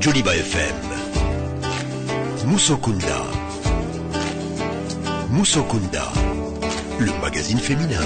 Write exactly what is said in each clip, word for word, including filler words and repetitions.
Joliba F M. Musokunda. Musokunda, le magazine féminin.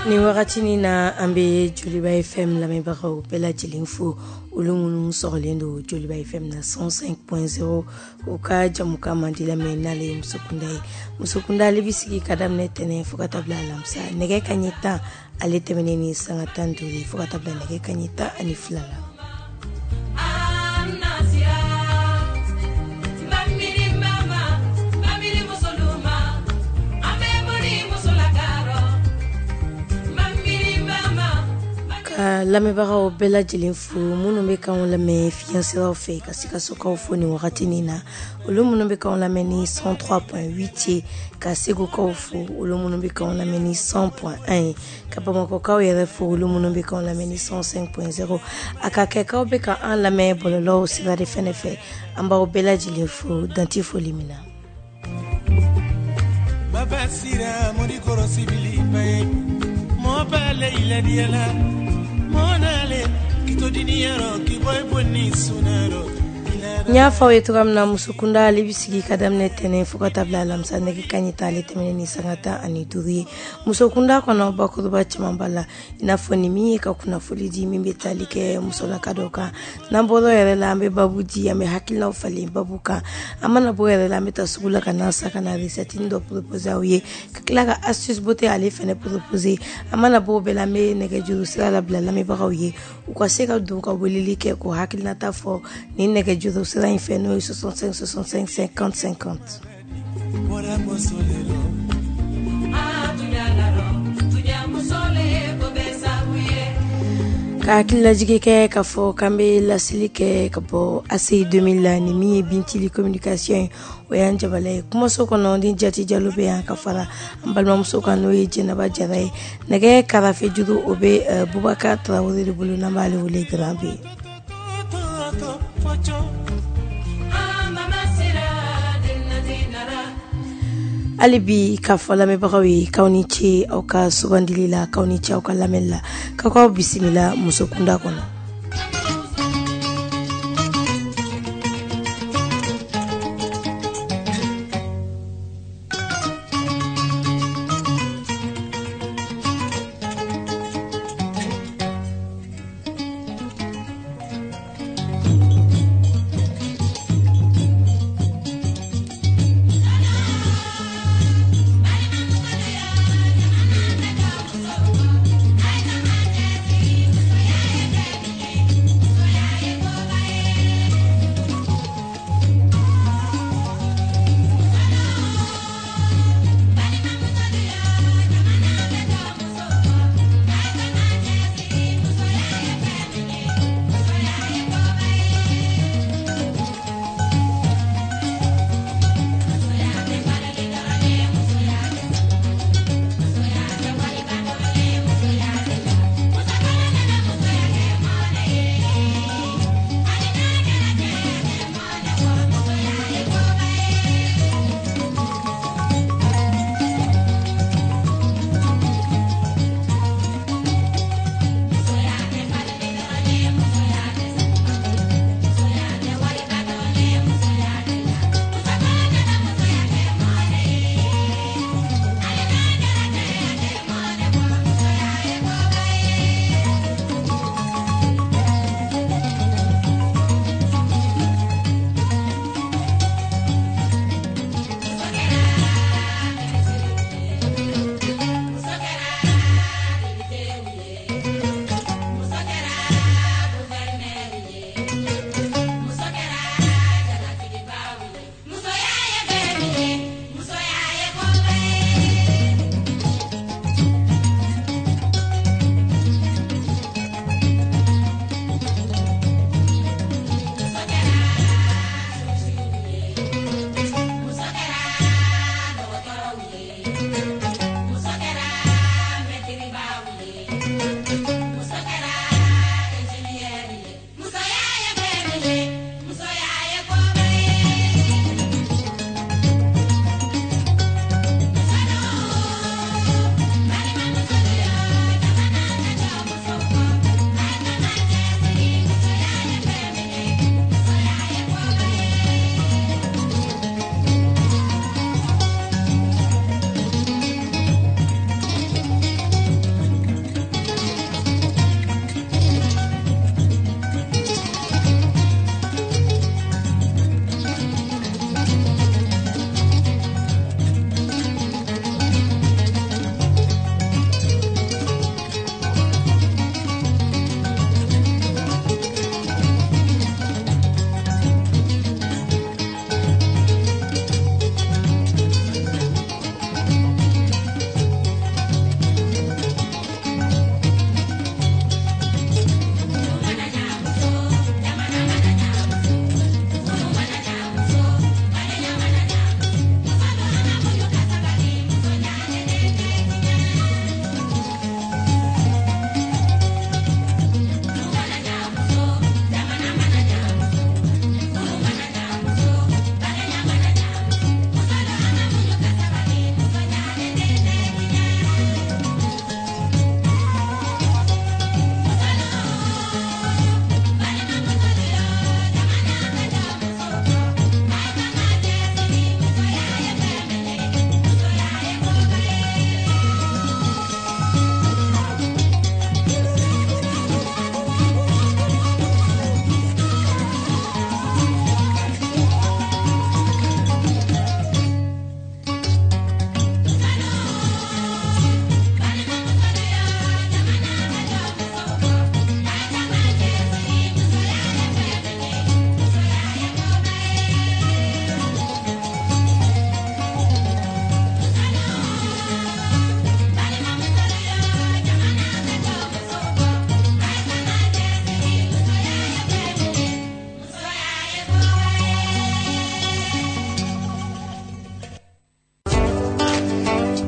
Ni wagati ni na an bɛ Joliba F M lamɛnbagaw bɛɛ lajɛlen fo, olu minnu sɔgɔlen don Joliba F M na cent cinq point zéro u ka jamukan mandi lamɛn n'ale ye Musokunda ye. Musokunda ale bɛ sigi ka daminɛ tɛnɛn fo ka taa bila alamisa nɛgɛ kanɲɛ tan ale tɛmɛnen ni sanga tan duuru fo ka taa bila nɛgɛ kanɲɛ tan ani fila la. Ka lamɛnbagaw bɛɛ lajɛlen fo minnu bɛ k'anw lamɛn fiɲɛsiraw fɛ ka Sikasokaw fo nin wagati nin na, olu minnu bɛ k'anw lamɛn ni cent trois point huit ye ka Segukaw fo, olu minnu bɛ k'anw lamɛn ni cent point un ye ka Bamakɔkaw yɛrɛ fo, olu minnu bɛ k'anw lamɛn ni cent cinq point zéro. A ka kɛ k'aw bɛ ka an lamɛn bɔlɔlɔw sira de fɛnɛ fɛ, an b'aw bɛɛ lajɛlen fo danti foli min na. Baba sira mori kɔrɔ sibili ba ye mɔ b'ale iladiyala. N y'a fɔ aw ye cogoya min na, Musokunda ale bɛ sigi ka daminɛ tɛnɛn fo ka taa bila alamisa nɛgɛ kanɲɛ tan ale tɛmɛnen ni sanga tan ani duuru ye. Musokunda kɔnɔ bakuruba caman b'a la, i n'a fɔ nin min ye ka kunnafoli di min bɛ tali kɛ musolaka dɔw kan. N'an bɔra yɛrɛ la, an bɛ babu di, an bɛ hakilinaw falen babu kan. An mana bɔ yɛrɛ la, an bɛ taa sugu la ka na sa ka na recette dɔ proposer aw ye, ka tila ka astuce beauté ale fɛnɛ proposer. An mana bɔ o bɛɛ la, an bɛ nɛgɛjuru sira labila lamɛnbagaw ye, u ka se ka don ka weleli kɛ k'o hakilinata fɔ ni nɛgɛjuru sira in fɛ, n'o ye soixante-cinq soixante-cinq cinquante cinquante. Ka hakililajigi kɛ k'a fɔ k'an bɛ laseli kɛ ka bɔ A C I deux mille la, ni min ye Bintili communication ye, o y'an jabala ye. Kumaso kɔnɔ ni Jati Jalo bɛ yan ka fara an balimamuso kan, n'o ye Jɛnɛba Jara ye. Nɛgɛ karafe juru o bɛ Bubakar Tarawele de bolo, n'an b'ale wele Grand B. Hali bi k'a fɔ lamɛnbagaw ye k'aw ni ce aw ka sugandili la, k'aw ni ce aw ka lamɛnni la, k'aw k'aw bisimila Musokunda kɔnɔ.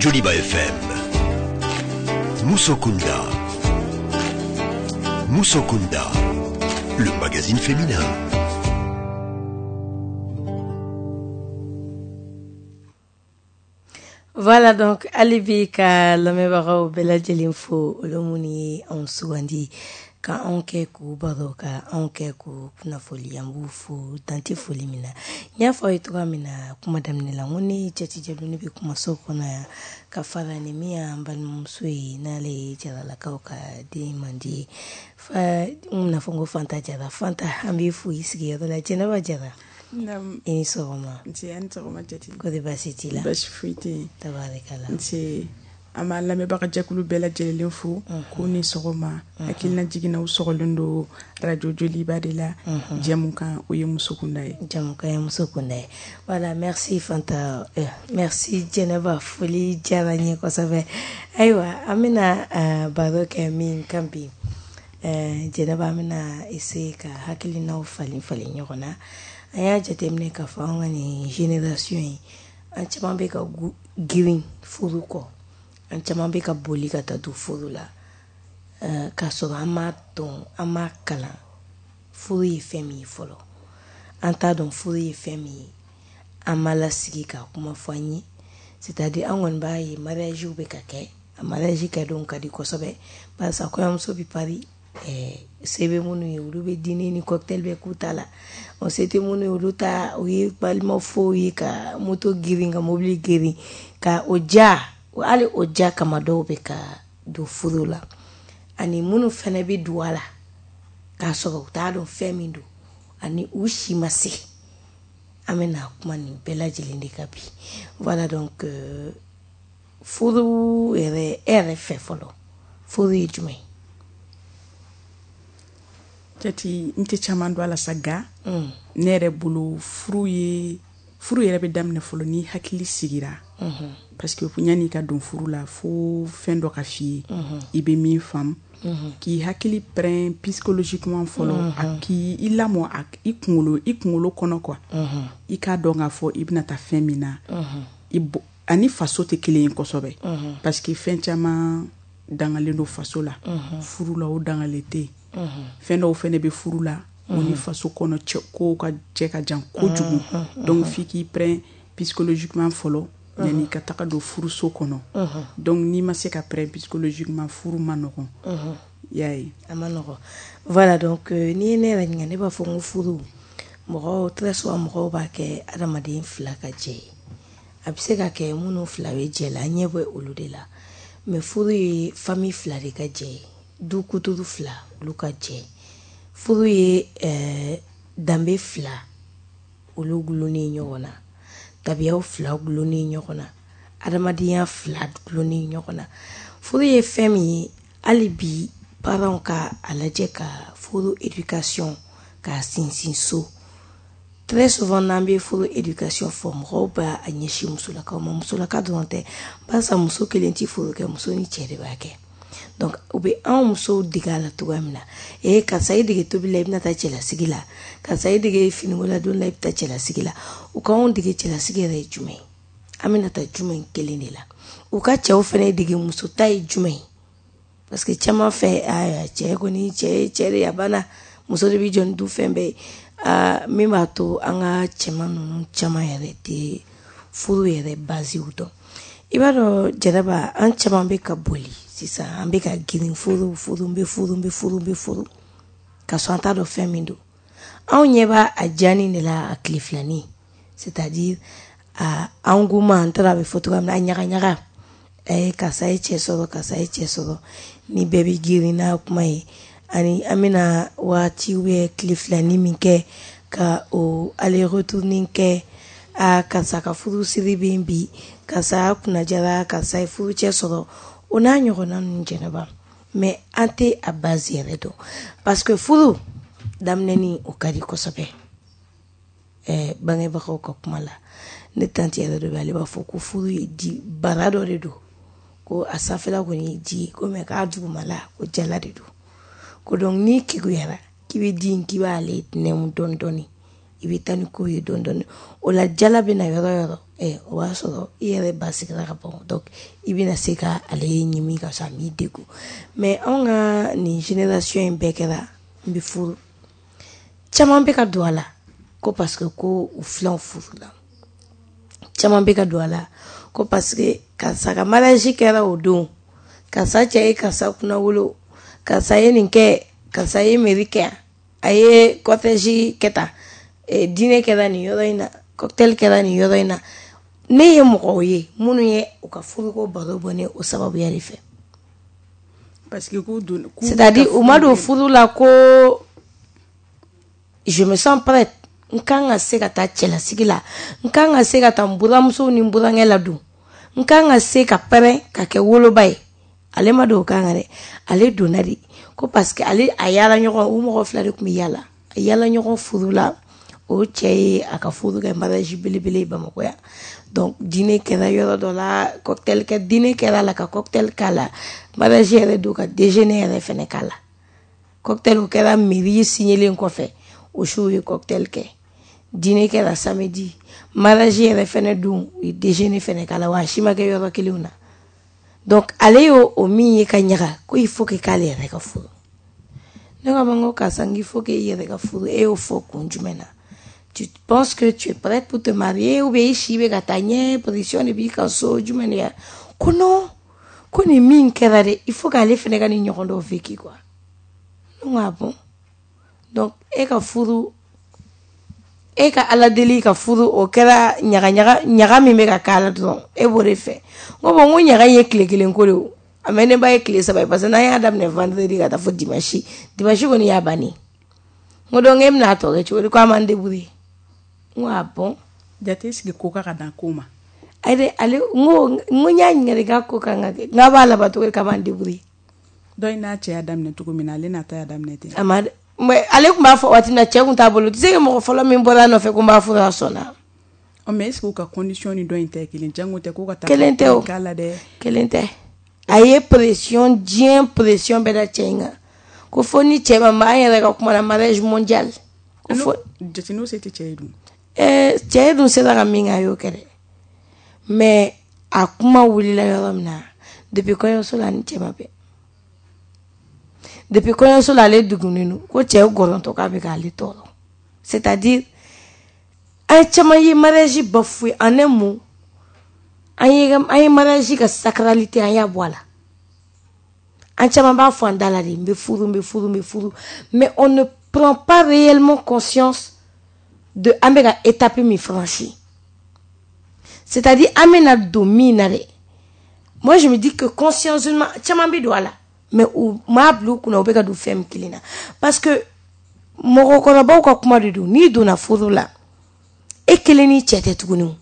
Joliba F M, Musokunda, Musokunda, le magazine féminin. Voilà donc hali bi ka lamɛnbagaw bɛɛ lajɛlen fo, olu minnu ye anw sugandi ka anw kɛ k'u baro, ka anw kɛ k'u kunnafoli, an b'u fo dan tɛ foli min na. N y'a fɔ aw ye cogoya min na kuma daminɛ la, n ko ne Jati Jalo, ne bɛ kumaso kɔnɔ yan ka fara ni min y'an balimamuso ye, n'ale ye Jaralakaw ka den mandi ye, fa n bɛna fɔ n ko Fanta Jara. Fanta, an b'i fo i sigiyɔrɔ la. Jɛnɛba Jara, i ni sɔgɔma. Nse, a ni sɔgɔma Jati. Ko di, baasi t'i la? Baasi foyi tɛ yen. Tabarikala. Nse, an b'an lamɛnbaga jɛkulu bɛɛ lajɛlen fo k'u ni sɔgɔma. Hakilina jiginna, u sɔgɔlen don radio Joliba de la. Jɛmukan, o ye muso kunda ye. Jɛmukan ye muso kunda ye. Voilà, merci Fanta, euh, merci Jɛnɛba, foli diyara n ye kosɛbɛ. Ayiwa, an bɛna uh, baro kɛ min kan bi, uh, Jɛnɛba, an bɛna essayer ka hakilinaw falen falen ɲɔgɔn na. An y'a jateminɛ k'a fɔ an ka nin génération ye, an caman bɛ ka girin furu kɔ, an caman bɛ ka boli ka taa don furu la uh, k'a sɔrɔ an m'a dɔn, an m'a kalan furu ye fɛn min ye fɔlɔ. An t'a dɔn furu ye fɛn min ye, an ma lasigi ka kuma fɔ an ye. C'est-à-dire an kɔni b'a ye mariage bɛ ka kɛ, a mariage kɛdenw ka di kosɛbɛ, barisa kɔɲɔmuso bɛ pari, ɛɛ se bɛ minnu ye, olu bɛ dîner ni cocktail bɛ k'u ta la. O se tɛ minnu ye, olu ta o ye balima fow ye, ka moto girin, ka mobili girin, ka o ja, hali o ja kama dɔw bɛ ka don furu la. Ani minnu fana bɛ don a la k'a sɔrɔ u t'a dɔn fɛn min don, ani u si ma se. An bɛna kuma nin bɛɛ lajɛlen de kan bi. Voilà donc euh, furu yɛrɛ, e yɛrɛ fɛ fɔlɔ, furu ye jumɛn ye? Jati, n tɛ caman dɔn a la sa, nka ne yɛrɛ bolo, furu ye, furu yɛrɛ bɛ daminɛ fɔlɔ ni hakili sigira, parce que yanni i ka don furu la, fo fɛn dɔ ka f'i ye i bɛ min faamu, k'i hakili prêt psychologiquement fɔlɔ, a k'i i lamɔ a i kunkolo i kunkolo kɔnɔ quoi, i k'a dɔn k'a fɔ i bɛna taa fɛn min na. I ani faso tɛ kelen ye kosɛbɛ, parce que fɛn caman dangalen don faso la, furu la o dangalen tɛ yen. Fɛn dɔw fɛnɛ bɛ furu la, o ni faso kɔnɔ cɛ kow ka cɛ ka jan kojugu. Donc f'i k'i prêt psychologiquement fɔlɔ yanni i ka taga don furuso kɔnɔ. Donc n'i ma se ka prêt psychologiquement, furu ma nɔgɔn, i y'a ye. A ma nɔgɔn. Voilà donc euh, n'i ye ne yɛrɛ ɲininka, ne b'a fɔ n ko furu, mɔgɔw, très souvent mɔgɔw b'a kɛ adamaden fila ka jɛ ye. A bɛ se ka kɛ minnu fila bɛ jɛ la, an ɲɛ bɛ olu de la, mais furu ye famille fila de ka jɛ ye, du kuturu fila olu ka jɛ. Furu ye ɛɛ danbe fila olu gulonnen ɲɔgɔn na, tabiyaw fila gulonnen ɲɔgɔn na, adamadenya fila gulonnen ɲɔgɔn na. Furu ye fɛn min ye, hali bi parents ka a lajɛ ka furu éducation k'a sinsin so. Très souvent n'an bɛ furu éducation fɔ, mɔgɔw b'a a ɲɛsin musolakaw ma. Musolaka dɔrɔn tɛ, barisa muso kelen tɛ furu kɛ, muso ni cɛ de b'a kɛ. Donc u bɛ anw musow dege a la cogoya min na, ee karisa i dege tobili la, i bɛna taa cɛlasigi la, karisa i dege finiko la don la, i bɛ taa cɛlasigi la. U k'anw dege cɛlasigi yɛrɛ ye jumɛn ye, an bɛna taa jumɛn kelen de la. U ka cɛw fana dege muso ta ye jumɛn ye, parce que caman fɛ, aa cɛ kɔni, cɛ ye cɛ de ye, a banna, muso de bɛ jɔ ni du fɛn bɛɛ ye. Aa min b'a to an ka cɛman ninnu caman yɛrɛ tɛ furu yɛrɛ basew dɔn. I b'a dɔn Jɛnɛba, an caman bɛ ka boli sisan, an bɛ ka girin furu, furu, n bɛ furu, n bɛ furu, n bɛ furu, ka sɔrɔ an t'a dɔn fɛn min don. Anw ɲɛ b'a a diyanin de la, a tile filanin, c'est-à-dire a engouement, an taara a bɛ fɔ cogoya min na, a ɲaga ɲaga, ɛɛ karisa ye cɛ sɔrɔ, karisa ye cɛ sɔrɔ, ni bɛɛ bɛ girin n'a kuma ye. Ani an bɛna waati ou tile filanin min kɛ ka o aller retour kɛ, a karisa ka furu siri bɛ yen bi, karisa kunnajara, karisa ye furu cɛ sɔrɔ, o n'a ɲɔgɔnna ninnu. Jɛnɛba, mais an tɛ a base yɛrɛ dɔn, parce que furu daminɛni o ka di kosɛbɛ. Ɛɛ bangebagaw ka kuma la, ne tante yɛrɛ dɔ bɛ, ale b'a fɔ ko furu ye di bara dɔ de don, ko a sanfɛla kɔni ye di ye ko, mais k'a dugumala ko jala de don, ko donc n'i keguyara k'i bɛ di in, k'i b'ale nɛmu dɔɔni dɔɔni, i bɛ taa ni ko ye dɔɔni dɔɔni, o la jala bɛ na yɔrɔ yɔrɔ, ɛ o b'a sɔrɔ i yɛrɛ ba sigira ka ban. Donc i bɛna se ka ale ɲimi ka sɔrɔ a m'i degun. Mais anw ka nin génération in bɛɛ kɛra n bɛ furu, caman bɛ ka don a la ko parce que ko u filanw furu la, caman bɛ ka don a la Ko parce que karisa ka mariage kɛra o don, karisa cɛ ye karisa kunna wolo, karisa ye nin kɛ, karisa ye mairie kɛ, a ye cortège kɛ tan, dîner kɛra nin yɔrɔ in na, cocktail kɛra nin yɔrɔ in na. Ne ye mɔgɔw ye minnu ye u ka furuko baro bɔ ne o sababuya de fɛ. Parce que k'u don, c'est-à-dire u ma don furu la ko je me sens prête, n kan ka se ka taa cɛlasigi la, n kan ka se ka taa n buramuso ni n burankɛ ladon, n kan ka se ka pɛrɛn ka kɛ woloba ye. Ale ma don o kan kan dɛ, ale donna de ko parce que ale a yaala ɲɔgɔn, u mɔgɔ fila de tun bɛ yaala, a yaala ɲɔgɔn furu la. O cɛ ye a ka furu kɛ mariage belebele ye Bamakɔ yan. Donc dîner kɛra yɔrɔ dɔ la, cocktail kɛ, dîner kɛra la ka cocktail k'a la, mariage yɛrɛ don ka déjeuner yɛrɛ fɛnɛ k'a la. Cocktail o kɛra mairie signelen kɔfɛ, o su ye cocktail kɛ. Dîner kɛra samedi, mariage yɛrɛ fɛnɛ don, u ye déjeuner fɛnɛ k'a la, wa a si ma kɛ yɔrɔ kelenw na. Donc ale y'o o min ye ka ɲaga, ko il faut que k'ale yɛrɛ ka furu. Ne ko a ma, n ko karisa, n k'i faut que i yɛrɛ ka furu, e y'o fɔ kun jumɛn na? Tu penses que tu es prête pour te marier ou bien i si bɛ ka taa ɲɛ, pression de b'i kan so jumɛn de ya? Ko non, ko nin min kɛra dɛ, il faut k'ale fɛnɛ ka nin ɲɔgɔn dɔ vécu quoi. Ne ko ah bon, donc e ka furu, e ka Ala deli ka furu, o kɛra ɲaga ɲaga ɲaga min bɛ ka k'a la dɔrɔn, e b'o de fɛ. N ko bon, n ko ɲaga in ye tile kelen ko de o, a mɛ ne ba ye tile saba ye, parce que n'an y'a daminɛ vendredi ka taa fo dimanche, dimanche kɔni y'a bannen. N ko donc e bɛna a tɔ kɛ cogo di? Ko a m'an débrouiller. N ko ah bon. Jate sigi ko ka ka dan ko ma. Ayi dɛ, ale n ko n ko n y'a ɲininka de k'a ko kan ka kɛ, n k'a b'a laban cogo di k'a b'an débrouiller. Dɔ in n'a cɛ y'a daminɛ cogo min na, ale n'a ta y'a daminɛ ten. A ma mais ale tun b'a fɔ waati min na cɛ tun t'a bolo, tu sais que mɔgɔ fɔlɔ min bɔra a nɔfɛ ko n b'a furu, a sɔnna. Ɔ mais est ce que u ka condition ni dɔ in tɛ kelen? Jango tɛ ko ka taa Kelen tɛ o. k'a la dɛ. Kelen tɛ. A ye pression, diɲɛ pression bɛɛ da cɛ in kan, ko fo ni cɛ ma, an yɛrɛ ka kuma na, mariage mondial. Ko fo jate n'o se tɛ cɛ ye dun. Ɛɛ cɛ dun sera ka min kɛ, a y'o kɛ dɛ. Mais a kuma wulila yɔrɔ min na, depuis kɔɲɔso la, ni cɛ ma bɛn. Depuis kɔɲɔso la, ale dugunnen don ko cɛ gɔrɔntɔ k'a bɛ k'ale tɔɔrɔ. C'est-à-dire an caman ye mariage bafoué en un mot, an ye an ye mariage ka sacralité an y'a bɔ a la. An caman b'a fɔ an da la de, n bɛ furu, n bɛ furu, n bɛ furu, mais on ne prend pas réellement conscience de an bɛ ka étape min franchi, c'est-à-dire an bɛna don min na dɛ. Moi je me dis que consciencement caman bɛ don a la, mais u m'a bila u kunna u bɛ ka don fɛn min kelen na, parce que mɔgɔkɔrɔbaw ka kuma de don. N'i donna furu la, e kelen ni cɛ tɛ tuguni o.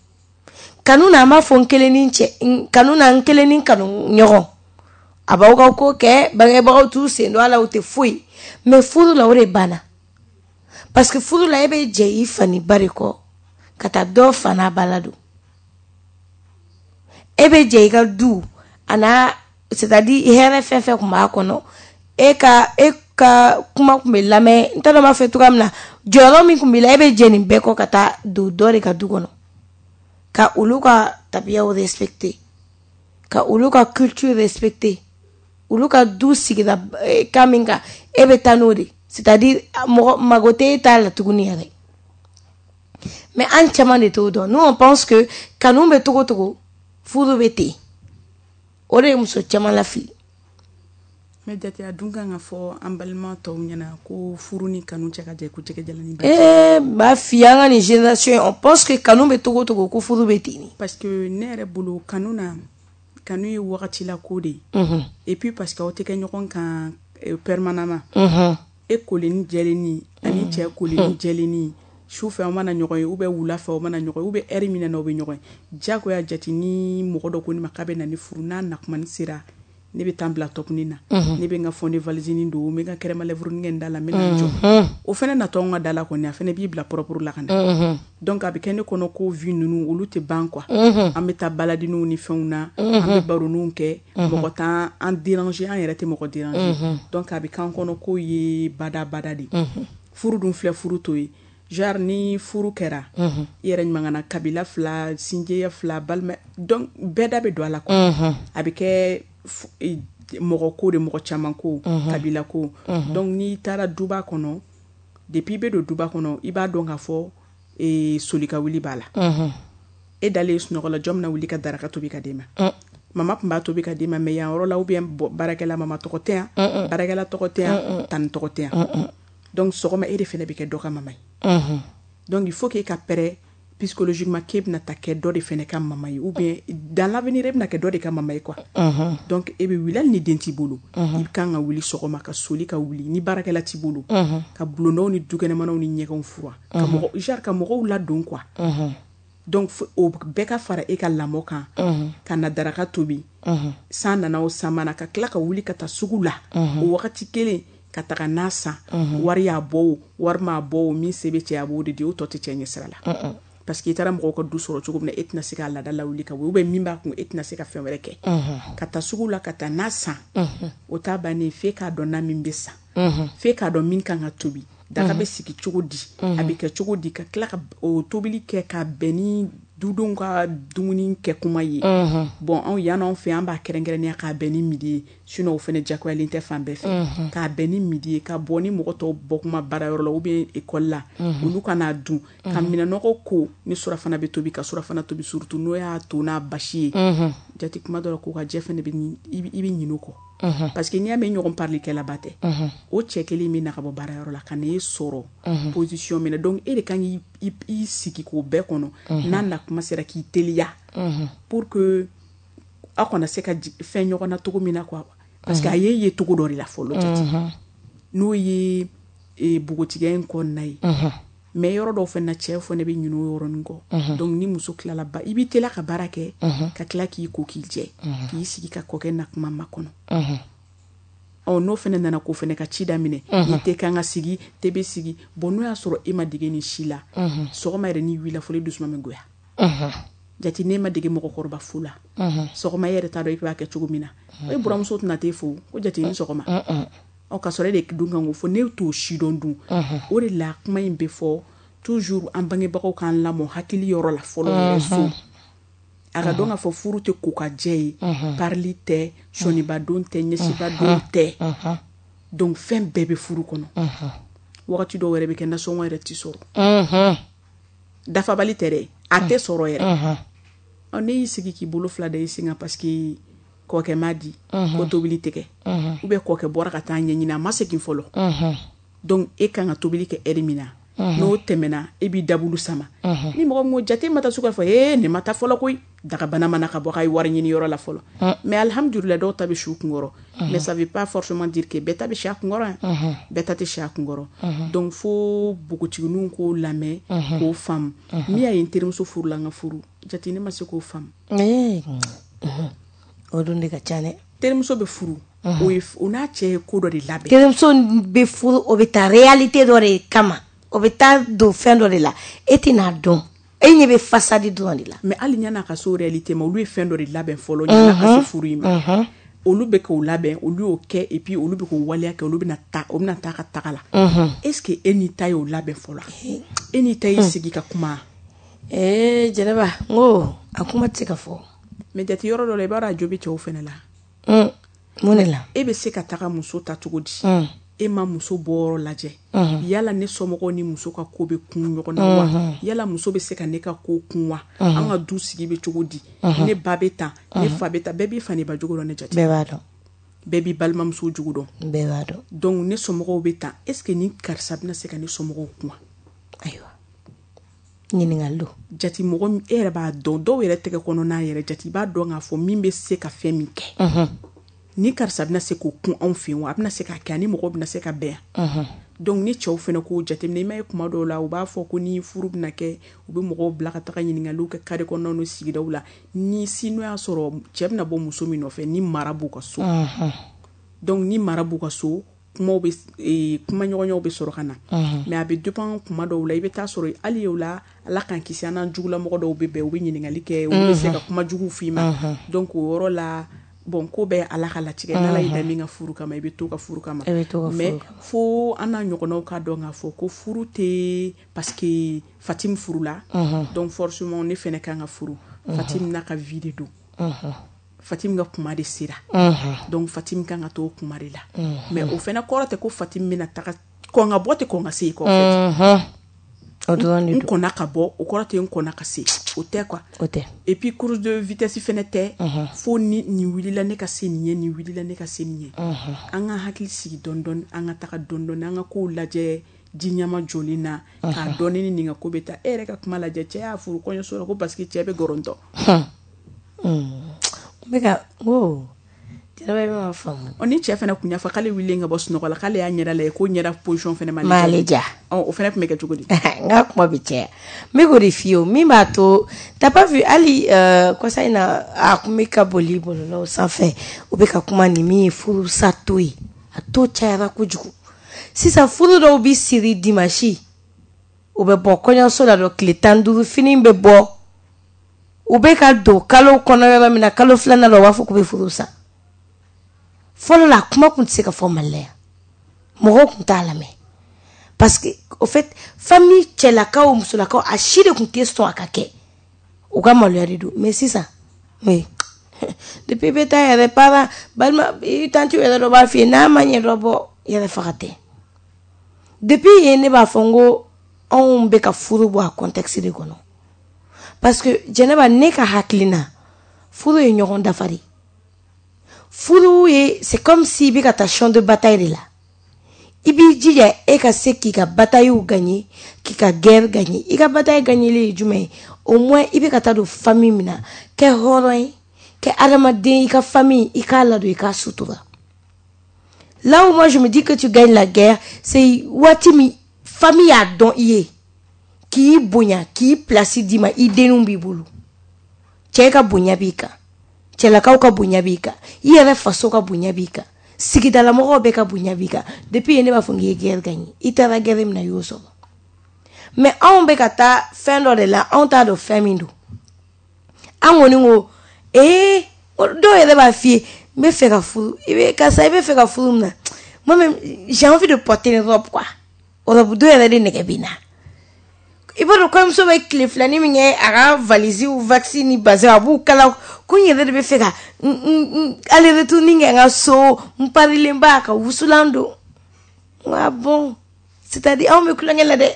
Kanu na, an b'a fɔ n kelen ni cɛ, kanu na, n kelen ni kanu ɲɔgɔn, a b'aw ka ko kɛ, bangebagaw t'u sen don a la, u tɛ foyi. Mais furu la, o de banna, parce que furu la, e bɛ jɛ i fa ni ba de kɔ ka taa dɔ fa n'a ba la don. E bɛ jɛ i ka du a n'a, c'est-à-dire hɛrɛ fɛn fɛn tun b'a kɔnɔ, e ka e ka kuma tun bɛ lamɛn, n t'a dɔn n b'a fɔ cogoya min na, jɔyɔrɔ min tun b'i la, e bɛ jɛ nin bɛɛ kɔ ka taa don dɔ de ka du kɔnɔ, ka olu ka tabiyaw respecter, ka olu ka culture respecter, olu ka du sigira kan min kan, e bɛ taa n'o de, c'est-à-dire mɔgɔ mago tɛ e t'a la tuguni yɛrɛ. Mais an caman de t'o dɔn. Nous on pense que kanu bɛ togo togo, furu bɛ ten. O de ye muso caman lafili. Mais jate a dun kan ka fɔ an balima tɔw ɲɛna ko furu ni kanu cɛ ka jan ko jɛgɛ jalan ni ba. Eh, b'a f'i ye, an ka nin génération, on pense que kanu bɛ togo togo ko furu bɛ ten. Parce que ne yɛrɛ bolo, kanu na, kanu ye wagati la ko de ye. Et puis parce que aw tɛ kɛ ɲɔgɔn kan permanemment. E kolen ni jɛlenni ani cɛ kolen ni jɛlenni, su fɛ aw mana ɲɔgɔn ye ou bien wula fɛ aw mana ɲɔgɔn ye ou bien heure min na aw bɛ ɲɔgɔn ye, diyagoya jate ni mɔgɔ dɔ ko ne ma k'a bɛ na ni furu, n'a nakumani sera, ne bɛ taa bila tɔpuni na, ne bɛ n ka fond de valise don, n bɛ n ka crème à lèvres kɛ n da la, n bɛ na n jɔ. O fɛnɛ natɔ n ka da la kɔni, a fɛnɛ b'i bila propre la ka na. Donc a bɛ kɛ ne kɔnɔ ko vie ninnu olu tɛ ban quoi. An bɛ taa baladiniw ni fɛnw na, an bɛ baroniw kɛ, mɔgɔ t'an an déranger, an yɛrɛ tɛ mɔgɔ déranger. Donc a bɛ k'an kɔnɔ k'o ye bada bada de. Furu dun filɛ, furu to ye. Genre ni furu kɛra, i yɛrɛ ɲuman kana kabila fila, sinjiya fila, balima, donc bɛɛ da bɛ don a la quoi. A bɛ kɛ mɔgɔ ko de, mɔgɔ caman ko, kabila ko. Donc n'i taara duba kɔnɔ, depuis i bɛ don duba kɔnɔ, i b'a dɔn k'a fɔ soli ka wuli b'a la. E dalen sunɔgɔ la, jɔn bɛna wuli ka daraka tobi ka d'e ma? Mama tun b'a tobi ka d'e ma, mais yan yɔrɔ la, ou bien baarakɛla mama tɔgɔ tɛ yan, baarakɛla tɔgɔ tɛ yan, tani tɔgɔ tɛ yan. Donc sɔgɔma e de fana bɛ kɛ dɔ ka mama ye. Donc il faut que e ka prêt psychologiquement k'e bɛna ta kɛ dɔ de fana ka mama ye, ou bien dans l'avenir e bɛna kɛ dɔ de ka mama ye quoi. Donc e bɛ wuli, hali ni den t'i bolo, i kan ka wuli sɔgɔma ka soli ka wuli, ni baarakɛla t'i bolo, ka bulondaw ni dukɛnɛmanaw ni ɲɛgɛnw furan, ka mɔgɔ genre ka mɔgɔw ladon quoi. Donc o bɛɛ ka fara e ka lamɔ kan, ka na daraka tobi, san nana o san mana, ka tila ka wuli ka taa sugu la o wagati kelen ka taga n'a san, wari y'a bɔ o wari m'a bɔ o, min se bɛ cɛ a b'o de di, o tɔ tɛ cɛ ɲɛ sira la. Parce que i taara mɔgɔw ka du sɔrɔ cogo min na, e tɛna se k'a laada lawuli ka bɔ, ou bien min b'a kun, e tɛna se ka fɛn wɛrɛ kɛ. Ka taa sugu la ka taa n'a san, o t'a bannen, f'e k'a dɔn na min bɛ san, f'e k'a dɔn min kan ka tobi, daga bɛ sigi cogo di, a bɛ kɛ cogo di, ka tila ka o tobili kɛ ka bɛn ni dudenw ka dumuni kɛ kuma ye. Bon, anw yan anw fɛ, an b'a kɛrɛnkɛrɛnnenya k'a bɛn ni midi ye, sinon o fana diyagoyalen tɛ fan bɛɛ fɛ, k'a bɛn ni midi ye, ka bɔ ni mɔgɔ tɔw bɔ kuma baarayɔrɔ la ou bien école la, olu ka n'a dun, ka minɛnɔgɔ ko ni surafana bɛ tobi, ka surafana tobi, surtout n'o y'a to n'a basi ye. Jate kuma dɔ la, ko ka jɛ fana bɛ i bɛ ɲinɛ o kɔ, parce que n'i y'a mɛn ɲɔgɔn parlikɛlaba tɛ, o cɛ kelen min na ka bɔ baarayɔrɔ la ka n'e sɔrɔ position min na, donc e de kan k'i sigi k'o bɛɛ kɔnɔ, n'a na kuma sera k'i teliya pour que aw kana se ka fɛn ɲɔgɔn na cogo min na quoi. Parce que a ye ye cogo dɔ de la fɔlɔ, jate n'o ye npogotigiya in kɔnɔna ye. Mais yɔrɔ dɔw fana na, cɛ fana bɛ ɲinɛ o yɔrɔnin kɔ. Donc ni muso tilala ba, i b'i teliya ka baara kɛ, ka tila k'i ko k'i jɛ, k'i sigi ka kɔkɛ na kuma makɔnɔ. Ɔ n'o fana nana k'o fana ka ci daminɛ, ni tɛ kan ka sigi, te bɛ sigi. Bon, n'o y'a sɔrɔ e ma dege nin si la, sɔgɔma yɛrɛ n'i wulila fɔlɔ, i dusu bɛ goya. Jate n'e ma dege mɔgɔkɔrɔba fo la, sɔgɔma e yɛrɛ t'a dɔn i b'a kɛ cogo min na. E buramuso tɛna t'e fo ko jate ni sɔgɔma. Ɔ ka sɔrɔ e de dun kan k'o fɔ, ne t'o si dɔn dun. O de la kuma in bɛ fɔ toujours, an bangebagaw k'an lamɔ hakili yɔrɔ la fɔlɔ yɛrɛ so. A ka dɔn k'a fɔ furu tɛ ko ka jɛ ye, parili tɛ, sɔnibadon tɛ, ɲɛsibadon tɛ. Donc fɛn bɛɛ bɛ furu kɔnɔ. Wagati dɔw yɛrɛ bɛ kɛ nasɔngɔ yɛrɛ ti sɔrɔ. Dafabali tɛ dɛ, a tɛ sɔrɔ yɛrɛ. Ɔ ne y'i sigi k'i bolo fila da i sen kan parce que kɔkɛ ma di, ko tobili tɛ kɛ, ou bien kɔkɛ bɔra ka taa ɲɛɲini, a ma segin fɔlɔ. Donc e kan ka tobili kɛ heure min na, n'o tɛmɛna, e b'i dabulu sama. Ni mɔgɔ min ko jate ma taa sugu la, fɔ ee nin ma taa fɔlɔ koyi, dagabana mana ka bɔ k'a ye wari ɲini yɔrɔ la fɔlɔ. Mais alhamdulillah, dɔw ta bɛ si u kunkɔrɔ, mais ça veut pas forcément dire que bɛɛ ta bɛ si a kunkɔrɔ, bɛɛ ta tɛ si a kunkɔrɔ. Donc fo npogotigininw k'o lamɛn, k'o faamu. Min y'a ye n terimuso furula, n ka furu jate ne ma se k'o faamu. O dun de ka ca dɛ. Terimuso bɛ furu, o ye o n'a cɛ ye ko dɔ de labɛn. Terimuso bɛ furu, o bɛ taa réalité dɔ de kama, o bɛ taa don fɛn dɔ de la, e tɛna dɔn, e ɲɛ bɛ façade dɔrɔn de la. Mais hali ɲan'a ka se o réalité ma, olu ye fɛn dɔ de labɛn fɔlɔ ɲan'a ka se furu in ma. Olu bɛ k'o labɛn, olu y'o kɛ, et puis olu bɛ k'o waleya kɛ, olu bɛna taa, o bɛna taa ka taga la. Est ce que e n'i ta y'o labɛn fɔlɔ? E n'i ta y'i sigi ka kuma? Ee Jɛnɛba, n ko a kuma tɛ se ka fɔ. Mais jate yɔrɔ dɔ la, i b'a dɔn a jo bɛ cɛw fana la. Mun de la? E bɛ se ka taga muso ta cogo di? E ma muso bɔyɔrɔ lajɛ. Yala ne somɔgɔw ni muso ka ko bɛ kun ɲɔgɔn na wa? Yala muso bɛ se ka ne ka ko kun wa? An ka du sigi bɛ cogo di? Ne ba bɛ tan, ne fa bɛ tan, bɛɛ b'i fa n'i ba jogo dɔn ne jate. Bɛɛ b'a dɔn. Bɛɛ b'i balimamuso jogo dɔn. Bɛɛ b'a dɔn. Donc ne somɔgɔw bɛ tan, est ce que ni karisa bɛna se ka ne somɔgɔw kun wa? Ayiwa, ɲininkali don. Jate mɔgɔ e yɛrɛ b'a dɔn, dɔw yɛrɛ tɛgɛ kɔnɔna yɛrɛ jate i b'a dɔn k'a fɔ min bɛ se ka fɛn min kɛ. Ni karisa bɛna se k'o kun anw fɛ yen wa, a bɛna se k'a kɛ, ani mɔgɔw bɛna se ka bɛn yan. Donc ni cɛw fana k'o jateminɛ, i m'a ye kuma dɔw la u b'a fɔ ko ni furu bɛna kɛ, u bɛ mɔgɔw bila ka taga ɲininkaliw kɛ carré kɔnɔnaw ni sigidaw la, ni si n'o y'a sɔrɔ cɛ bɛna bɔ muso min nɔfɛ, ni mara b'u ka so. Donc ni mara b'u ka so, kumaw bɛ kuma ɲɔgɔnyaw bɛ sɔrɔ ka na. Mais a bɛ dépend kuma dɔw la, i bɛ taa sɔrɔ hali o la, Ala k'an kisi, an n'an jugulamɔgɔ dɔw bɛ bɛn, u bɛ ɲininkali kɛ, olu bɛ se ka kuma juguw f'i ma. Donc o yɔrɔ la, bon, ko bɛɛ Ala ka latigɛ, n'Ala y'i da min ka furu kama, i bɛ to ka furu kama. Mais fo an n'a ɲɔgɔnnaw ka dɔn k'a fɔ ko furu tɛ parce que Fatim furula, donc forcément ne fana kan ka furu. Fatim n'a ka vie de don. Fatim ka kuma de sera. Donc Fatim kan ka to kuma de la. Mais o fana kɔrɔ tɛ ko Fatim bɛna taga kɔn ka bɔ tɛ kɔn ka se yen kɔ. O dɔrɔn de n don. Kɔnna ka bɔ, o kɔrɔ tɛ n kɔnna ka se, o tɛ quoi. O tɛ. Et puis course de vitesse fɛnɛ tɛ, fo ni nin wulila ne ka se nin ye, nin wulila ne ka se nin ye. An ka hakili sigi dɔɔni dɔɔni, an ka taga dɔɔni dɔɔni, an ka kow lajɛ ji ɲama jɔlen na k'a dɔn ne ni nin ka ko bɛ taa. E yɛrɛ ka kuma lajɛ, cɛ y'a furu kɔɲɔso la ko parce que cɛ bɛ gɔrɔntɔ. N bɛ ka n ko Jɛnɛba, i bɛ ma faamu. Ɔ, ni cɛ fɛnɛ kun y'a fɔ k'ale wulilen ka bɔ sunɔgɔ la, k'ale y'a ɲɛda lajɛ ko ɲɛda position fɛnɛ m'ale diya. Ɔ, o fɛnɛ tun bɛ kɛ cogo di? N ka kuma bɛ caya, n bɛ k'o de f'i ye. O min b'a to, t'as pas vu hali euh, kɔsa in na, a kun bɛ ka boli bɔlɔlɔw sanfɛ, u bɛ ka kuma ni min ye, furusa to ye, a to cayara kojugu. Sisan furu dɔw bɛ siri dimanche, u bɛ bɔ kɔɲɔso la dɔrɔn, tile tan ni duuru fini bɛ bɔ, u bɛ ka don kalo kɔnɔ yɔrɔ min na, kalo filanan la, u b'a fɔ k'u bɛ furu sa. Fɔlɔ la, kuma kun tɛ se ka fɔ Mali la yan, mɔgɔw kun t'a lamɛn parce que au fait famille cɛlakaw, musolakaw, a si de kun tɛ sɔn a ka kɛ, u ka maloya de don. Mais sisan, mais depuis i bɛ taa yɛrɛ, parent, balima, i tantie yɛrɛ dɔ b'a f'i ye n'a ma ɲɛ dɔ bɔ yɛrɛ faga tɛ. Depuis yen, ne b'a fɔ n ko anw bɛ ka furu bɔ a contexte de kɔnɔ, parce que Jɛnɛba, ne ka hakilina, furu ye ɲɔgɔn dafa de. Furu ye, c'est comme si i bɛ ka taa champ de bataille de la, i b'i jija e ka se k'i ka bataille gagner, k'i ka guerre gagner. I ka bataille gagner ye jumɛn ye? Au moins i bɛ ka taa don famille min na, kɛ hɔrɔn ye, kɛ adamaden, i ka famille i k'a ladon, i k'a sutura. Là où moi je me dis que tu gagnes la guerre, c'est waati min famille y'a dɔn i ye, k'i bonya, k'i place d'i ma, i denninw b'i bolo, cɛ ka bonya b'i kan, cɛlakaw ka bonya b'i kan, i yɛrɛ faso ka bonya b'i kan, sigidalamɔgɔw bɛɛ ka bonya b'i kan. Depuis yen, ne b'a fɔ k'i ye guerre gagner. I taara guerre min na, i y'o sɔrɔ. Mais anw bɛ ka taa fɛn dɔ de la, anw t'a dɔn fɛn min don. An kɔni ko ee, dɔw yɛrɛ b'a f'i ye n bɛ fɛ ka furu, i bɛ karisa, i bɛ fɛ ka furu min na, moi même j'ai envie de porter une robe quoi. Robe dɔ yɛrɛ de nɛgɛ bɛ n na. I b'a dɔn kɔɲɔmuso bɛ tile filanin min kɛ a ka valise wax ni bazin, a b'u kala ko n yɛrɛ de bɛ fɛ ka n aller retour ni kɛ n ka so, n parilen ba ka wusulan don. N ko ah bon, c'est à dire anw bɛ kulonkɛ la dɛ.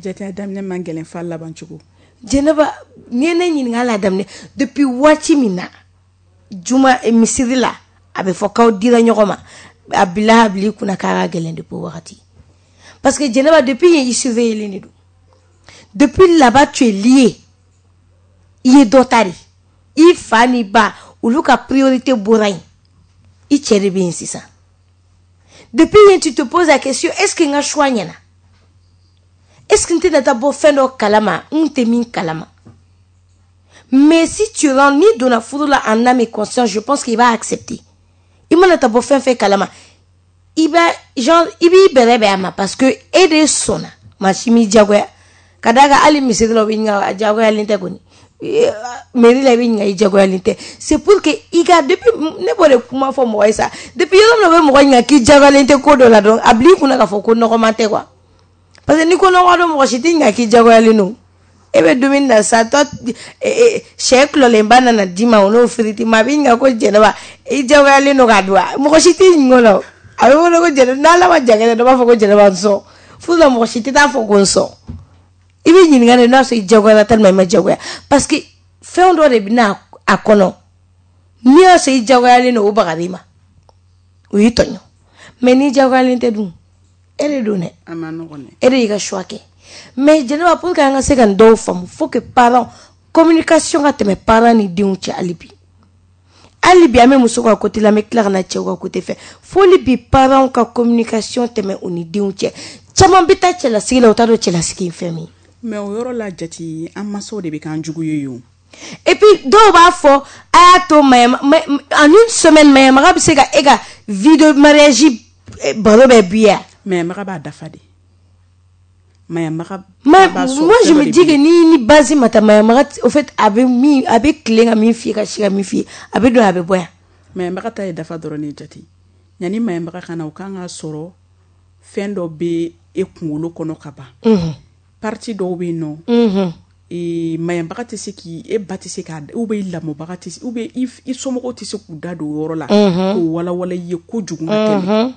Jate, a daminɛ man gɛlɛn f'a laban cogo. Jɛnɛba, n'i ye ne ɲininka la daminɛ, depuis waati min na juma misiri la a bɛ fɔ k'aw dira ɲɔgɔn ma, a bila a bila i kunna k'a ka gɛlɛn depuis o wagati, parce que Jɛnɛba, depuis yen i surveiller de don. Depuis là-bas tu es lié, i ye dɔ ta de, i fa ni ba olu ka priorité bɔra yen, i cɛ de bɛ yen sisan. Depuis yen, tu te poses la question: est-ce que n ka choix ɲɛna? Est-ce que n tɛna taa bɔ fɛn dɔ kalama n tɛ min kalama? Mais si tu rentres, n'i donna furu la en âme et conscience, je pense qu'il va accepter. I mana taa bɔ fɛn fɛn kalama, i b'a genre i b'i bɛrɛ bɛn a ma, parce que e de sɔnna, maa si m'i diyagoya. Ka d'a kan hali misiri la, u bɛ ɲininka, a diyagoyalen tɛ kɔni. Mairie la, i bɛ ɲininka, i diyagoyalen tɛ. C'est pour que i ka, depuis ne b'o de kuma fɔ mɔgɔ ye sa, depuis yɔrɔ min na u bɛ mɔgɔ ɲininka k'i diyagoyalen tɛ ko dɔ la dɔrɔn, a bil'i kunna k'a fɔ ko nɔgɔman tɛ quoi, parce que ni ko nɔgɔ don, mɔgɔ si t'i ɲininka k'i diyagoyalen don. E bɛ dumuni na sa tɔ, sɛ kulɔlenba nana d'i ma, o n'o firiti ma, a b'i ɲininka ko Jɛnɛba, i diyagoyalen don k'a dun wa? Mɔgɔ si t'i ɲininka o la. A bɛ wele ko Jɛnɛba, n'Ala ma jan kɛ, dɔ b'a fɔ ko Jɛnɛba n sɔn. Furu la, mɔgɔ si tɛ taa fɔ ko n sɔn. I bɛ ɲininka de n'a sɔrɔ i diyagoyara tellement i ma diyagoya, parce que fɛn dɔ de bɛ na a kɔnɔ. N'i y'a sɔrɔ i diyagoyalen don, o bagar'i ma, o y'i tɔɲɔ. Mais n'i diyagoyalen tɛ dun, e de don dɛ. A ma nɔgɔn dɛ. E de y'i ka choix kɛ. Mais Jɛnɛba, pour que an ka se ka nin dɔw faamu, faut que parents, communication ka tɛmɛ parents ni denw cɛ. Hali bi, hali bi an bɛ muso ka côté la, an bɛ tila ka na cɛw ka côté fɛ. Fo bi parents ka communication tɛmɛ u ni denw cɛ. Caman bɛ taa cɛlasigi la, u t'a dɔn cɛlasigi ye fɛn min ye. Mais o yɔrɔ la, jate, an mansaw de bɛ k'an jugu ye yen. Et puis dɔw b'a fɔ a y'a to mayama, en une semaine mayamaga bɛ se ka e ka vie de mariage baro bɛɛ bi yan. Mayamaga b'a dafa de. Mayamaga. Mais moi je me dis que ni ni base ma ta mayamaga, au fait a bɛ min, a bɛ tilen ka min f'i ye, ka si ka min f'i ye, a bɛ don, a bɛ bɔ yan. Mayamaga ta ye dafa dɔrɔn de, jate. Yanni mayamaga ka na, o kan ka sɔrɔ fɛn dɔ bɛ e kunkolo kɔnɔ ka ban. Partie dɔw bɛ yen nɔ, ee, maɲabaga tɛ se k'i, e ba tɛ se k'a, ou bien i lamɔbaga tɛ se, ou bien i somɔgɔw tɛ se k'u da don o yɔrɔ la k'o walawala i ye kojugu ka tɛmɛ.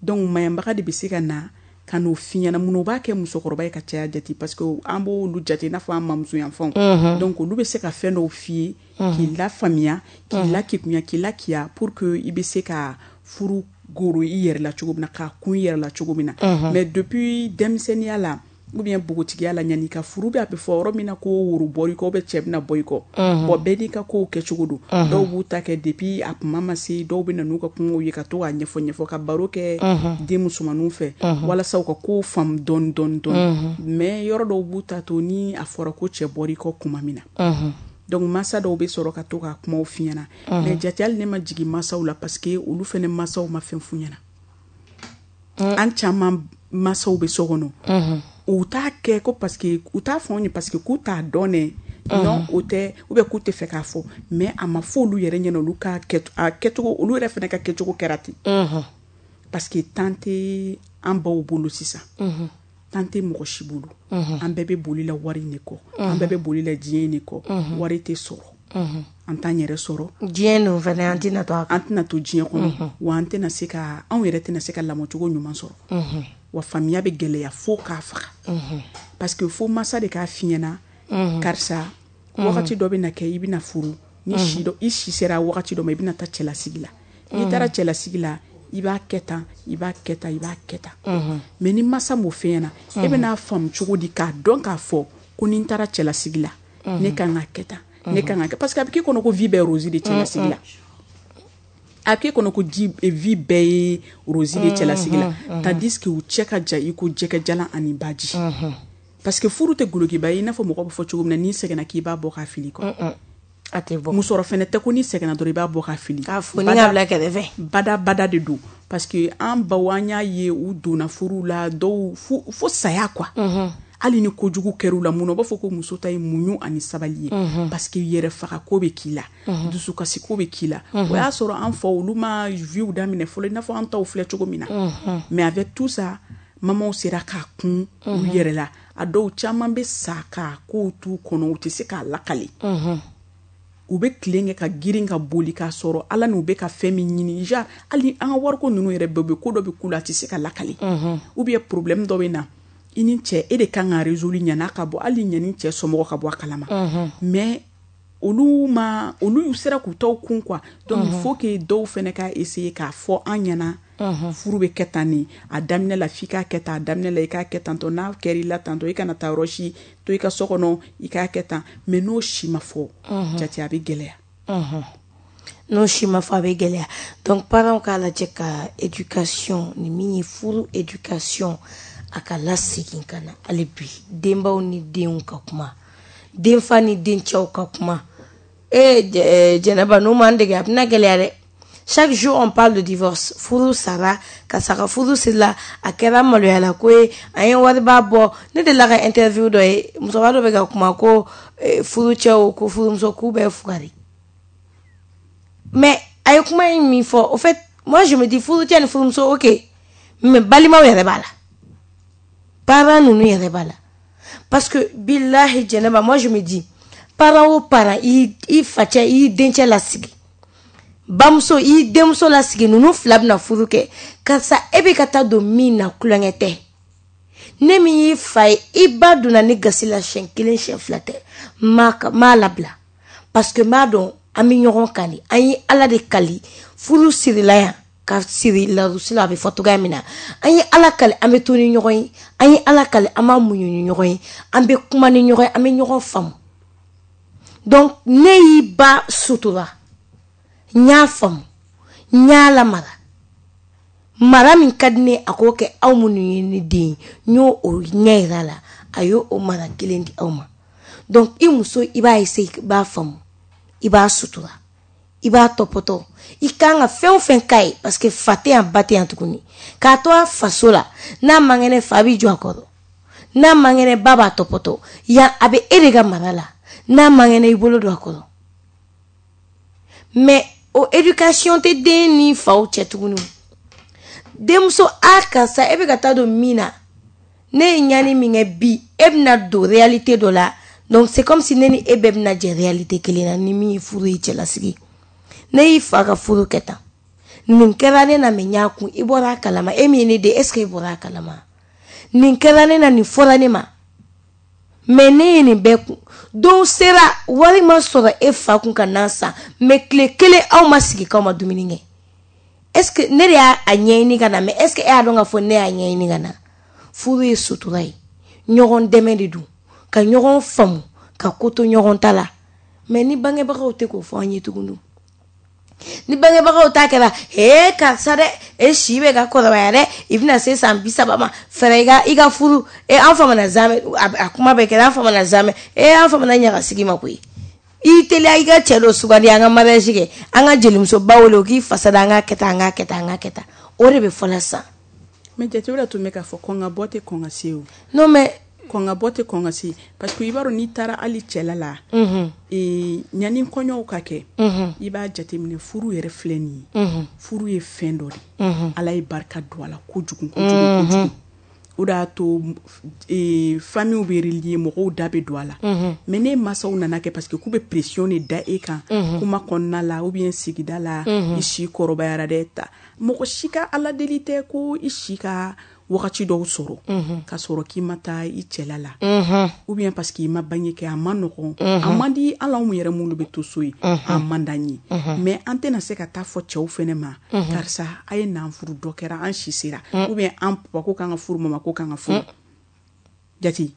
Donc maɲabaga de bɛ se ka na Ka n'o f'i ɲɛna. Mun o b'a kɛ musokɔrɔba ye ka caya jate, parce que an b'olu jate i n'a fɔ an mamuso yanfanw. Donc olu bɛ se ka fɛn dɔw f'i ye k'i lafaamuya, k'i lakikunya, k'i lakiya, pour que i bɛ se ka furu goro i yɛrɛ la cogo min na, k'a kun i yɛrɛ la cogo min na. Mais depuis denmisɛnninya la ou bien npogotigiya la, yanni i ka furu bɛ, a bɛ fɔ yɔrɔ min na ko woro bɔr'i kɔ ou bien cɛ bɛna bɔ i kɔ. Bon, bɛɛ n'i ka kow kɛcogo don. Dɔw b'u ta kɛ depuis a kuma ma se, dɔw bɛ na n'u ka kumaw ye, ka to k'a ɲɛfɔ ɲɛfɔ, ka baro kɛ den musomaninw fɛ walasa u ka kow faamu dɔɔni dɔɔni dɔɔni. Mais yɔrɔ dɔw b'u ta to ni a fɔra ko cɛ bɔr'i kɔ kuma min na. Donc masa dɔw bɛ sɔrɔ ka to ka kumaw f'i ɲɛna. Mais jate, hali ne ma jigin masaw la, parce que olu fɛnɛ masaw ma fɛn f'u ɲɛna. An caman masaw bɛ so kɔnɔ, u t'a kɛ ko parce que u t'a fɔ anw ye, parce que k'u t'a dɔn dɛ. Non, o tɛ, ou bien k'u tɛ fɛ k'a fɔ, mais a ma fɔ olu yɛrɛ ɲɛna. Olu ka kɛ a kɛcogo, olu yɛrɛ fɛnɛ ka kɛcogo kɛra ten, parce que temps tɛ an baw bolo sisan, temps tɛ mɔgɔ si bolo. An bɛɛ bɛ boli la wari in de kɔ, an bɛɛ bɛ boli la diɲɛ in de kɔ. Wari tɛ sɔrɔ, an t'an yɛrɛ sɔrɔ. Diɲɛ dun fɛnɛ, an tɛna to a kan. An tɛna to diɲɛ kɔnɔ, wa an tɛna se ka, anw yɛrɛ tɛna se ka lamɔcogo ɲuman sɔrɔ, wa faamuya bɛ gɛlɛya fo k'a faga, parce que fo masa de k'a f'i ɲɛna: karisa, wagati dɔ bɛ na kɛ, i bɛna furu ni si dɔ, i si sera wagati dɔ ma, i bɛna taa cɛlasigi la. N'i taara cɛlasigi la, i b'a kɛ tan, i b'a kɛ tan, i b'a kɛ tan. Mais ni masa m'o f'i ɲɛna, e bɛna faamu cogo di k'a dɔn k'a fɔ ko ni n taara cɛlasigi la, ne kan ka kɛ tan, ne kan ka kɛ? Parce que a bɛ k'e kɔnɔ ko vie bɛɛ rose de cɛlasigi la, a bɛ k'e kɔnɔ ko ji vie bɛɛ ye rose de cɛlasigi la, tandis que u cɛ ka jan i ko jɛgɛjalan ani baji. Parce que furu tɛ golokiba ye i n'a fɔ mɔgɔ bɛ fɔ cogo min na, n'i sɛgɛnna k'i b'a bɔ k'a fili kɔ. A tɛ bɔ. Musɔrɔ fɛnɛ tɛ ko n'i sɛgɛnna dɔrɔn i b'a bɔ k'a fili. K'a foni k'a bila kɛrɛfɛ. Bada bada de don, parce que an baw, an y'a ye, u donna furu la, dɔw fo fo saya quoi. Hali ni kojugu kɛr'u la, mun na u b'a fɔ ko muso ta ye muɲu ani sabali ye? Parce que yɛrɛ faga ko bɛ k'i la, dusukasi ko bɛ k'i la. O y'a sɔrɔ an fa, olu ma vie daminɛ fɔlɔ i n'a fɔ an taw filɛ cogo min na. Mais avec tout ça, mamaw sera k'a kun u yɛrɛ la. A dɔw caman bɛ sa k'a kow t'u kɔnɔ, u tɛ se k'a lakale. U bɛ tilen kɛ ka girin ka boli k'a sɔrɔ ala n'u bɛ ka fɛn min ɲini. Genre hali an ka wariko ninnu yɛrɛ bɛɛ bɛ, ko dɔ bɛ k'u la, a tɛ se ka lakale, ou bien problème dɔ bɛ na i ni cɛ, e de kan ka résoudre ɲan'a ka bɔ, hali ɲani cɛ somɔgɔ ka bɔ a kalama. Mais olu ma, olu sera k'u taw kun quoi. Donc il faut que dɔw fɛnɛ ka essayer k'a fɔ an ɲɛna: furu bɛ kɛ tan nin, a daminɛ la f'i k'a kɛ tan, a daminɛ la i k'a kɛ tantɔ, n'a kɛra i la tantɔ, i kana taa yɔrɔ si to, i ka so kɔnɔ i k'a kɛ tan. Mais n'o si ma fɔ, jate, a bɛ gɛlɛya. N'o si ma fɔ, a bɛ gɛlɛya. Donc parents k'a lajɛ ka éducation ni min ye furu éducation, a ka lasegin ka na hali bi. Denbaw ni denw ka kuma, denfa ni dencɛw ka kuma. E Jɛnɛba, n'o m'an dege, a bɛna gɛlɛya dɛ. Chaque jour on parle de divorce. Furu sara, karisa ka furu sirila, a kɛra maloyala ko ye, an ye wariba bɔ. Ne delila ka interview dɔ ye, musokɔrɔba dɔ bɛ ka kuma ko furucɛw ko furumuso k'u bɛɛ fugari. Mais a ye kuma in min fɔ, au fait, moi je me dis, furucɛ ni furumuso, ok, mais balimaw yɛrɛ b'a la, parents ninnu yɛrɛ b'a la. Parce que bilahi Jɛnɛba, moi je me dis, parent o parent, i i facɛ, i dencɛ lasigi, bamuso i denmuso lasigi, ninnu fila bɛna furu kɛ. Karisa, e bɛ ka taa don min na, kulonkɛ tɛ. Ne min y'i fa ye, i ba donna ne gasi la siɲɛ kelen, siɲɛ fila tɛ, m'a labila, parce que n b'a dɔn an bɛ ɲɔgɔn kan de. An ye Ala de kali, furu sirila yan ka siri larusi la, a bɛ fɔ cogoya min na, an ye Ala kali an bɛ to ni ɲɔgɔn ye, an ye Ala kali an b'a muɲu ni ɲɔgɔn ye, an bɛ kuma ni ɲɔgɔn ye, an bɛ ɲɔgɔn faamu. Donc ne y'i ba sutura, n y'a faamu, n y'a lamara, mara min ka di ne a k'o kɛ aw minnu ye ne den ye, n y'o o ɲɛ yira a la, a y'o o mara kelen di aw ma. Donc i muso, i b'a essayer, i b'a faamu, i b'a sutura, i b'a tɔpɔtɔ, i kan ka fɛn o fɛn k'a ye, parce que fa tɛ yan, ba tɛ yan tuguni. K'a to a faso la, n'a man kɛnɛ, fa b'i jɔ a kɔrɔ, n'a man kɛnɛ, ba b'a tɔpɔtɔ. Yan a bɛ e de ka mara la, n'a man kɛnɛ, i bolo don a kɔrɔ. Mais o éducation tɛ den ni faw cɛ tuguni. Denmuso, a karisa, e bɛ ka taa don min na, ne ye ɲani min kɛ bi, e bɛna don réalité dɔ la. Donc c'est comme si ne ni e bɛɛ bɛna jɛ réalité kelen na ni min ye furu ye cɛlasigi. Ne y'i fa ka furu kɛ tan, nin kɛra ne na, mɛ n y'a kun, i bɔra a kalama. E min ye ne den, est ce que e bɔra a kalama? Nin kɛra ne na, nin fɔra ne ma, mais ne ye nin bɛɛ kun. Don sera wari ma sɔrɔ e fa kun ka nan san, mais tile kelen aw ma sigi k'aw ma dumuni kɛ. Est-ce que ne de y'a ɲɛɲini ka na? Mais est-ce que e y'a dɔn k'a fɔ ne y'a ɲɛɲini ka na? Furu ye sutura ye, ɲɔgɔn dɛmɛ de don, ka ɲɔgɔn faamu, ka ko to ɲɔgɔn ta la. Mais ni bangebagaw tɛ k'o fɔ an ye tuguni, ni bangebagaw ta kɛra ee karisa dɛ, e si bɛ ka kɔrɔbaya dɛ, i bɛna se san bi saba ma, fɛrɛ i ka i ka furu. E an famana zamɛ, a kuma bɛ kɛra an famana zamɛ, e an famana ɲagasigi ma koyi. I teliya i ka cɛ dɔ sugandi, an ka mariage kɛ, an ka jelimusoba wele o k'i fasa da, an ka kɛ tan, an ka kɛ tan, an ka kɛ tan. O de bɛ fɔlɔ sisan. Mais jate o de tun bɛ k'a fɔ kɔn ka bɔ tɛ kɔn ka se o. Non mais kɔn ka bɔ tɛ kɔn ka se, parce que i b'a dɔn n'i taara hali cɛla la, ee ɲani kɔɲɔw ka kɛ, i b'a jateminɛ furu yɛrɛ filɛ nin ye, furu ye fɛn dɔ de ye, Ala ye barika don a la kojugu kojugu kojugu. O de y'a to famille bɛ relier, mɔgɔw da bɛ don a la. Mais ne mansaw nana kɛ parce que k'u bɛ pression de da e kan kuma kɔnɔna la ou bien sigida la, i si kɔrɔbayara dɛ ta. Mɔgɔ si ka Ala deli tɛ ko i si ka wagati dɔw sɔrɔ ka sɔrɔ k'i ma taa i cɛla la, ou bien parce que i ma bange kɛ. A ma nɔgɔn, a man di hali anw yɛrɛ minnu bɛ to so ye, a man d'an ye. Mais an tɛna se ka taa fɔ cɛw fɛnɛ ma, karisa a ye n'an furu, dɔ kɛra an si sera, ou bien an papa ko k'an ka furu, mama ko k'an ka furu. Jate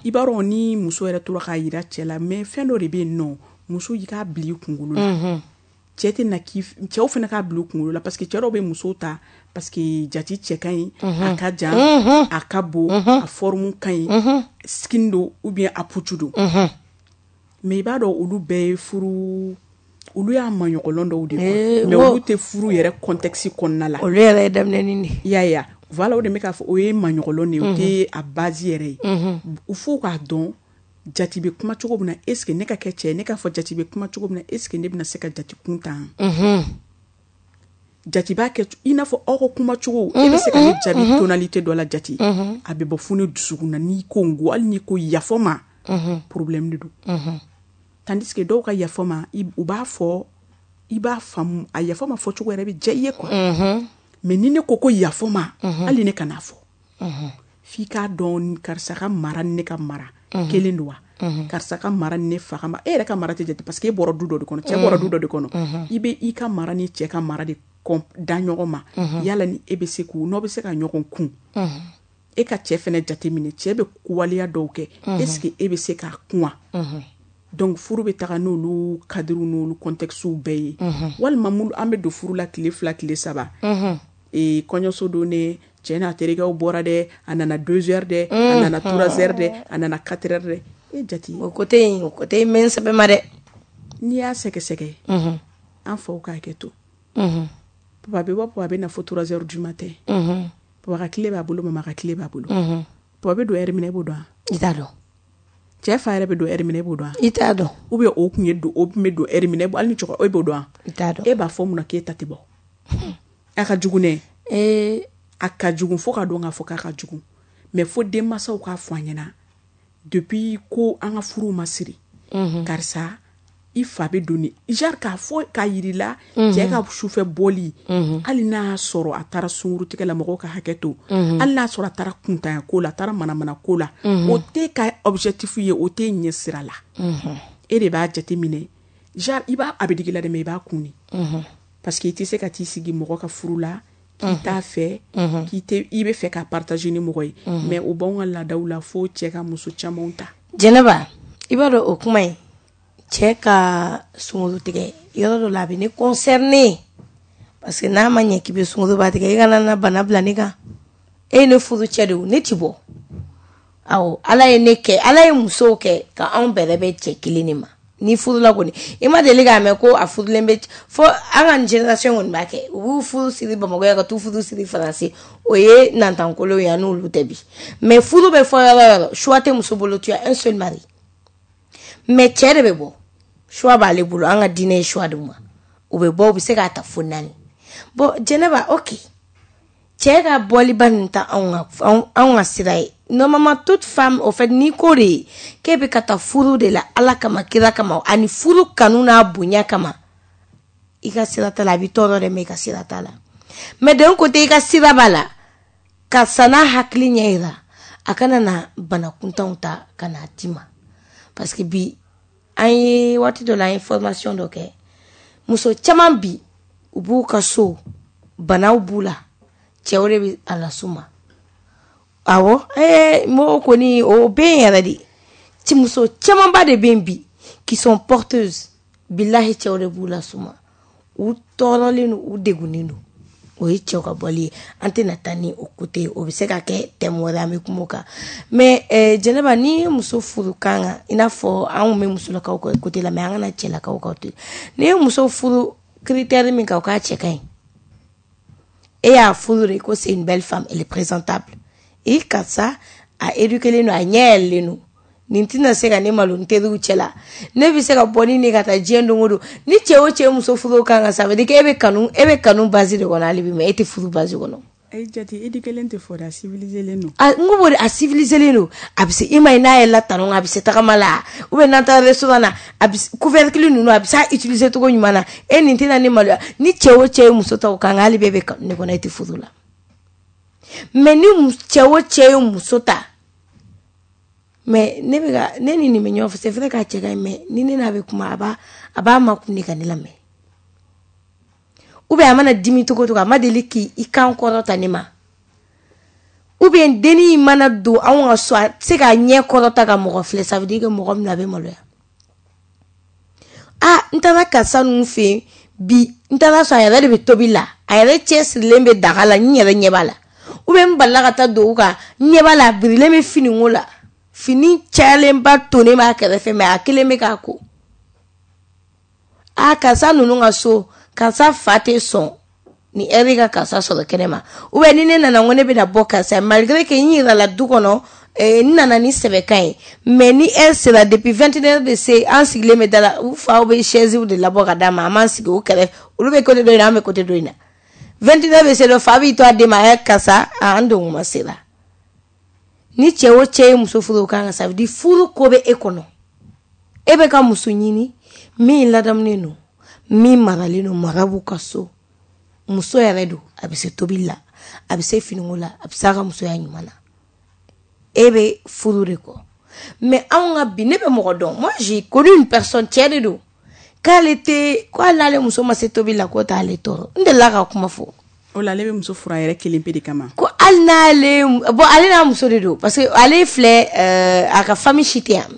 i b'a dɔn ni muso yɛrɛ tora k'a yira cɛ la, mais fɛn dɔ de bɛ yen nɔ, muso i k'a bila i kunkolo la. Cɛ tɛ na k'i cɛw fana k'a bila u kunkolo la, parce que cɛ dɔw bɛ musow ta parce que jati cɛ ka ɲi, a ka jan, a ka bon, a forme ka ɲi, skin don ou bien a putu don. Mais i b'a dɔn olu bɛɛ ye furu, olu y'a maɲɔgɔlɔn dɔw de ye, mais olu tɛ furu yɛrɛ contexte kɔnɔna la. Olu yɛrɛ ye daminɛnin de ye. I y'a ye wa? Voilà, o de bɛ k'a fɔ o ye maɲɔgɔlɔn de ye, o tɛ a base yɛrɛ ye. F'u k'a dɔn jati bɛ kuma cogo min na, est ce que ne ka kɛ cɛ ye, ne k'a fɔ jati bɛ kuma cogo min na, est ce que ne bɛna se ka jati kun tan? Jati b'a kɛ i n'a fɔ aw ka kuma cogo, e bɛ se ka ne jaabi tonalité dɔ la jati, a bɛ bɔ fo ne dusukun na. N'i ko n ko, hali n'i ko yafa ma, problème de don. Tandis que dɔw ka yafa ma, u b'a fɔ, i b'a faamu, a yafa ma fɔcogo yɛrɛ bɛ diya i ye quoi. Mais ni ne ko ko yafa ma, hali ne kan'a fɔ, f'i k'a dɔn karisa ka mara ni ne ka mara kelen don wa, karisa ka mara ni ne fa ka mara, e yɛrɛ ka mara tɛ jate parce que e bɔra du dɔ de kɔnɔ, cɛ bɔra du dɔ de kɔnɔ, i bɛ i ka mara ni cɛ ka mara de da ɲɔgɔn ma, yala ni e bɛ se k'u n'aw bɛ se ka ɲɔgɔn kun. E ka cɛ fɛnɛ jate minɛ, cɛ bɛ waleya dɔw kɛ, est ce que e bɛ se k'a kun wa? Donc furu bɛ taga n'olu cadre n'olu contexte bɛɛ ye. Walima an bɛ don furu la tile fila tile saba, ee kɔɲɔso don ne cɛ n'a terikɛw bɔra dɛ, a nana deux heures dɛ, a nana trois heures dɛ, a nana quatre heures dɛ. E jate o côté in, o côté in bɛ n sɛbɛ ma dɛ. N'i y'a sɛgɛsɛgɛ, an faw k'a kɛ to. Papa bɛ bɔ, papa bɛ na fo trois heures du matin. Papa ka tile b'a bolo, mama ka tile b'a bolo. Papa bɛ don heure min na, e b'o dɔn wa? I t'a dɔn. Cɛ fa yɛrɛ bɛ don heure min na, e b'o dɔn wa? I t'a dɔn. Ou bien o kun ye don, o tun bɛ don heure min na, hali ni cɛkɔrɔba, e b'o dɔn wa? I t'a dɔn. E b'a fɔ mun na k'e ta tɛ bɔ? A ka jugu nɛ. Ee a ka jugu fo ka dɔn k'a fɔ k'a ka jugu. Mais fo denmansaw k'a fɔ an ɲɛna depuis ko an ka furuw ma siri. Karisa i fa bɛ don ni genre k'a fɔ k'a yir'i la, cɛ ka sufɛ bɔli, hali n'a y'a sɔrɔ a taara sunkurutigɛ la, mɔgɔw ka hakɛ to, hali n'a sɔrɔ a taara kuntanya ko la, a taara manamana ko la, o t'e ka objectif ye, o t'e ɲɛ sira la. E de b'a jate minɛ, genre i b'a a bɛ digi la dɛ, mais i b'a kun de. Parce que i tɛ se ka t'i sigi mɔgɔ ka furu la k'i t'a fɛ, k'i tɛ, i bɛ fɛ ka partager ni mɔgɔ ye, mais o b'anw ka laadaw la fo cɛ ka muso camanw ta. Jɛnɛba, i b'a dɔn o kuma in, cɛ ka sunkuru tigɛ yɔrɔ dɔ la a bɛ ne concerné, parce que n'a ma ɲɛ k'i bɛ sunkuruba tigɛ, i kana na bana bila ne kan. E ye ne furu cɛ de ye, ne ti bɔ. Awɔ, Ala ye ne kɛ, Ala ye musow kɛ ka anw bɛrɛ bɛ cɛ kelen de ma. Ni furula kɔni, i ma deli k'a mɛn ko a furulen bɛ fo an ka génération kɔni b'a kɛ, u b'u furu siri Bamakɔ yan ka t'u furu siri Faransi, o ye nantankolo ye, an n'olu tɛ bi. Mais furu bɛ fɔ yɔrɔ o yɔrɔ, choix tɛ muso bolo, tu as un seul mari. Mais cɛ de bɛ bɔ, choix b'ale bolo, an ka diinɛ ye choix d'u ma, u bɛ bɔ, u bɛ se k'a ta fo naani. Bon Jɛnɛba, ok, cɛ ka bɔliba ninnu ta anw ka anw ka sira ye. Normalement toute femme, au fait, n'i ko de k'e bɛ ka taa furu de la Ala kama, kira kama, ani furu kanu n'a bonya kama, i ka sira t'a la, a b'i tɔɔrɔ dɛ, mais i ka sira t'a la. Mais d'un côté i ka sira b'a la, karisa n'a hakili ɲɛ yira, A kana na bana kuntanw ta ka n'a d'i ma. Parce que bi an ye waati dɔ la, an ye formation dɔ kɛ. Muso caman bi, u b'u ka so, banaw b'u la, cɛw de bɛ a las'u ma. Awɔ, ee mɔgɔw kɔni o bɛ yen yɛrɛ de. Ti muso camanba de bɛ yen bi qui sont porteuses, bilahi, cɛw de b'u las'u ma. U tɔɔrɔlen don, u degunnen don. O ye cɛw ka bɔli ye. An tɛna taa ni o côté ye, o bɛ se ka kɛ thème wɛrɛ, an bɛ kuma o kan. Mais eh, Jɛnɛba, n'i ye muso furu kan kan, i n'a fɔ an kun bɛ musolakaw ka côté la, mais an kana cɛlakaw ka côté. N'i ye muso furu critère min kan, o k'a cɛ ka ɲi, e y'a furu de ko c'est une belle femme, elle est présentable, i karisa a éduqué len don, a ɲɛ yɛlɛlen don, nin tɛna se ka ne malo n teriw cɛ la, ne bɛ se ka bɔ ni ne ka taa diɲɛ don o don. Ni cɛ o cɛ ye muso furu o kan kan, ça veut dire que e bɛ kanu, e bɛ kanu base de kɔnɔ hali bi, mais e tɛ furu base kɔnɔ. Ayi jate, éduqué len tɛ fɔ dɛ, a civilisé len don. A n ko b'o de, a civilisé len don, a bɛ se i ma ye, n'a yɛlɛla talon kan, a bɛ se tagama la, ou bien n'an taara restaurant na, a bɛ couvercle ninnu, a bɛ se a utiliser cogo ɲuman na. E nin tɛna ne maloya. Ni cɛ o cɛ ye muso ta o kan kan, hali bi e bɛ kanu de kɔnɔ, e tɛ furu la. Mais ni cɛ o cɛ ye muso ta, mais ne bɛ ka ne ni nin bɛ ɲɔgɔn fɛ, c'est vrai k'a cɛ ka ɲi, mais ni ne n'a bɛ kuma, a b'a a b'a makun de ka ne lamɛn, ou bien a mana dimi cogo o cogo, a ma deli k'i kan kɔrɔta ne ma, ou bien dennin mana don anw ka so, a tɛ se k'a ɲɛ kɔrɔta ka mɔgɔ filɛ, ça veut dire que mɔgɔ min a bɛ maloya. Ah, n taara karisa ninnu fɛ yen bi, n taara sɔrɔ a yɛrɛ de bɛ tobi la, a yɛrɛ cɛsirilen bɛ daga la, n yɛrɛ ɲɛ b'a la, ou bien n balila ka taa don u kan, n ɲɛ b'a la, a birilen bɛ finiko la, fini cayalenba tonnen b'a kɛrɛfɛ, mais a kelen bɛ k'a ko. Ah, karisa ninnu ka so, karisa fa tɛ sɔn ni ɛri ka karisa sɔrɔ kɛnɛ ma, ou bien ni ne nana ko ne bɛna bɔ karisa, malgré que n yirala du kɔnɔ, n nana ni sɛbɛkan ye, mais ni heure sera, depuis vingt et une heures bɛ se, an sigilen bɛ da la, u faw bɛ chaise de labɔ ka d'a ma, an b'an sigi o kɛrɛfɛ, olu bɛ côté dɔ in na, an bɛ côté dɔ in na. vingt et une heures bɛ se dɔ, fa b'i to a den ma, ɛ karisa, an don kuma sera. Ni cɛ o cɛ ye muso furu o kan kan, ça veut dire furu ko bɛ e kɔnɔ, e bɛ ka muso ɲini min ladamunen don, min maralen don, mara b'u ka so, muso yɛrɛ don, a bɛ se tobili la, a bɛ se finiko la, a bɛ se a ka musoya ɲuman na, e bɛ furu de kɔ. Mais anw ka bi, ne bɛ mɔgɔ dɔn, moi j'ai connu une personne, cɛ de don, k'ale tɛ ko hali n'ale muso ma se tobili la, k'o t'ale tɔɔrɔ. N delila ka kuma fɔ. O la, ale bɛ muso furu a yɛrɛ kelen pe de kama. Ko hali n'ale, bon, ale n'a muso de don, parce que ale filɛ, euh, a ka famille si tɛ yan,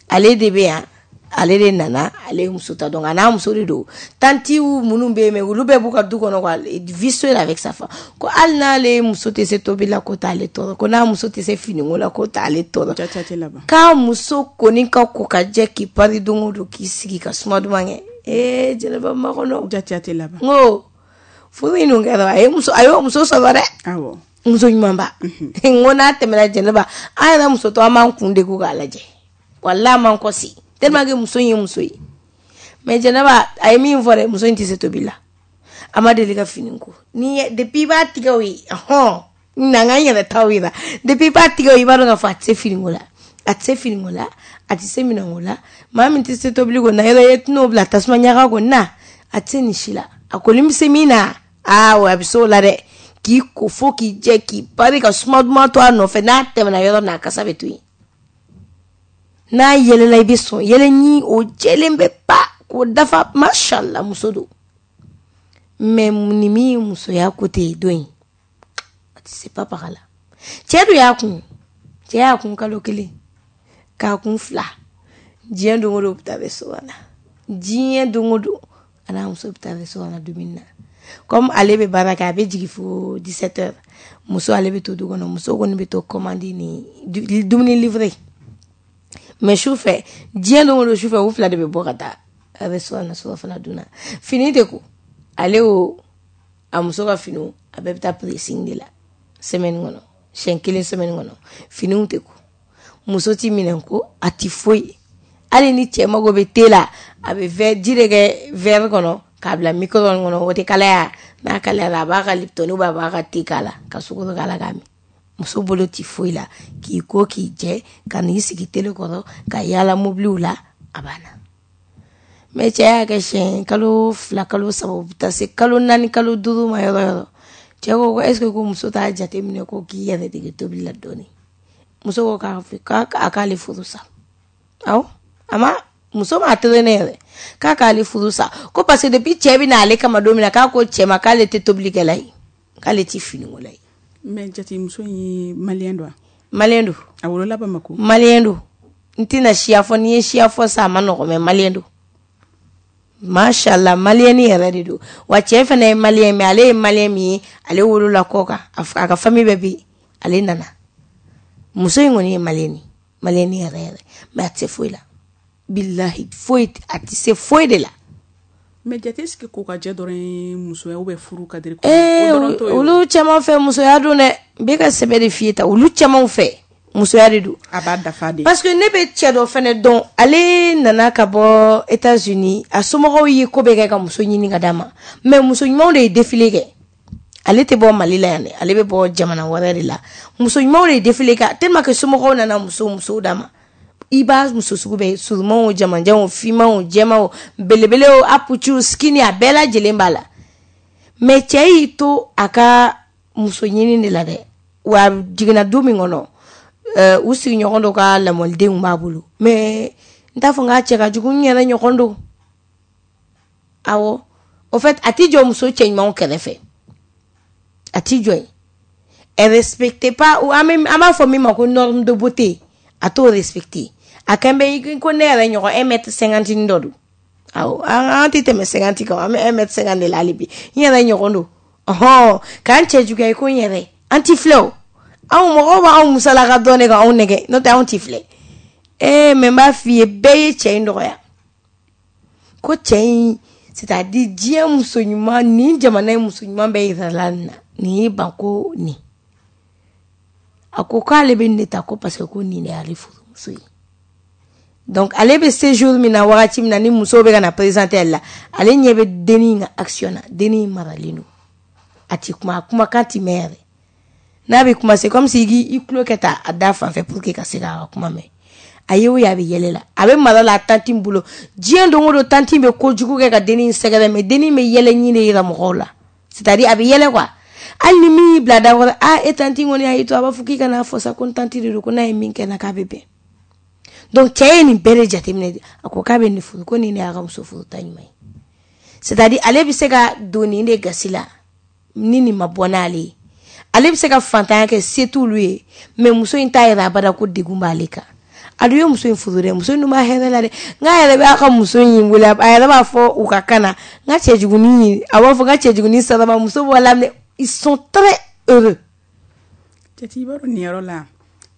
ale de bɛ yan, ale de nana, ale ye muso ta, donc a n'a muso de don. Tantiw minnu bɛ yen, mais olu bɛɛ b'u ka du kɔnɔ quoi, vit seul avec sa femme. Ko hali n'ale muso tɛ se tobili la, ko t'ale tɔɔrɔ, ko n'a muso tɛ se finiko la, ko t'ale tɔɔrɔ. Jaja tɛ laban. K'a muso kɔni ka ko ka jɛ, k'i pari don o don, k'i sigi ka suma duman kɛ. Ee Jɛnɛba makɔnɔ. Jaja tɛ laban. N ko furu in dun kɛra, a ye muso, a y'o muso sɔrɔ dɛ. Awɔ. Muso ɲumanba. N ko n'a tɛmɛna Jɛnɛba, an yɛrɛ muso tɔ, an b'an kun degun k'a lajɛ, walahi an b'an kɔsi tellement que muso in ye muso ye. Mais Jɛnɛba, a ye min fɔ dɛ, muso in tɛ se tobili la, a ma deli ka fini ko. Ni ye depuis i b'a tigɛ o ye, hɔn na n ka n yɛrɛ taw yira, depuis i b'a tigɛ o ye, i b'a dɔn k'a fɔ a tɛ se finiko la, a tɛ se finiko la, a tɛ se minɛnko la. Maa min tɛ se tobili ko na yɔrɔ, e tɛn'o bila tasuma ɲaga ko na, a tɛ se nin si la. A kɔni bɛ se min na, aa a bɛ se o la dɛ, k'i ko fo k'i jɛ, k'i pari ka suma duman to a nɔfɛ, n'a tɛmɛna yɔrɔ min na, a kasa bɛ to yen, n'a yɛlɛla i bɛ sɔn yɛlɛ ɲi, o jɛlen bɛ pa k'o dafa, mashallah, muso don. Mais nin min ye musoya côté ye don in, a tɛ se papaga la. Cɛ dun y'a kun, cɛ y'a kun kalo kelen, k'a kun fila, diɲɛ don o don u bɛ taa restaurant na, diɲɛ don o don a n'a muso bɛ taa restaurant na dumuni na. Comme ale bɛ baara kɛ, a bɛ jigin fo dix-sept heures, muso ale bɛ to du kɔnɔ, muso kɔni bɛ to commande ni dumuni livré. Mais su fɛ, diɲɛ don o don su fɛ, u fila de bɛ bɔ ka taa restaurant na surafana dun na. Fini tɛ ko ale, o a muso ka finiw, a bɛɛ bɛ taa pressing de la semaine kɔnɔ, siɲɛ kelen semaine kɔnɔ. Finiw tɛ ko, muso ti minɛn ko, a ti foyi. Hali ni cɛ mago bɛ te la, a bɛ verre ji de kɛ verre kɔnɔ k'a bila micro-ondes kɔnɔ, o tɛ kalaya, n'a kalayara, a b'a ka Lipton ou bien a b'a ka te k'a la, ka sukaro k'a la k'a min. Muso bolo ti foyi la, k'i ko k'i jɛ, ka n'i sigi télé kɔrɔ, ka yaala mobiliw la, a banna. Mais cɛ y'a kɛ siɲɛ kalo fila, kalo saba, u bɛ taa se kalo naani, kalo duuru ma yɔrɔ yɔrɔ, cɛ ko ko est ce que ko muso t'a jateminɛ ko k'i yɛrɛ dege tobili la dɔɔni. Muso ko k'a k'a k'ale furu sa. Awɔ, a ma muso ma traîner yɛrɛ, k'a k'ale furu sa, ko parce que depuis cɛ bɛ na ale kama don min na, k'a ko cɛ ma k'ale tɛ tobilikɛla ye, k'ale tɛ finikola ye. Mais jate, muso in ye malien don wa? Malien don. A wolola Bamako? Malien don. N tɛna siya fɔ, n'i ye siya fɔ sa, a ma nɔgɔn, mais malien don. Mashallah, malien yɛrɛ de don. Wa cɛ fana ye malien, mais ale ye malien min ye, ale wolola kɔ kan, a ka famille bɛɛ bɛ yen, ale nana. Muso in kɔni ye malien ye, malien yɛrɛ yɛrɛ, mais a tɛ se foyi la. Bilahi, foyi, a tɛ se foyi de la. Mais jate, est-ce que ko ka jɛ dɔrɔn ye musoya ou bien furu cadre? Ee, olu caman fɛ musoya don dɛ. N bɛ ka sɛbɛ de f'i ye tan, olu caman fɛ musoya de don. A b'a dafa de. Parce que ne bɛ cɛ dɔ fɛnɛ dɔn, ale nana ka bɔ États-Unis, a somɔgɔw ye ko bɛɛ kɛ ka muso ɲini ka d'a ma, mais muso ɲumanw de ye défilé kɛ. Ale tɛ bɔ Mali la yan dɛ, ale bɛ bɔ jamana wɛrɛ de la. Muso ɲumanw de ye défilé kɛ, tellement que somɔgɔw nana muso musow d'a ma. I b'a muso sugu bɛɛ, surumanw, jamanjanw, finmanw, jɛmanw, belebelew, apuciw, skinny, a bɛɛ lajɛlen b'a la. Mais cɛ y'i to a ka muso ɲini de la dɛ. Wa jiginna du min kɔnɔ, u sigiɲɔgɔn dɔ ka lamɔlidenw b'a bolo, mais n t'a fɔ n k'a cɛ ka jugu, n yɛrɛ ɲɔgɔn don. Awɔ, au fait, a t'i jɔ muso cɛ ɲumanw kɛrɛfɛ, a t'i jɔ yen. Elle respecte pas, an b'a fɔ min ma ko norme de beauté, a t'o respecte. A kɛn bɛ ko ne yɛrɛ ɲɔgɔn un mètre cinquante dɔ don. Awɔ, an tɛ tɛmɛ cinquante kan, an bɛ un mètre cinquante de la hali bi. N yɛrɛ ɲɔgɔn don. Ɔhɔn, k'an cɛ juguya i ko n yɛrɛ, an ti filɛ o. Anw mɔgɔw b'anw musalaka dɔn de ka anw nɛgɛ, n'o tɛ anw ti filɛ. Ee, mais n b'a f'i ye, bɛɛ ye cɛ in dɔgɔya. Ko cɛ in, c'est-à-dire diɲɛ muso ɲuman, nin jamana in muso ɲuman bɛɛ yirala nin na, nin y'i ban ko nin. A ko k'ale bɛ nin de ta, ko parce que ko nin de y'ale furumuso ye. Donc ale bɛ séjour min na, wagati min na ni musow bɛ ka na présenter ale la, ale ɲɛ bɛ dennin ka action na, dennin maralen don. A ti kuma, a kumakan ti mɛn yɛrɛ. N'a bɛ kuma, c'est comme si i tulo kɛ ta a da fan fɛ pour que ka se k'a ka kuma mɛn. A ye o ye, a bɛ yɛlɛ la, a bɛ mara la a tantie bolo. Diɲɛ don o don, tantie bɛ kojugu kɛ ka dennin sɛgɛrɛ, mais dennin bɛ yɛlɛ ɲin de yira mɔgɔw la. C'est-à-dire a bɛ yɛlɛ quoi. Hali ni min y'i bila da kɔrɔ, ah, e tantie kɔni y'a to, a b'a fɔ k'i kana fɔ sa ko n tantie de don, ko n'a ye min kɛ n na k'a bɛ bɛn. Donc cɛ ye nin bɛɛ de jateminɛ, a ko k'a bɛ nin furu, ko nin de y'a ka muso furuta ɲuman ye. C'est-à-dire ale bɛ se ka don nin de gasi la ni nin ma bɔ n'ale ye. Ale bɛ se ka fantanya kɛ, se t'olu ye, mais muso in t'a yɛrɛ abada ko degun b'ale kan. A dun ye muso in furu dɛ, muso in dun b'a hɛrɛ la dɛ. N k'a yɛrɛ b'a ka muso in wele, a yɛrɛ b'a fɔ u ka kan na, n ka cɛjugunin, a b'a fɔ n ka cɛjugunin sarama, muso bɔ la, ils sont très heureux. Jate, i b'a dɔn nin yɔrɔ la,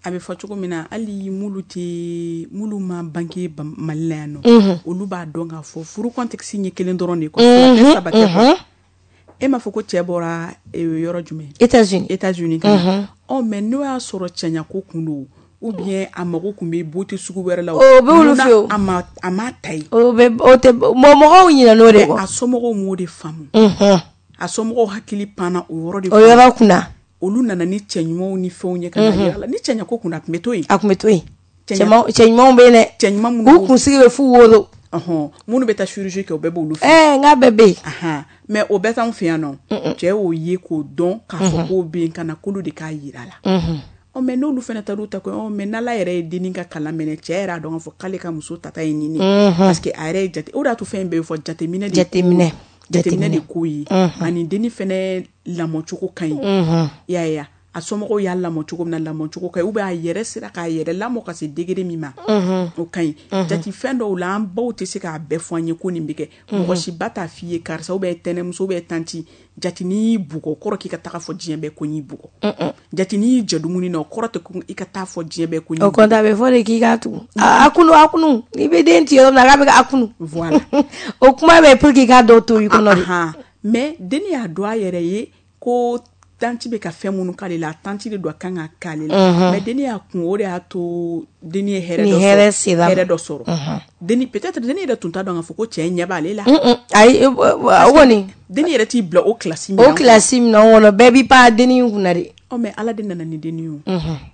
a bɛ fɔ cogo min na, hali mulu tɛ mulu ma bange Mali la yan nɔ, olu b'a dɔn k'a fɔ furu contexte ye kelen dɔrɔn de ye, fila tɛ, saba tɛ quoi. E m'a fɔ ko cɛ bɔra yɔrɔ jumɛn? États-Unis. États-Unis ka na. Ɔ, mais n'o y'a sɔrɔ cɛɲako kun don, ou bien a mago kun bɛ beauté sugu wɛrɛ la, o bɛ olu fɛ o. A ma a ma ta yen. O bɛ o tɛ mɔgɔw ɲinɛ n'o de kɔ. A somɔgɔw m'o de faamu. A somɔgɔw hakili panna o yɔrɔ de. O yɔrɔ kunna. Olu nana ni cɛ ɲumanw ni fɛnw ye ka na yira la. Ni cɛɲako kun a tun bɛ to yen. A tun bɛ to yen. Cɛ ɲumanw bɛ yen dɛ. Cɛ ɲuman minnu. U kunsigi bɛ f'u woro. Ɔhɔn, minnu bɛ taa chirurgie kɛ, o bɛɛ b'olu fɛ. Ɛɛ, n k'a bɛɛ bɛ yen. Mais o bɛɛ t'anw fɛ yan nɔ. Cɛ y'o ye k'o dɔn k'a fɔ k'o bɛ yen, ka na k'olu de k'a yira la. Ɔ, mais n'olu fana taar'u ta ko, ɔ, mais n'Ala yɛrɛ ye dennin ka kalan minɛ, cɛ yɛrɛ y'a dɔn k'a fɔ k'ale ka muso tata ye nin de ye. Parce que a yɛrɛ ye jate, o de y'a to fɛn in bɛɛ bɛ fɔ jateminɛ de. Jateminɛ. Jateminɛ de ko ye. Ani dennin fɛnɛ lamɔcogo ka ɲi. I y'a ye, a somɔgɔw y'a lamɔ cogo min na, lamɔcogo ka ɲi, ou bien a yɛrɛ sera k'a yɛrɛ lamɔ ka se degré min ma, o ka ɲi. Jate, fɛn dɔw la, an baw tɛ se k'a bɛɛ fɔ an ye ko nin bɛ kɛ. Mɔgɔ si ba t'a f'i ye karisa ou bien tɛnɛmuso ou bien tantie, jate, n'i y'i bugɔ, o kɔrɔ k'i ka taga fɔ diɲɛ bɛɛ ko n y'i bugɔ. Jate, n'i y'i jɔ dumuni na, o kɔrɔ tɛ ko i ka taa fɔ diɲɛ bɛɛ ko n y'i bugɔ. O kɔni a bɛ fɔ de k'i k'a tugu. A kunu, a kunu, n'i bɛ den ci yɔrɔ min na, k'a bɛ k'a kunu. Voilà. O kuma bɛ pour que i k'a dɔw to i kɔnɔ de. Mais denni y'a dɔn a yɛrɛ ye ko tantie bɛ ka fɛn minnu k'ale la, tantie de don a kan ka k'ale la. Mais denni y'a kun, o de y'a to denni ye hɛrɛ dɔ sɔrɔ. Hɛrɛ dɔ sɔrɔ. Denni, peut-être denni yɛrɛ tun t'a dɔn k'a fɔ ko cɛ ɲɛ b'ale la. Ayi, o kɔni. Denni yɛrɛ t'i bila o classe min na. O classe min na kɔnɔ, bɛɛ b'i pan denni in kunna de. Ɔ mais Ala de nana ni denni ye o.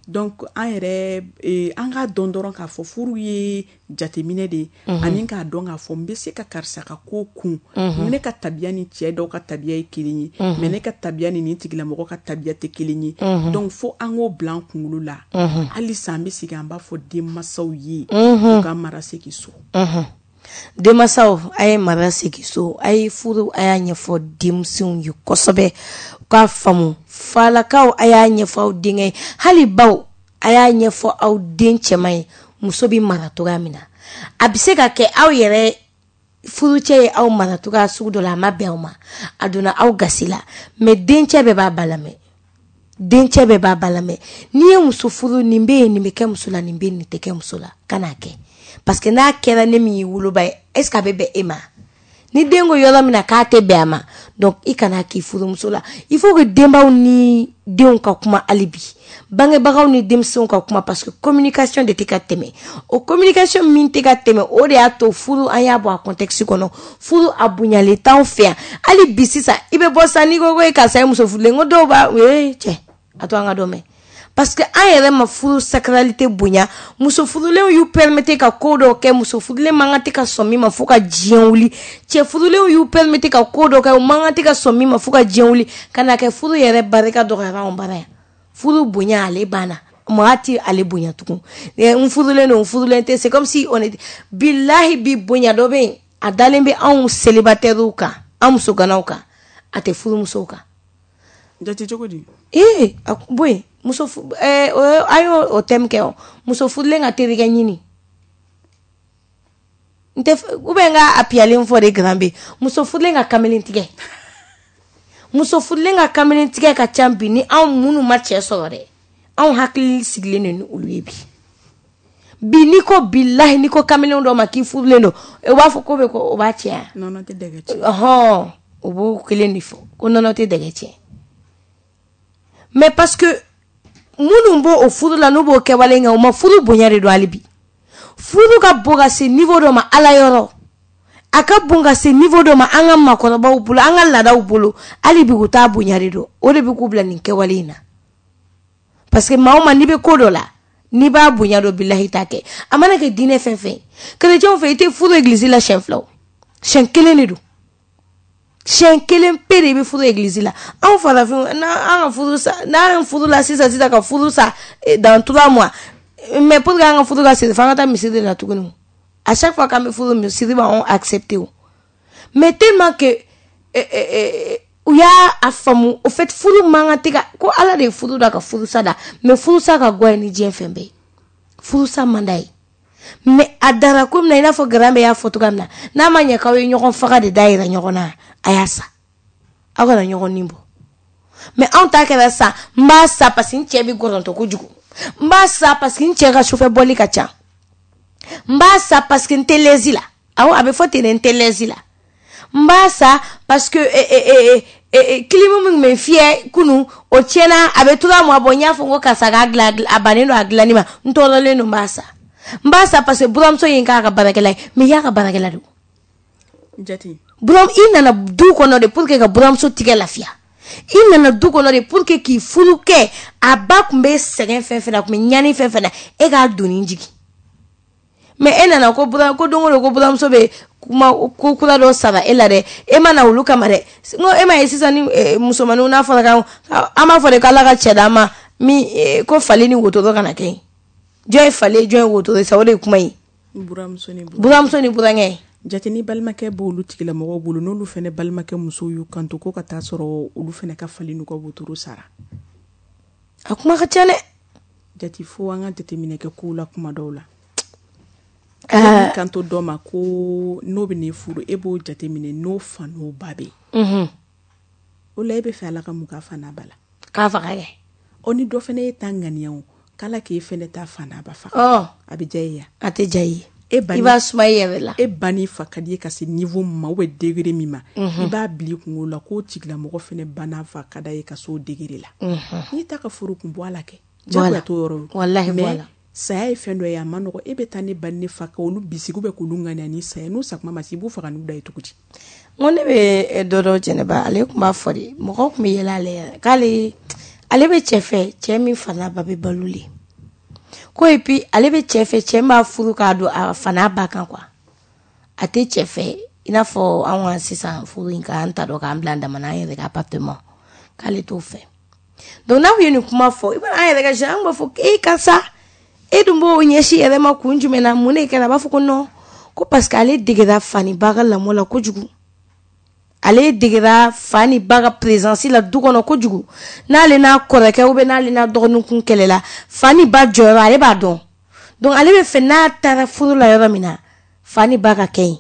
Donc an yɛrɛ an k'a dɔn dɔrɔn k'a fɔ furu ye jateminɛ de ye, ani k'a dɔn k'a fɔ n bɛ se ka karisa ka ko kun. Ne ka tabiya ni cɛ dɔw ka tabiya ye kelen ye, mais ne ka tabiya ni nin tigilamɔgɔ ka tabiya tɛ kelen ye. Donc fo an k'o bila an kunkolo la. Halisa an bɛ segin an b'a fɔ denmansaw ye u ka mara segin so. Denmansaw, a ye mara segin so, a ye furu, a y'a ɲɛfɔ denmisɛnw ye kosɛbɛ, u k'a faamu. Falakaw, a y'a ɲɛfɔ aw denkɛ ye, hali baw, a y'a ɲɛfɔ aw den cɛman ye muso bɛ mara cogoya min na. A bɛ se ka kɛ aw yɛrɛ furucɛ ye aw mara cogoya sugu dɔ la, a ma bɛn aw ma, a donna aw gasi la, mais dencɛ bɛɛ b'a ba lamɛn, dencɛ bɛɛ b'a ba lamɛn. N'i ye muso furu, nin bɛ yen, nin bɛ kɛ muso la, nin bɛ yen, nin tɛ kɛ muso la, kan'a kɛ. Parce que n'a kɛra ne min y'i woloba ye, est ce que a bɛ bɛn e ma? Ni den ko yɔrɔ min na k'a tɛ bɛn a ma, donc i kana k'i furumuso la. Il faut que denbaw ni denw ka kuma hali bi, bangebagaw ni denmisɛnw ka kuma, parce que communication de tɛ ka tɛmɛ. O communication min tɛ ka tɛmɛ, o de y'a to furu an y'a bɔ a contexte kɔnɔ. Furu a bonyalen t'anw fɛ yan hali bi. Sisan i bɛ bɔ sisan, n'i ko ko karisa ye muso furulen, ko dɔw b'a ee cɛ a to an ka dɔ mɛn. Parce que an yɛrɛ ma furu sacralité bonya. Muso furulenw y'u permettre ka ko dɔw kɛ, muso furulen man kan tɛ ka sɔn min ma fo ka diɲɛ wuli. Cɛ furulenw y'u permettre ka ko dɔw kɛ, u man kan tɛ ka sɔn min ma fo ka diɲɛ wuli. Ka na kɛ furu yɛrɛ barika dɔgɔyara anw bara yan. Furu bonya ale banna, maa ti ale bonya tugun. N furulen don, n furulen tɛ, c'est comme si on est bilahi. Bi bonya dɔ bɛ yen, a dalen bɛ anw célibataires kan, an musoganaw kan, a tɛ furumusow kan. Jate cogo di? Ee, boyi muso eh, an y'o o thème kɛ o, muso furulen ka terikɛ ɲini. N tɛ ou bien n ka a piyalen fɔ de grand B. Muso furulen ka kamalen tigɛ, muso furulen ka kamalen tigɛ ka ca bi ni anw minnu ma cɛ sɔrɔ dɛ. Anw hakili sigilen don ni olu ye bi. Bi n'i ko bilahi, n'i ko kamalen dɔ ma k'i furulen don, o b'a fɔ ko bɛ ko o b'a cɛ. Nɔnɔ tɛ dɛgɛ tiɲɛ. Ɔhɔn, o b'o kelen de fɔ ko nɔnɔ tɛ dɛgɛ tiɲɛ. Mais parce que minnu b'o o furu la, n'u b'o kɛwale kɛ, u ma furu bonya de don hali bi. Furu ka bon ka se niveau dɔ ma Ala yɔrɔ, a ka bon ka se niveau dɔ ma an ka maakɔrɔbaw bolo, an ka laadaw bolo, hali bi u t'a bonya de don. O de bɛ k'u bila nin kɛwale in na. Parce que maa o maa n'i bɛ ko dɔ la, n'i b'a bonya dɔn, bilahi t'a kɛ. A mana kɛ diinɛ fɛn fɛn ye, chrétien fɛ, i tɛ furu église la siɲɛ fila o, siɲɛ kelen de don, siɲɛ kelen pe de bɛ furu église la. Anw farafinw, n'an ka furu sa, n'an furu la sisan sisan ka furu sa dans trois mois, mais pour que an ka furu ka siri, f'an ka taa misiri de la tuguni. À chaque fois k'an bɛ furu, misiri b'anw accepter o. Mais tellement que u y'a a faamu, au fait furu man kan tɛ ka ko Ala de ye furu da ka furusa da, mais furusa ka go ye ni diɲɛ fɛn bɛɛ ye. Furusa man d'a ye, mais a dara ko min na, i n'a fɔ grand bɛɛ y'a fɔ cogoya min na, n'a ma ɲɛ k'aw ye ɲɔgɔn faga de da yira ɲɔgɔn na, a y'a sa, aw kana ɲɔgɔn nin bɔ. Mais anw ta kɛra sa, n b'a sa parce que n cɛ bɛ gɔrɔntɔ kojugu, n b'a sa parce que n cɛ ka sufɛ bɔli ka ca, n b'a sa parce que n tɛ lɛsi la. Awɔ, a bɛ fɔ ten dɛ, n tɛ lɛsi la. N b'a sa parce que clim min bɛ fiyɛ kunun, o tiɲɛna, a bɛ trois mois bɔ, n y'a fɔ n ko karisa k'a dilan, a bannen don a dilanni ma, n tɔɔrɔlen don, n b'a sa. N b'a sa parce que buramuso ye n k'a ka baarakɛla ye, mais i y'a ka baarakɛla de. Jate. Buram, i nana du kɔnɔ de pour que ka buramuso tigɛ lafiya. I nana du kɔnɔ de pour que k'i furu kɛ, a ba tun bɛ sɛgɛn fɛn fɛn na, a tun bɛ ɲani fɛn fɛn na, e k'a doni jigin. Mais e nana ko buram, ko don o don ko buramuso bɛ kuma ko kura dɔ sara e la dɛ, e ma na olu kama dɛ. N ko e ma ye sisan ni musomaninw n'a fɔra k'an an b'a fɔ de k'Ala ka cɛ d'an ma min ko fali ni wotoro kana kɛ yen. Jɔn ye fali ye, jɔn ye wotoro ye sa, o de ye kuma ye. Buramuso ni buramuso ni burankɛ. Jate ni balimakɛ b'olu tigilamɔgɔw bolo, n'olu fana balimakɛ musow y'u kanto ko ka taa sɔrɔ olu fana ka fali n'u ka wotoro sara. A kuma ka ca dɛ. Jate, fo an ka jateminɛ kɛ kow la kuma dɔw la. Uh, kanto dɔ ma ko n'o bɛ n'e furu, e b'o jateminɛ n'o fa n'o ba bɛ yen. O la e bɛ fɛ Ala ka mun k'a fa n'a ba la? K'a faga kɛ. Ɔ ni dɔ fana ye ta ŋaniya o, k'Ala k'e fana ta fa n'a ba faga. Ɔ a bɛ diya e ye. A tɛ diya i ye. E ba i b'a suma i yɛrɛ la. E ba n'i fa ka di ye ka se niveau min ma ou bien degré min ma, i b'a bila i kunkolo la k'o tigilamɔgɔ fana ba n'a fa ka d'a ye ka s'o degré la. N'i ta ka furu kun bɔ a la kɛ. Jagoya t'o yɔrɔ ye. Walahi bɔ a la. Saya ye fɛn dɔ ye, a ma nɔgɔ. E bɛ taa ne ba ne fa ka olu bisigi bɛ k'olu ŋaniya ni saya n'u sakuma ma se, i b'u faga n'u da ye cogo di? N ko ne bɛ dɔ dɔn Jɛnɛba, ale tun b'a fɔ de, mɔgɔw tun bɛ yɛlɛ ale yɛrɛ k'ale Ale bɛ cɛ fɛ, cɛ min fa n'a ba bɛ balo le. Ko et puis ale bɛ cɛ fɛ, cɛ min b'a furu k'a don a fa n'a ba kan quoi. A tɛ cɛ fɛ i n'a fɔ anw ka sisan furu in k'an ta dɔn k'an bila an dama na an yɛrɛ ka appartement, k'ale t'o fɛ. Donc n'a ye nin kuma fɔ, i b'a an yɛrɛ ka jeunes, an b'a fɔ e karisa, e dun b'o ɲɛsin yɛrɛ ma kun jumɛn na, mun de kɛra? A b'a fɔ ko non, ko parce que ale degera fa ni ba ka lamɔ la kojugu. Ale degera fa ni ba ka présence la du kɔnɔ kojugu. N'ale n'a kɔrɔkɛ ou bien n'ale n'a dɔgɔnin kun kɛlɛla, fa ni ba jɔyɔrɔ ale b'a dɔn. Donc ale bɛ fɛ n'a taara furu la yɔrɔ min na, fa ni ba ka kɛ yen.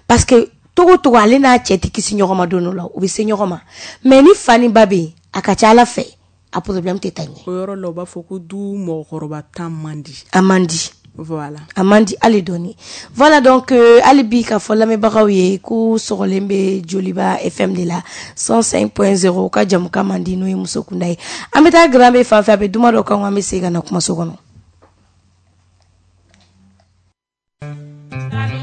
Parce que togo togo ale n'a cɛ tɛ kisi ɲɔgɔn ma don dɔ la, u bɛ se ɲɔgɔn ma. Mais ni fa ni ba bɛ yen, a ka ca Ala fɛ, a problème tɛ taa ɲɛ. O yɔrɔ la u b'a fɔ ko du mɔgɔkɔrɔba tan man di. A man di. Voilà. A man di hali dɔɔni. Voilà, donc euh, hali bi k'a fɔ lamɛnbagaw ye ko sɔgɔlen bɛ Joliba F M de la cent cinq point zéro, ka jamukan man di n'o ye muso kunda ye. An bɛ taa Grand B fan fɛ, a bɛ duma dɔ kan, an bɛ segin ka na kumaso kɔnɔ. Thank you.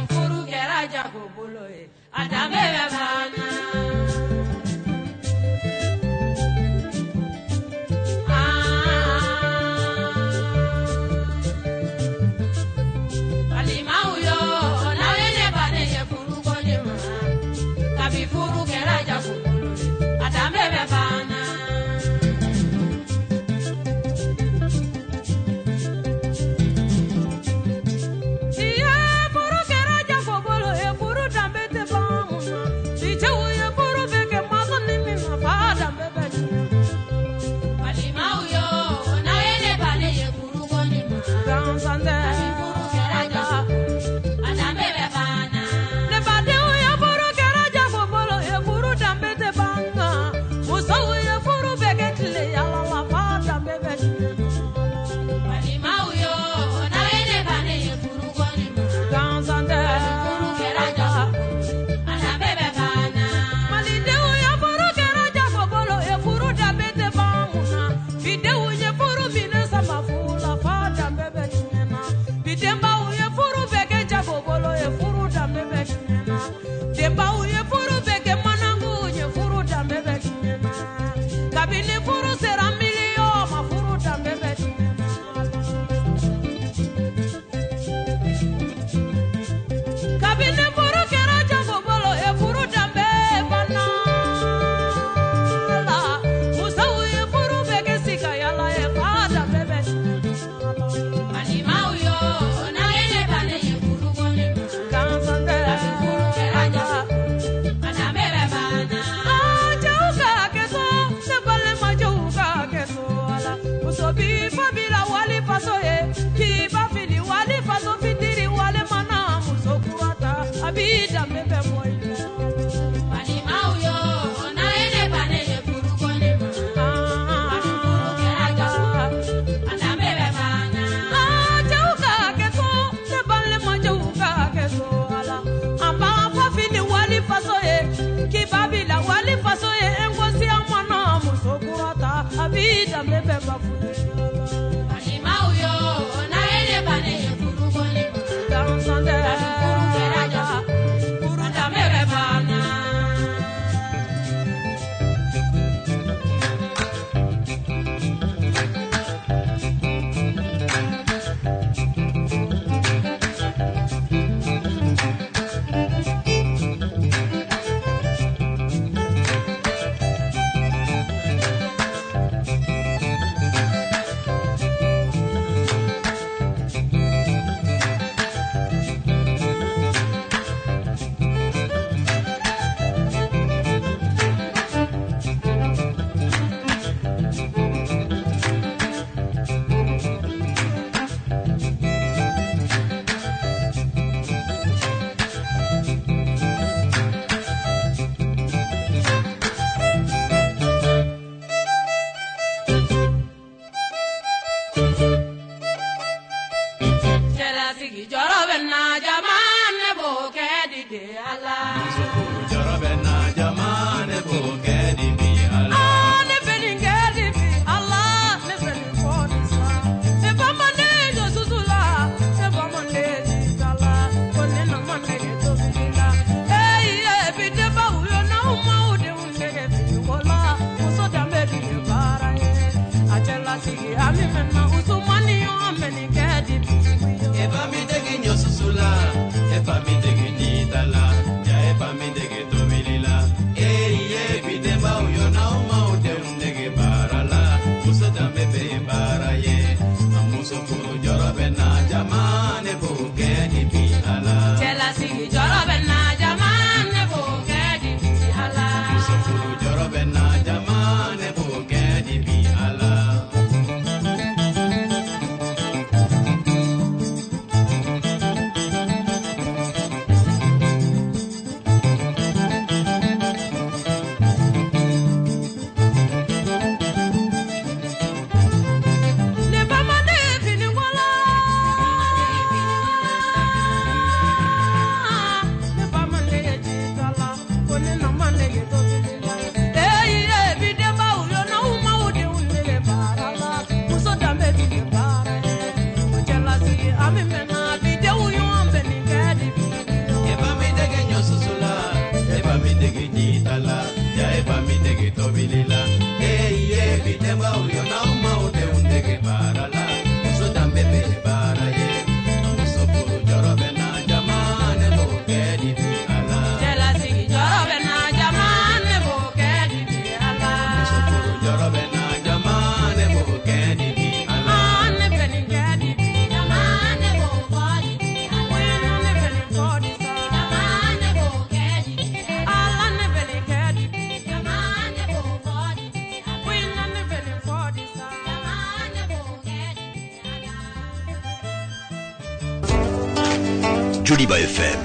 Joliba F M.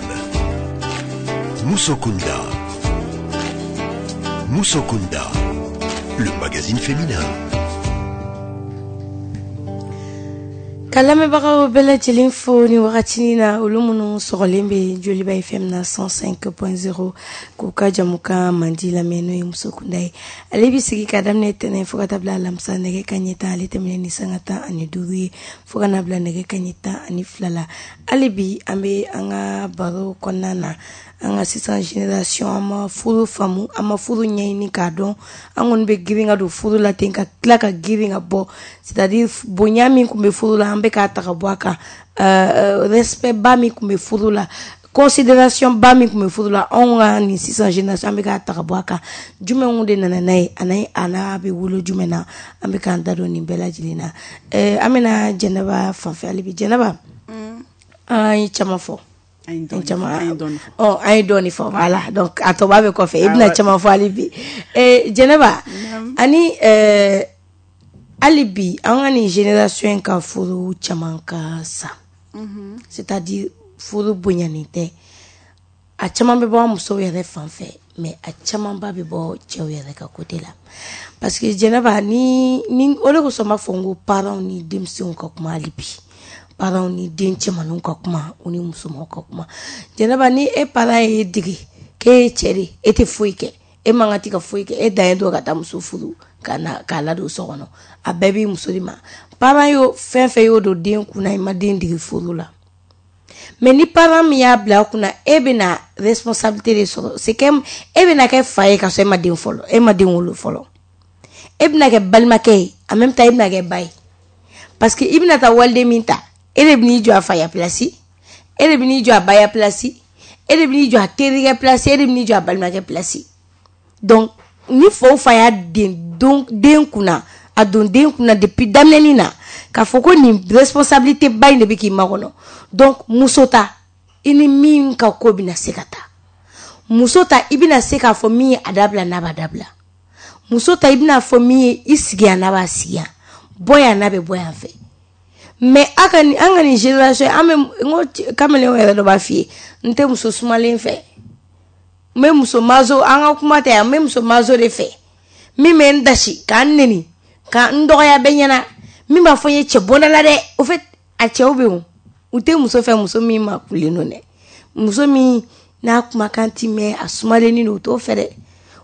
Musokunda. Musokunda, le magazine féminin. Ka lamɛnbagaw bɛɛ lajɛlen fo ni wagati na olu minnu sɔgɔlen bɛ Joliba F M na cent cinq point zéro k'u ka jamukan mandi lamɛn n'o ye Musokunda ye. Ale bɛ sigi ka daminɛ tɛnɛn fo ka taa bila alamisa nɛgɛ kanɲɛ tan ale tɛmɛnen ni sanga tan ani duuru ye fo ka na bila nɛgɛ kanɲɛ tan ani fila la. Hali bi an bɛ an ka baro kɔnɔna na an ka sisan génération an ma furu faamu, an ma furu ɲɛɲini k'a dɔn, an kɔni bɛ girin ka don furu la ten ka tila ka girin ka bɔ, c'est-à-dire bonya min tun bɛ furu la an bɛ k'a ta ka bɔ a kan, euh, respect ba min tun bɛ furu la, considération ba min tun bɛ furu la, anw ka nin sisan génération an bɛ k'a ta ka bɔ a kan. Jumɛnw de nana n'a ye, a n'a a n'a bɛ wolo jumɛn na, an bɛ k'an da don nin bɛɛ lajɛlen na. Euh, an bɛna Jɛnɛba fanfɛ hali bi. Jɛnɛba, an ye caman fɔ. An ye dɔɔni fɔ, voilà, donc a tɔ b'a bɛ kɔfɛ i bɛna caman fɔ hali bi. Jɛnɛba, ani hali bi an ka nin génération in ka furu caman ka sa, c'est-à-dire furu bonyanen tɛ, a caman bɛ bɔ an musow yɛrɛ fan fɛ, mais a camanba bɛ bɔ cɛw yɛrɛ ka côté la, parce que Jɛnɛba ni ni o de kosɔn n b'a fɔ n ko parents ni denmisɛnw ka kuma hali bi. Parents ni den cɛmaninw ka kuma, u ni musomanw ka kuma. Jɛnɛba, ni e parent ye dege k'e ye cɛ de, e tɛ foyi kɛ, e man kan tɛ ka foyi kɛ, e dan ye dɔrɔn ka taa muso furu ka na k'a ladon so kɔnɔ, a bɛɛ b'i muso de ma. Parent y'o fɛn fɛn y'o don den kunna, i ma den dege furu la. Mais ni parent min y'a bila a kunna, e bɛna responsabilité de sɔrɔ, c'est que e bɛna kɛ fa ye ka sɔrɔ e ma den fɔlɔ, e ma den wolo fɔlɔ, e bɛna kɛ balimakɛ ye, en même temps e bɛna kɛ ba ye, parce que i bɛna taa waliden min ta, e de bɛn'i jɔ a fa ya place, e de bɛn'i jɔ a ba ya place, e de bɛn'i jɔ a terikɛ place, e de bɛn'i jɔ a balimakɛ place. Donc ni fa o fa y'a den don den kunna, a don den kunna depuis daminɛni na k'a fɔ ko nin responsabilité ba in de bɛ k'i makɔnɔ. Donc muso ta, i ni min ka ko bɛna se ka taa, muso ta i bɛna se k'a fɔ min ye a dabila n'a b'a dabila, muso ta i bɛna fɔ min ye i sigi yan n'a b'a sigi yan, bɔ yan n'a bɛ bɔ yan fɛ. Mais a ka nin an ka nin génération an bɛ n ko kamalen yɛrɛ dɔ b'a f'i ye, n tɛ muso sumalen fɛ, n bɛ muso mazo, an ka kuma tɛ yan, n bɛ muso mazo de fɛ, min bɛ n dasi k'an neni ka n dɔgɔya bɛɛ ɲɛna, min b'a fɔ n ye cɛ bɔnda la dɛ. Au fait a cɛw bɛ yen, u tɛ muso fɛ muso min ma kulen don dɛ, muso min n'a kumakan ti mɛn, a sumalennin don, u t'o fɛ dɛ,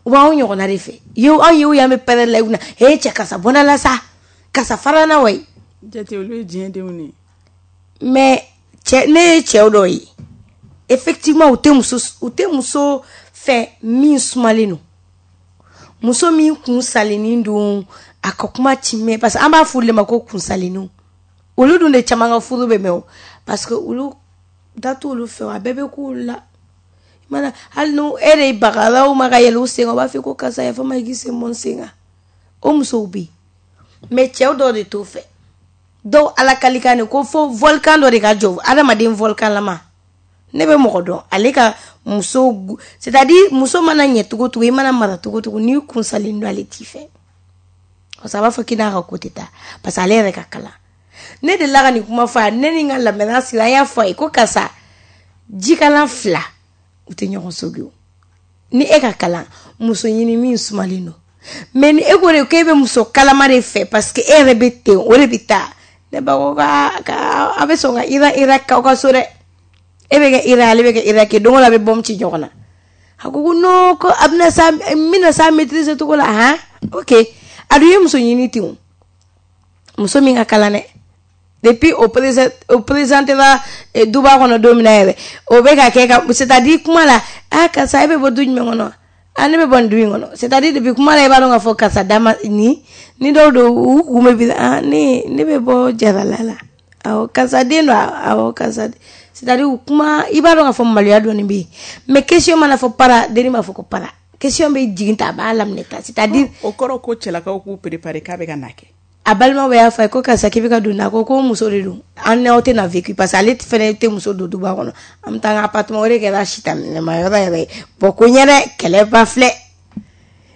u b'anw ɲɔgɔnna de fɛ. Yew anw yew y'an bɛ pɛrɛn la i kunna, he cɛ karisa bɔnda la sa, karisa fara na wayi. Jate olu ye diɲɛ denw de ye. Mais cɛ, ne ye cɛw dɔw ye, effectivement u tɛ muso u tɛ muso fɛ min sumalen don, muso min kun salennin don, a ka kuma ti mɛn, parce que an b'a fɔ olu de ma ko kunsalenninw, olu dun de caman ka furu bɛ mɛn o, parce que olu da t'olu fɛ, a bɛɛ bɛ k'olu la. Mana hali n'u e de bagara u ma ka yɛlɛ u sen kan, u b'a fɔ ko karisa yafa n ma i k'i sen bɔ n sen kan. O musow bɛ yen, mais cɛw dɔw de t'o fɛ. Dɔw ala kalikan de ko fo volcan dɔ de ka jɔ, adamaden volcan lama. Ne bɛ mɔgɔ dɔn, ale ka muso, c'est-à-dire muso mana ɲɛ cogo cogo, i mana mara cogo cogo, n'i kunsalen don ale t'i fɛ, parce que a b'a fɔ k'i n'a ka ko tɛ taa, parce que ale yɛrɛ ka kalan. Ne delila ka nin kuma fɔ a ye, ne ni n ka lamɛnna sigi, an y'a fɔ a ye ko karisa jikalan fila u tɛ ɲɔgɔn sogi o, ni e ka kalan muso ɲini min sumalen don, mais ni e ko de k'e bɛ muso kalama de fɛ, parce que e yɛrɛ bɛ ten, o de bɛ taa. Ne ba ko k'a a bɛ sɔn ka Iran Irak k'aw ka so dɛ, e bɛ kɛ Iran, ale bɛ kɛ Irak, don o don a bɛ bombe ci ɲɔgɔn na. A ko ko non, ko a bɛna sa, n bɛna s'a maîtriser cogo la han, ok. A dun ye muso ɲini ten o, muso min ka kalan dɛ, depuis o présent o présentera duba kɔnɔ don min na yɛrɛ, o bɛ ka kɛ ka, c'est-à-dire kuma la, ah karisa e bɛ bɔ du jumɛn kɔnɔ, ah ne bɛ bɔ nin du in kɔnɔ, c'est-à-dire depuis kuma la i b'a dɔn k'a fɔ karisa dama ni ni dɔw don u kun bɛ bi, ah ne ne bɛ bɔ Jarala la, awɔ karisa den don, awɔ karisa, c'est-à-dire kuma i b'a dɔn k'a fɔ maloya dɔɔni bɛ yen, mais question mana fɔ para, denni b'a fɔ ko para, question bɛ jigin ta a b'a laminɛ ta, c'est-à-dire o kɔrɔ ko cɛlakaw k'u préparer k'a bɛ ka na kɛ. A balimaw bɛɛ y'a fɔ a ye ko karisa k'i bɛ ka don, a ko ko muso de don, an n'aw tɛ na vécu, parce que ale fɛnɛ tɛ muso don duba kɔnɔ, an bɛ taa an ka appartement, o de kɛra sitaminɛma yɔrɔ yɛrɛ ye. Bon ko ɲɛ dɛ, kɛlɛ ba filɛ,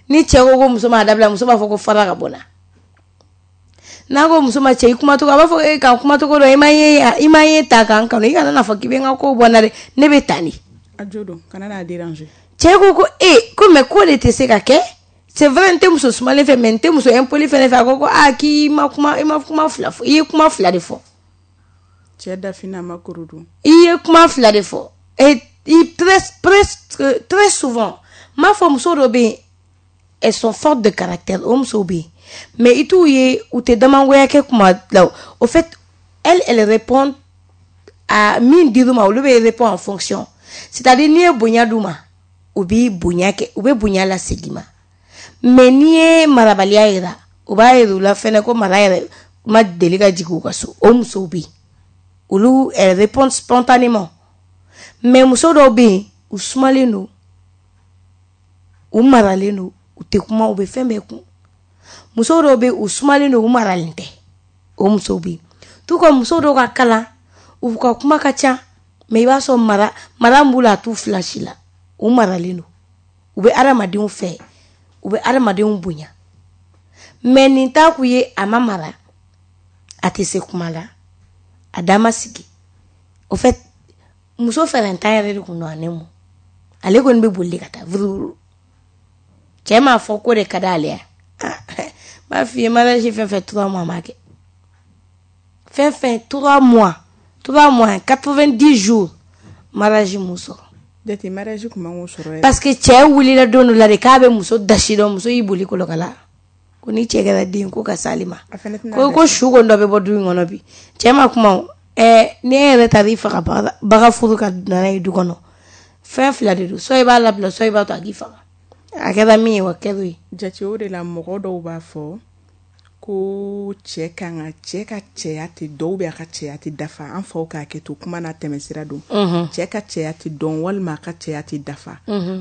ni cɛ ko ko muso m'a dabila, muso b'a fɔ ko fara ka bɔ n na. N'a ko muso ma cɛ i kumacogo, a b'a fɔ e ka kumacogo dɔn, i ma ye i ma ye ta k'an kanu, i kana n'a fɔ k'i bɛ n ka ko bɔ n na dɛ, ne bɛ tan de. A jo don, kana n'a déranger. Cɛ ko ko e ko mais ko de tɛ se ka kɛ. C'est vrai, n tɛ muso sumalen fɛ, mais n tɛ muso impoli fɛnɛ fɛ. A ko ko aa k'i ma kuma, i ma kuma fila fɔ, i ye kuma fila de fɔ. Cɛ dafina ma koro dun. I ye kuma fila de fɔ. Et très presque très souvent, m'a fɔ muso dɔ bɛ yen, elles sont fortes de caractère, o musow bɛ yen. Mais i t'u ye, u tɛ damangoya kɛ kuma la. Au fait, elles elles répondent à min dir'u ma, olu bɛ répondre en fonction. C'est-à-dire n'i ye bonya d'u ma, u b'i bonya kɛ, u bɛ bonya lasegin ma. Mais n'i ye marabaliya yira, u b'a yira u la fɛnɛ ko mara yɛrɛ ma deli ka jigin u ka so. O musow bɛ yen, olu elles répondent spontanément. Mais muso dɔw bɛ yen, u sumalen don, u maralen don, u tɛ kuma, u bɛ fɛn bɛɛ kun. Muso dɔw bɛ yen, u sumalen don, u maralen tɛ. O musow bɛ yen. Tout comme muso dɔw ka kalan, u ka kuma ka ca, mais i b'a sɔrɔ mara mara min b'u la, a t'u fila si la. U maralen don, u bɛ adamadenw fɛ, u bɛ adamadenw bonya. Mais nin t'a k'u ye, a ma mara, a tɛ se kuma la, a da ma sigi. Au fait, muso fɛrɛntan yɛrɛ de kun don a ne mu. Ale kɔni bɛ boli ka taa vuruvuru. Cɛ m'a fɔ ko de ka d'ale ye. N b'a f'i ye, mariage fɛn fɛn trois mois ma kɛ. Fɛn fɛn trois mois, trois mois, quatre-vingt-dix jours, mariage m'u sɔrɔ. Jate mariage kun man k'o sɔrɔ yɛrɛ. Parce que cɛ wulila don dɔ la de k'a bɛ muso dasi dɔn, muso y'i boli kolokala. Ko ni cɛ kɛra den ko ka s'ale ma. A fɛnɛ tɛna Ko ko su kɔni dɔ bɛ bɔ du in kɔnɔ bi. Cɛ ma kuma o. Ɛɛ ni e yɛrɛ taara i faga baga furu ka nana ye du kɔnɔ. Fɛn fila de don, soit i b'a labila, soit i b'a to a k'i faga. A kɛra min ye, wa kɛra o ye. Jate o de la mɔgɔ dɔw b'a fɔ ko cɛ kan ka cɛ ka cɛya tɛ dɔw bɛ a ka cɛya tɛ dafa, an faw k'a kɛ to kuma n'a tɛmɛsira don. Cɛ ka cɛya tɛ dɔn walima a ka cɛya tɛ dafa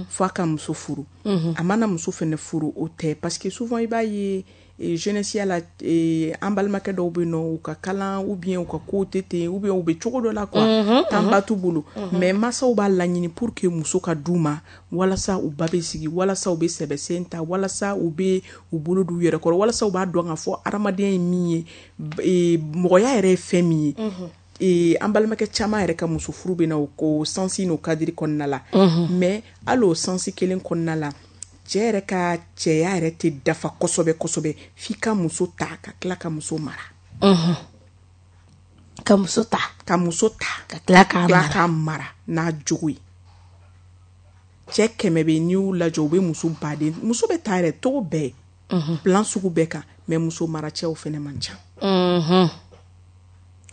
fo a ka muso furu. A mana muso fɛnɛ furu o tɛ, parce que souvent i b'a ye jeunesse la, an balimakɛ dɔw bɛ yen nɔ, u ka kalan ou bien u ka kow tɛ ten, ou bien u bɛ cogo dɔ la quoi, tanba t'u bolo. Mais masaw b'a laɲini pour que muso ka d'u ma, walasa u ba bɛ sigi, walasa u bɛ sɛbɛsen ta, walasa u bɛ u bolo d'u yɛrɛ kɔrɔ, walasa u b'a dɔn k'a fɔ adamadenya ye min ye, mɔgɔya yɛrɛ ye fɛn min ye. An balimakɛ caman yɛrɛ ka muso furu bɛ na o ko sansi n'o kadiri kɔnɔna la. Mais hali o sansi kelen kɔnɔna la, cɛ yɛrɛ ka cɛya yɛrɛ tɛ dafa kosɛbɛ kosɛbɛ f'i ka muso ta ka tila ka muso mara. Ka muso ta. Ka muso ta. Ka tila k'a mara. K'a mara n'a jogo ye. Cɛ kɛmɛ bɛ n'i y'u lajɛ, u bɛ muso baden, muso bɛ taa yɛrɛ cogo bɛɛ, plan sugu bɛɛ kan, mais muso mara cɛw fɛnɛ man ca.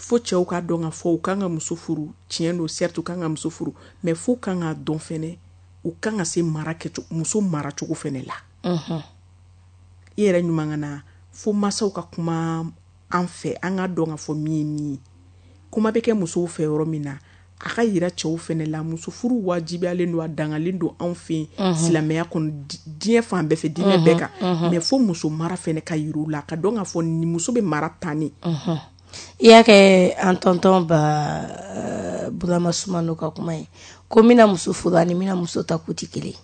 Fo cɛw k'a dɔn k'a fɔ u kan ka muso furu, tiɲɛ don, certes u kan ka muso furu, mais f'u kan k'a dɔn fɛnɛ u kan ka se mara kɛcogo, muso maracogo fɛnɛ la. I yɛrɛ ɲuman ka na fo masaw ka kuma an fɛ, an ka dɔn k'a fɔ min ye min ye. Kuma bɛ kɛ musow fɛ yɔrɔ min na, a ka yira cɛw fɛnɛ la, muso furu wajibiyalen don, a dangalen don anw fɛ yen silamɛya kɔnɔ, diɲɛ fan bɛɛ fɛ, diinɛ bɛɛ kan. Mais fo muso mara fɛnɛ ka yir'u la, ka dɔn k'a fɔ ni muso bɛ mara tan ne. I y'a kɛ an tɔntɔn ba Burama Sumano ka kuma ye ko n bɛna muso furu ani n bɛna muso ta k'u tɛ kelen.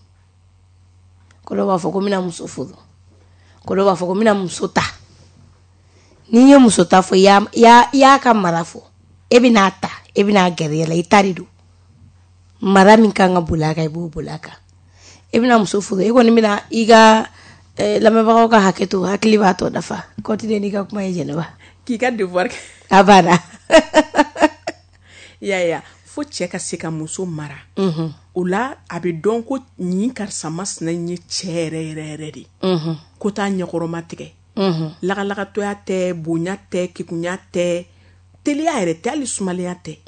Ko dɔw b'a fɔ ko n bɛna muso furu, ko dɔw b'a fɔ ko n bɛna muso ta. N'i ye muso ta fɔ, i y'a ka mara fɔ, e bɛna ta, e bɛna gɛrɛ la, i ta de don. Mara min kan ka boli a kan, i b'o boli a kan. E bɛna muso furu, e kɔni bɛna i ka lamɛnbagaw ka hakɛ to, hakili b'a tɔ dafa. Continue n'i ka kuma ye Jɛnɛba. K'i ka devoir kɛ. A banna. I y'a ye wa, fo cɛ ka se ka muso mara. O la a bɛ dɔn ko nin karisa masina in ye cɛ yɛrɛ yɛrɛ yɛrɛ de. Ko t'a ɲɛkɔrɔma tigɛ. Lagalakatɔya tɛ, bonya tɛ, kekunya tɛ, teliya yɛrɛ tɛ, hali sumalenya tɛ.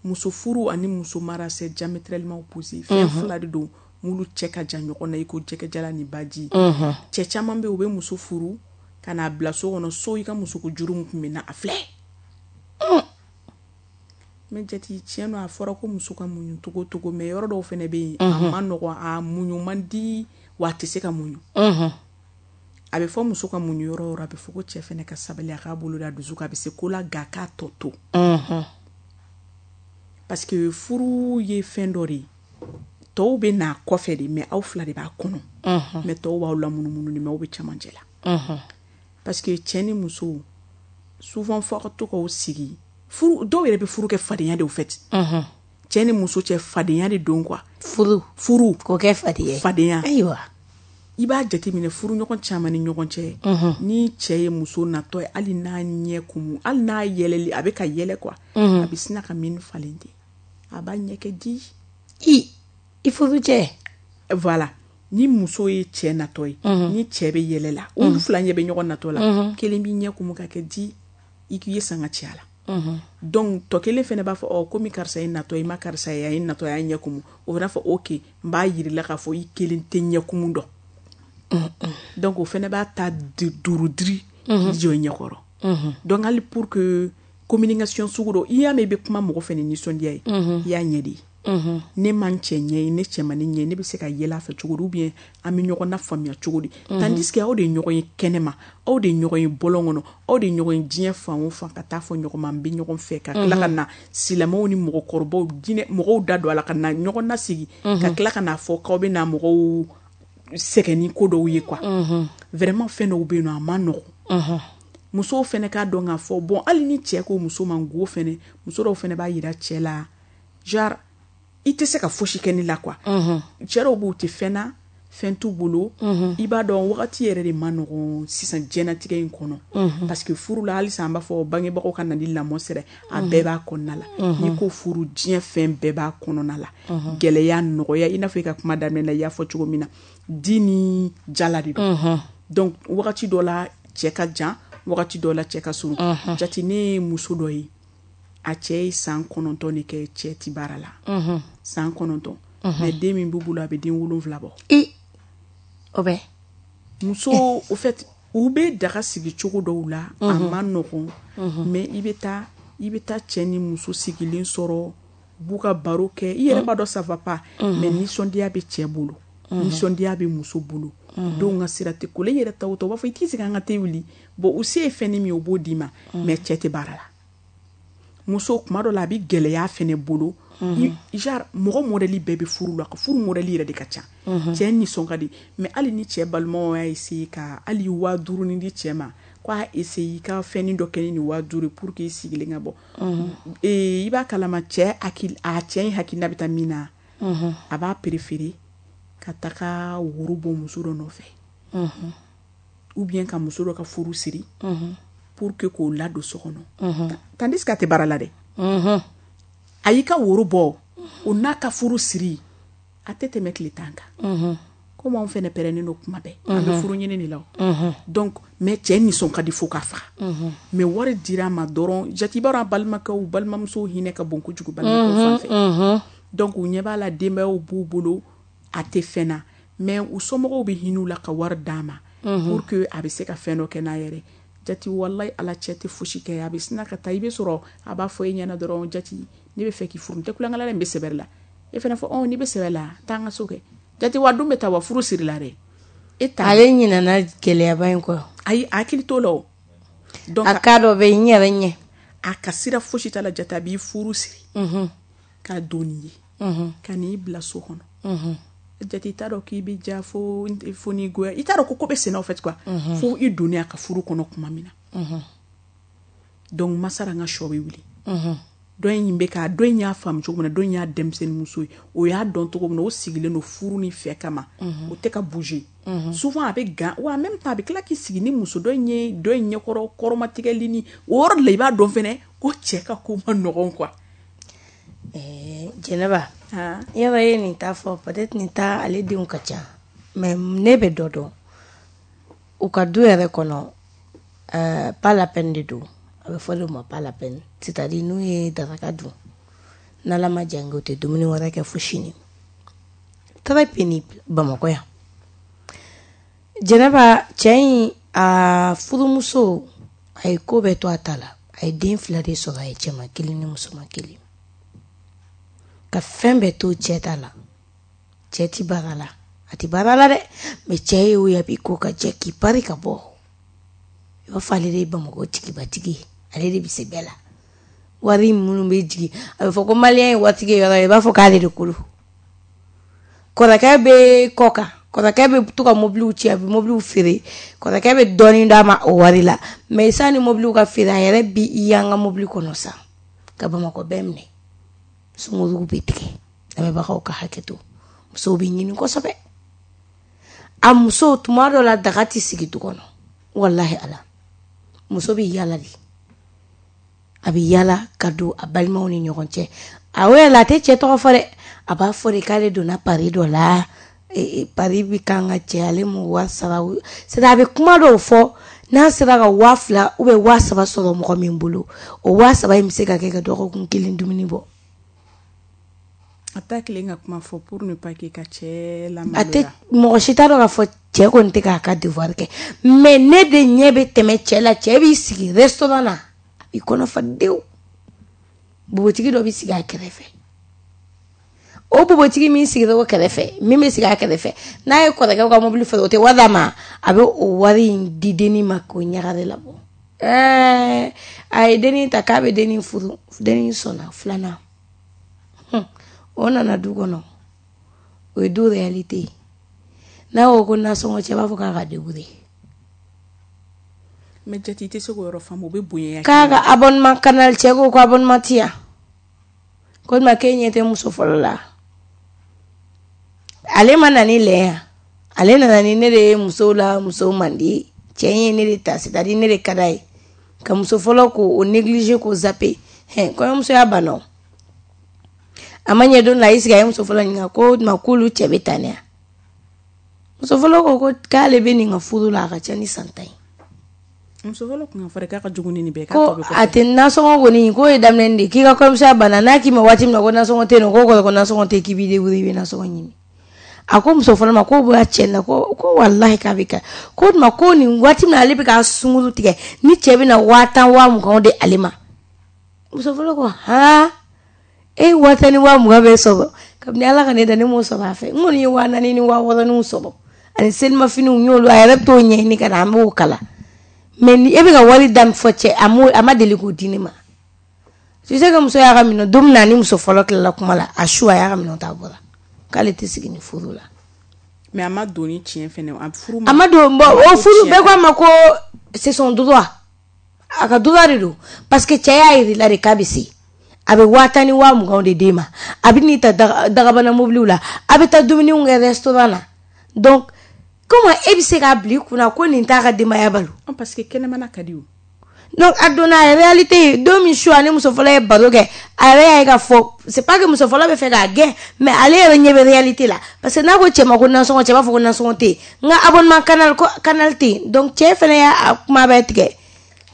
Muso furu ani muso mara c'est diamétralement opposé. Fɛn fila de don m'olu cɛ ka jan ɲɔgɔn na i ko jɛgɛjalan ni baji. Cɛ caman bɛ yen, u bɛ muso furu ka n'a bila so kɔnɔ, so i ka musoko juru min tun bɛ na a filɛ. Mais jate tiɲɛ don, a fɔra ko muso ka muɲu togo togo, mais yɔrɔ dɔw fɛnɛ bɛ yen, a ma nɔgɔn, a muɲu man di, wa a tɛ se ka muɲu. A bɛ fɔ muso ka muɲu yɔrɔ o yɔrɔ, a bɛ fɔ ko cɛ fɛnɛ ka sabali, a k'a bolo da dusu kan, a bɛ se ko la, nka k'a tɔ to. Parce que furu ye fɛn dɔ de ye, tɔw bɛ n'a kɔfɛ de, mais aw fila de b'a kɔnɔ. Mais tɔw b'aw lamunumunu de, mais aw bɛ cɛmancɛ la. Parce que cɛ ni muso souvent fo ka to k'aw sigi. Furu dɔw yɛrɛ bɛ furu kɛ fadenya de, au fait. Cɛ ni muso cɛ, fadenya de don quoi. Furu. Furu. K'o kɛ fadenya. Fadenya. Ayiwa. I b'a jateminɛ, furu ɲɔgɔn caman ni ɲɔgɔn cɛ, ni cɛ ye muso natɔ ye, hali n'a ɲɛ kumu, hali n'a yɛlɛli, a bɛ ka yɛlɛ quoi, a bɛ sina ka min falen ten, a b'a ɲɛ kɛ di. I i furu cɛ. Voilà, ni muso ye cɛ natɔ ye, ni cɛ bɛ yɛlɛ la, olu fila ɲɛ bɛ ɲɔgɔn natɔ la, kelen b'i ɲɛ kumu ka kɛ di i k'i ye sanga cɛ la. Donc tɔ kelen fɛnɛ b'a fɔ: ɔ, komi karisa ye natɔ, i ma karisa ye, a ye natɔ, a y'a ɲɛ kumu. O fana fɔ: ok, n b'a yir'i la k'a fɔ i kelen tɛ ɲɛ kumu dɔn. Donc o fɛnɛ b'a ta duuru diri jɔ i ɲɛkɔrɔ. Donc hali pour que communication sugu dɔ, i y'a mɛn i bɛ kuma mɔgɔ fɛ ni nisɔndiya ye, i y'a ɲɛ de ye. Ne ma n cɛ ɲɛ ye, ne cɛ ma ne ɲɛ, ne bɛ se ka yɛlɛ a fɛ cogo di, ou bien an bɛ ɲɔgɔn na faamuya cogo di? Tandis que aw de ye ɲɔgɔn ye kɛnɛma, aw de ye ɲɔgɔn ye bɔlɔn kɔnɔ, aw de ye ɲɔgɔn ye diɲɛ fan o fan, ka taa fɔ ɲɔgɔn ma n bɛ ɲɔgɔn fɛ, ka tila ka na silamɛw ni mɔgɔkɔrɔbaw, diinɛ mɔgɔw da don a la, ka na ɲɔgɔn nasigi, ka tila ka n'a fɔ k'aw bɛ na mɔgɔw sɛgɛn ni ko dɔw ye quoi. Vraiment, fɛn dɔw bɛ yen nɔ, a ma nɔgɔn. Musow fɛnɛ k'a dɔn k'a fɔ, bon, hali ni cɛ ko muso ma go fɛnɛ, muso dɔw fɛnɛ b'a yira cɛ la, genre i tɛ se ka fosi kɛ ne la quoi. Cɛ dɔw b'u tɛ fɛn na, fɛn t'u bolo. I b'a dɔn, wagati yɛrɛ de ma nɔgɔn sisan diɲɛnatigɛ in kɔnɔ, parce que furu la, halisa an b'a fɔ bangebagaw ka na ni lamɔ sira, a bɛɛ b'a kɔnɔna la. N'i ko furu, diɲɛ fɛn bɛɛ b'a kɔnɔna la, gɛlɛya, nɔgɔya. I n'a fɔ i ka kuma daminɛ la, i y'a fɔ cogo min na, di ni jala de don. Donc wagati dɔ la cɛ ka jan, wagati dɔ la cɛ ka surun. Jate, ne ye muso dɔ ye, a cɛ ye san kɔnɔntɔn de kɛ cɛ ti baara la, san kɔnɔntɔn, mais den min b'u bolo, a bɛ den wolonfila bɔ. I o bɛ. Muso, au fait, u bɛ daga sigi cogo dɔw la, a ma nɔgɔn, mais i bɛ taa i bɛ taa cɛ ni muso sigilen sɔrɔ, u b'u ka baro kɛ, i yɛrɛ b'a dɔn ça va pas, mais nisɔndiya bɛ cɛ bolo, nisɔndiya bɛ muso bolo, denw ka sira tɛ ko la. I yɛrɛ ta o ta, u b'a fɔ i t'i sigi an ka te wuli. Bon, u se ye fɛn min ye, u b'o d'i ma, mais cɛ tɛ baara la. Muso, kuma dɔ la, a bɛ gɛlɛya fɛnɛ bolo. Genre mɔgɔ modèle bɛɛ bɛ furu la, furu modèle yɛrɛ de ka ca. Cɛ nisɔn ka di, mais hali ni cɛ balimaw y'a essayer ka hali waa duuru ni di cɛ ma, k'a essayer i ka fɛnnin dɔ kɛ ni nin waa duuru pour que i sigilen ka bɔ, i b'a kalama cɛ hakili, a cɛ in hakilina bɛ taa min na, a b'a préférer ka taga woro bɔ muso dɔ nɔfɛ, ou bien ka muso dɔ ka furu siri pour que k'o ladon so kɔnɔ, tandis que a tɛ baara la dɛ. A y'i ka woro bɔ, o n'a ka furu siri, a tɛ tɛmɛ tile tan kan. Komi anw fɛnɛ pɛrɛnnen don kuma bɛɛ, an bɛ furu ɲini de la o. Donc mais cɛ nisɔn ka di fo k'a faga, mais wari dira a ma dɔrɔn, jate, i b'a dɔn, a balimakɛw, balimamusow hinɛ ka bon kojugu balimakɛw fan fɛ. Donc u ɲɛ b'a la, denbayaw b'u bolo, a tɛ fɛn na, mais u somɔgɔw bɛ hinɛ u la ka wari d'a ma pour que a bɛ se ka fɛn dɔ kɛ n'a yɛrɛ. Jati, walayi, ala, cɛ tɛ fosi kɛ, a bɛ sina ka taa, i bɛ sɔrɔ a b'a fɔ e ɲɛna dɔrɔn: jati, ne bɛ fɛ k'i furu, n tɛ kulonkɛ la dɛ, n bɛ sɛbɛ la. E fana fɔ: ɔ, n'i bɛ sɛbɛ la, taa an ka so kɛ. Jati, wa dun bɛ taa wa furu siri la dɛ, e ta. Ale ɲinɛna gɛlɛyaba in kɔ. Ayi, a hakili t'o la o. Donc a ka dɔ bɛ n yɛrɛ ɲɛ. A ka sira fosi t'a la. Jati, a b'i furu siri ka don n'i ye, ka n'i bila so kɔnɔ. Jate, i t'a dɔn k'i bɛ ja fo fo n'i goya, i t'a dɔn ko ko bɛ senna, au fait quoi, fo i donnen a ka furu kɔnɔ tuma min na. Donc masara n ka sɔ bɛ wuli, dɔ in bɛ ka dɔ in y'a faamu cogo min na, dɔ in y'a denmisɛnnin muso ye, o y'a dɔn cogo min na, o sigilen don furu ni fɛ kama, o tɛ ka bouger. Souvent a bɛ gan wa, en même temps a bɛ tila k'i sigi ni muso dɔ in ye, dɔ in ɲɛkɔrɔ kɔrɔmatigɛli ni o yɔrɔ de la, i b'a dɔn fɛnɛ ko cɛ ka ko ma nɔgɔn quoi. Jɛnɛba, yɔrɔ ye nin ta fɔ, peut-être nin ta ale denw ka ca, mais ne bɛ dɔ dɔn u ka du yɛrɛ kɔnɔ, euh, pas la peine de don, a bɛ fɔ de ma pas la peine, c'est-à-dire n'u ye daraka dun, n'ala ma jan kɛ, u tɛ dumuni wɛrɛ kɛ fo sini. Très pénible. Bamakɔ yan, Jɛnɛba, cɛ in a furumuso, a ye ko bɛɛ to a ta la, a ye den fila de sɔrɔ, a ye cɛman kelen ni musoman kelen, ka fɛn bɛɛ to cɛ ta la. Cɛ ti baara la, a ti baara la dɛ, mais cɛ ye o ye, a b'i ko ka jɛ k'i pari ka bɔ, i b'a fɔ ale de ye Bamakɔ tigibatigi ye, ale de bɛ se bɛɛ la. Wari minnu bɛ jigin, a bɛ fɔ ko malien ye waritigi ye yɔrɔ, i b'a fɔ k'ale de ko don. Kɔrɔkɛ bɛ kɔ kan. Kɔrɔkɛ bɛ to ka mobiliw ci, a bɛ mobiliw feere, kɔrɔkɛ bɛ dɔɔnin d'a ma o wari la. Mais sani mobiliw ka feere, a yɛrɛ bi i y'an ka mobili kɔnɔ sa ka Bamakɔ bɛɛ minɛ. Sunkuruw bɛ tigɛ. Lamɛnbagaw ka hakɛ to, musow bɛ ɲini kosɛbɛ. A muso tuma dɔ la daga tɛ sigi du kɔnɔ, walahi ala, muso bɛ yala de, a bɛ yala ka don a balimaw ni ɲɔgɔn cɛ. A o yɛrɛ la, a tɛ cɛ tɔgɔ fɔ dɛ, a b'a fɔ de k'ale donna pari dɔ la, pari bɛ kan ka cɛ, ale m'o wari sara. C'est à dire a bɛ kuma dɔw fɔ, n'a sera ka waa fila ou bien waa saba sɔrɔ mɔgɔ min bolo, o waa saba in bɛ se ka kɛ ka dɔgɔkun kelen dumuni bɔ. A t'a kelen ka kuma fɔ pour ne pas que ka cɛ a lamaloya. Tɛ mɔgɔ si t'a dɔn k'a fɔ cɛ kɔni tɛ k'a ka devoir kɛ, mais ne de ɲɛ bɛ tɛmɛ cɛ la. Cɛ b'i sigi restaurant na, a b'i kɔnɔ fa dewu, npogotigi dɔ bɛ sigi a kɛrɛfɛ. O npogotigi min sigira o kɛrɛfɛ, min bɛ sigi a kɛrɛfɛ, n'a ye kɔrɔkɛ ka mobili feere, o tɛ wari d'a ma, a bɛ o wari in di dennin ma k'o ɲagare labɔ. Ɛɛ a ye dennin ta k'a bɛ dennin furu, dennin sɔnna filanan. O nana du kɔnɔ, o ye du réalité ye. N'a ko ko nasɔngɔ, cɛ b'a fɔ k'a ka débrouiller. Mais Jati, i tɛ se k'o yɔrɔ faamu, o bɛ bonya. K'a ka abonnement Canal, cɛ ko ko abonnement ti yan, ko tuma k'e ɲɛ tɛ muso fɔlɔ la. Ale ma na ni lɛ yan, ale nana ni ne de ye musow la, musow man di cɛ in ye ne de ta, c'est à dire ne de ka d'a ye ka muso fɔlɔ k'o négliger, k'o zapper. Hɛn, kɔɲɔmuso y'a banna o. A ma ɲɛ don la, a y'i sigi, a ye muso fɔlɔ ɲininka ko tuma k'olu cɛ bɛ tan ne ya. Muso fɔlɔ ko ko k'ale bɛ nin ka furu la, a ka ca ni san tan ye. Muso fɔlɔ kun ka fɔ de k'a ka jugu ni nin bɛɛ ye. Ko a tɛ nasɔngɔ kɔni, k'o ye daminɛ de, k'i ka kɔɲɔmusoya banna, n'a k'i ma waati min na ko nasɔngɔ tɛ yen nɔ, k'o kɔrɔ ko nasɔngɔ tɛ, k'i b'i débrouiller, i bɛ nasɔngɔ ɲini. A ko muso fɔlɔ ma k'o bɔra cɛ la, ko ko walahi k'a bɛ kɛ, ko tuma ko nin waati min na ale bɛ ka sunkuru tigɛ ni cɛ bɛ na waa tan waa mugan di ale ma. Muso fɔlɔ ko han, e ye waa tan ni waa mugan bɛɛ sɔrɔ kabini Ala ka ne da, ne m'o sɔrɔ a fɛ, n kɔni ye waa naani ni waa wɔɔrɔninw sɔrɔ ani selimafiniw, n y'olu, a yɛrɛ bɛ t'o ɲɛɲini ka na, an b'o kala. Mais ni e bɛ ka wari da min fɔ cɛ, a m'o, a ma deli k'o di ne ma. Tu sais que muso y'a ka minɛn don min na, ni muso fɔlɔ tilala kuma la, a su a y'a ka minɛn ta, a bɔra k'ale tɛ sigi ni furu la. Mais a ma don ni tiɲɛ fɛnɛ, a furu a ma don. Bon, o furu bɛɛ ko a ma ko c'est son droit, a ka droit de don, parce que cɛ y'a yir'i la de k'a bɛ se, a bɛ waa tan ni waa mugan de d'e ma, a bɛ n'i ta dagabana mobiliw la, a bɛ taa dumuniw kɛ restaurant na. Donc comment e bɛ se k'a bila i kunna ko nin t'a ka denbaya balo? Parce que kɛnɛmana ka di o. Donc a donna a réalité ye don min su, ani muso fɔlɔ ye baro kɛ, a yɛrɛ y'a ye k'a fɔ c'est pas que muso fɔlɔ bɛ fɛ k'a gɛn, mais ale yɛrɛ ɲɛ bɛ réalité la, parce que n'a ko cɛ ma ko nasɔngɔ, cɛ b'a fɔ ko nasɔngɔ tɛ yen, n ka abonnement Canal ko Canal tɛ yen. Donc cɛ fɛnɛ y'a kuma bɛɛ tigɛ,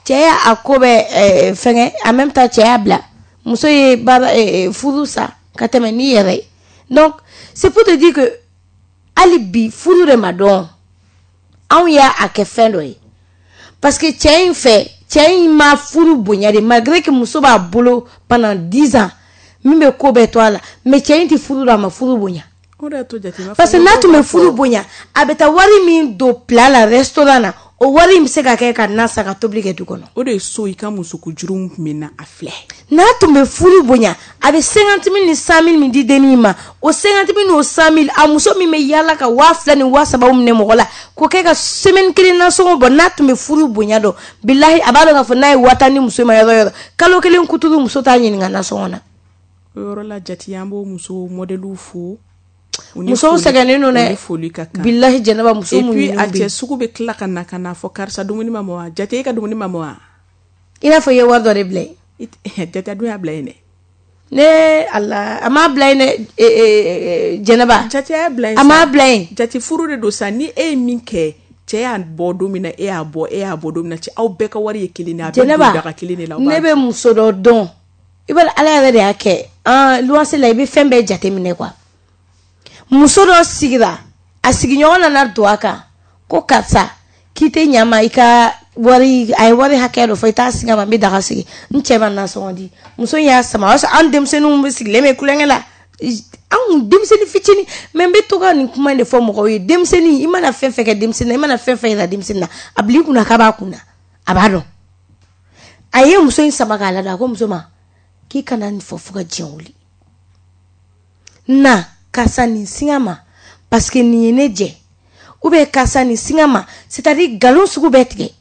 cɛ y'a ko bɛɛ fɛngɛ, en même temps cɛ y'a bila, muso ye baara furu sa ka tɛmɛ n'i yɛrɛ ye. Donc c'est pour te dire que hali bi furu de ma dɔn, anw y'a kɛ fɛn dɔ ye, parce que cɛ in fɛ, cɛ in ma furu bonya de, malgré que muso b'a bolo pendant dix ans min bɛ ko bɛɛ to a la, mais cɛ in tɛ furu dɔn, a ma furu bonya. Parce que n'a tun bɛ furu bonya, a bɛ taa wari min don plat la restaurant na, o wari in bɛ se ka kɛ ka na san ka tobili kɛ du kɔnɔ. O de ye so i ka musoko juru tun bɛ na a filɛ. N'a tun bɛ furu bonya, a bɛ cinquante mille ni cent mille min di dennin ma, o cinquante mille n'o cent mille, a muso min bɛ yaala ka waa fila ni waa saba minɛ mɔgɔ la k'o kɛ ka semaine kelen nasɔngɔ bɔ, n'a tun bɛ furu bonya dɔn, bilahi a b'a dɔn k'a fɔ n'a ye waa tan di muso ma yɔrɔ yɔrɔ, kalo kelen kuturu muso t'a ɲininka nasɔngɔ na. O yɔrɔ la Jati, an b'o muso modèle fo. Musow sɛgɛnnen don dɛ, bilahi Jɛnɛba, muso mun. Et puis a cɛ sugu bɛ tila ka na ka na fɔ karisa dumuni ma mɔ wa, Jati e ka dumuni ma mɔ wa. I n'a fɔ i ye wari dɔ de bila yen. Jati a dun y'a bila yen dɛ. Ne Ala, a m'a bila yen dɛ Jɛnɛba. Jati y'a bila yen. A m'a bila yen. Jati furu de don sa, ni e ye min kɛ, cɛ y'a bɔ don min na, e y'a bɔ, e y'a bɔ don min na, cɛ aw bɛɛ ka wari ye kelen ye, a bɛɛ don daga kelen de la. Ne bɛ muso dɔ dɔn, i b'a dɔn Ala yɛrɛ de y'a kɛ, an luwanse la i bɛ fɛn bɛɛ jateminɛ quoi. Muso dɔ sigira, a sigiɲɔgɔn nana don a kan ko karisa k'i tɛ ɲa ma, i ka wari, a ye wari hakɛ dɔ fɔ, i t'a sigi a ma, n bɛ daga sigi, n cɛ ma nasɔngɔ di. Muso in y'a sama, o y'a sɔrɔ an denmisɛnninw bɛ sigilen bɛ kulonkɛ la, anw denmisɛnnin fitinin. Mais n bɛ to ka nin kuma in de fɔ mɔgɔw ye, denmisɛnnin i mana fɛn fɛn kɛ denmisɛnnin na, i mana fɛn fɛn yira denmisɛnnin na, a bila i kunna k'a b'a kunna, a b'a dɔn. A ye muso in sama k'a lada, a ko muso ma k'i kana nin fɔ fo ka diɲɛ wuli na, karisa nin singa ma, parce que nin ye ne jɛ, Ou bien karisa nin singa ma, c'est à dire nkalon sugu bɛɛ tigɛ.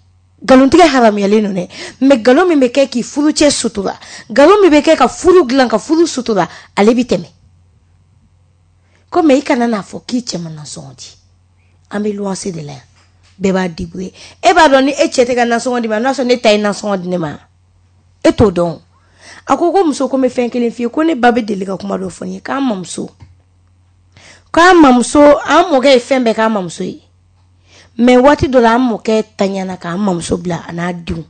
Nkalontigɛ haramuyalen don dɛ, mais nkalon min bɛ kɛ k'i furucɛ sutura, nkalon min bɛ kɛ ka furu dilan ka furu sutura, ale bi tɛmɛ. Ko mais i kana n'a fɔ k'i cɛ ma nasɔngɔ di. An bɛ luwanse de la yan, bɛɛ b'a débrouiller. E b'a dɔn ni e cɛ tɛ ka nasɔngɔ di ma, n'a sɔrɔ ne ta ye nasɔngɔ di ne ma, e t'o dɔn. A ko ko muso, ko n bɛ fɛn kelen f'i ye, ko ne ba bɛ deli ka kuma dɔ fɔ n ye, k'an mamuso, k'an mamuso, an mɔkɛ ye fɛn bɛɛ k'an mamuso ye. Mais waati dɔ la, an mɔkɛ taɲana k'an mamuso bila a n'a denw.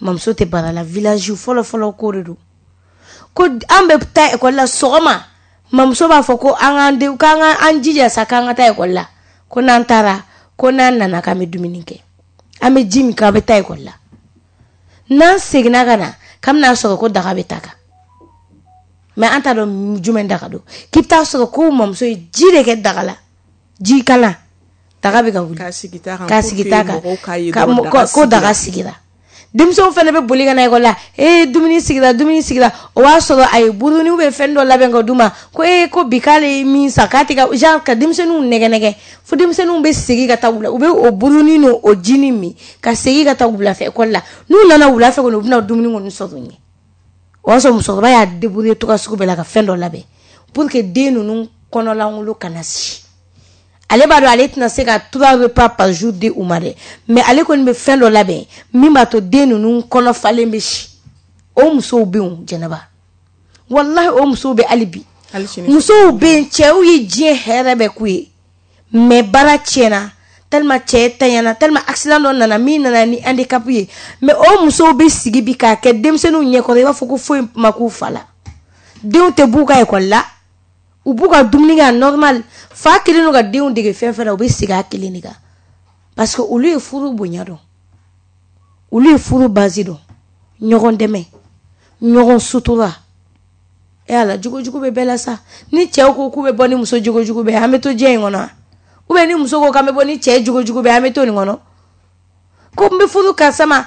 Mamuso tɛ baara la, village fɔlɔ fɔlɔ ko de don. Ko an bɛ taa ekɔli la sɔgɔma, mamuso b'a fɔ ko an k'an denw, k'an ka an jija sa k'an ka taa ekɔli la. Ko n'an taara, ko n'an nana k'an bɛ dumuni kɛ. An bɛ ji min k'an bɛ taa ekɔli la. N'an seginna ka na, k'an bɛna sɔrɔ ko daga bɛ ta kan. Mais an t'a dɔn jumɛn daga don. K'i bɛ taa sɔrɔ ko mamuso ye ji de kɛ daga la. Ji kalan. Daga bɛ ka wuli. K'a sigi ta kan. K'a sigi ta kan. Mɔgɔw k'a ye dɔrɔn daga ko daga sigira. Denmisɛnw fana bɛ boli ka na ekɔli la. Ee, dumuni sigira, dumuni sigira. O b'a sɔrɔ a ye buruni ou bien fɛn dɔ labɛn ka d'u ma. Ko ee, ko bi k'ale ye min san k'a tɛ ka genre ka denmisɛnninw nɛgɛ nɛgɛ. Fo denmisɛnninw bɛ segin ka taa wula. U bɛ o buruni n'o o jinin min ka segin ka taa wula fɛ ekɔli la. N'u nana wula fɛ kɔni, u bɛna dumuni kɔni sɔrɔ u ɲɛ. O y'a sɔrɔ musokɔrɔba y'a débrouiller cogoya sugu bɛɛ la ka fɛn dɔ labɛn pour que den ninnu kɔnɔlankolon kana si. Ale b'a dɔn ale tɛna se ka trois repas par jour di u ma dɛ, mais ale kɔni bɛ fɛn dɔ labɛn min b'a to den ninnu kɔnɔ falen bɛ si. O musow bɛ yen, Jɛnɛba, walahi o musow bɛ hali bi. Musow bɛ yen, cɛw ye diɲɛ hɛrɛ bɛɛ k'u ye, mais baara tiɲɛna tellement, cɛ tanyana tellement, accident dɔ nana min nana ni handicap ye, mais o musow bɛ sigi bi k'a kɛ denmisɛnninw ɲɛkɔrɔ, i b'a fɔ ko foyi ma k'u fa la. Denw tɛ b'u ka ekɔli la, u b'u ka dumuni kɛ normal. Fa kelen don ka denw dege fɛn fɛn na, u bɛ segin a kelen de kan, parce que olu ye furu bonya dɔn, olu ye furu base dɔn, ɲɔgɔn dɛmɛ, ɲɔgɔn sutura. E ala, jogojugu bɛ bɛɛ la sa. Ni cɛw ko k'u bɛ bɔ ni muso jogojugu bɛɛ, an bɛ to diɲɛ in kɔnɔ? Ou bien ni muso ko k'an bɛ bɔ ni cɛ jogojugu bɛɛ, an bɛ to nin kɔnɔ? Ko n bɛ furu karisa ma,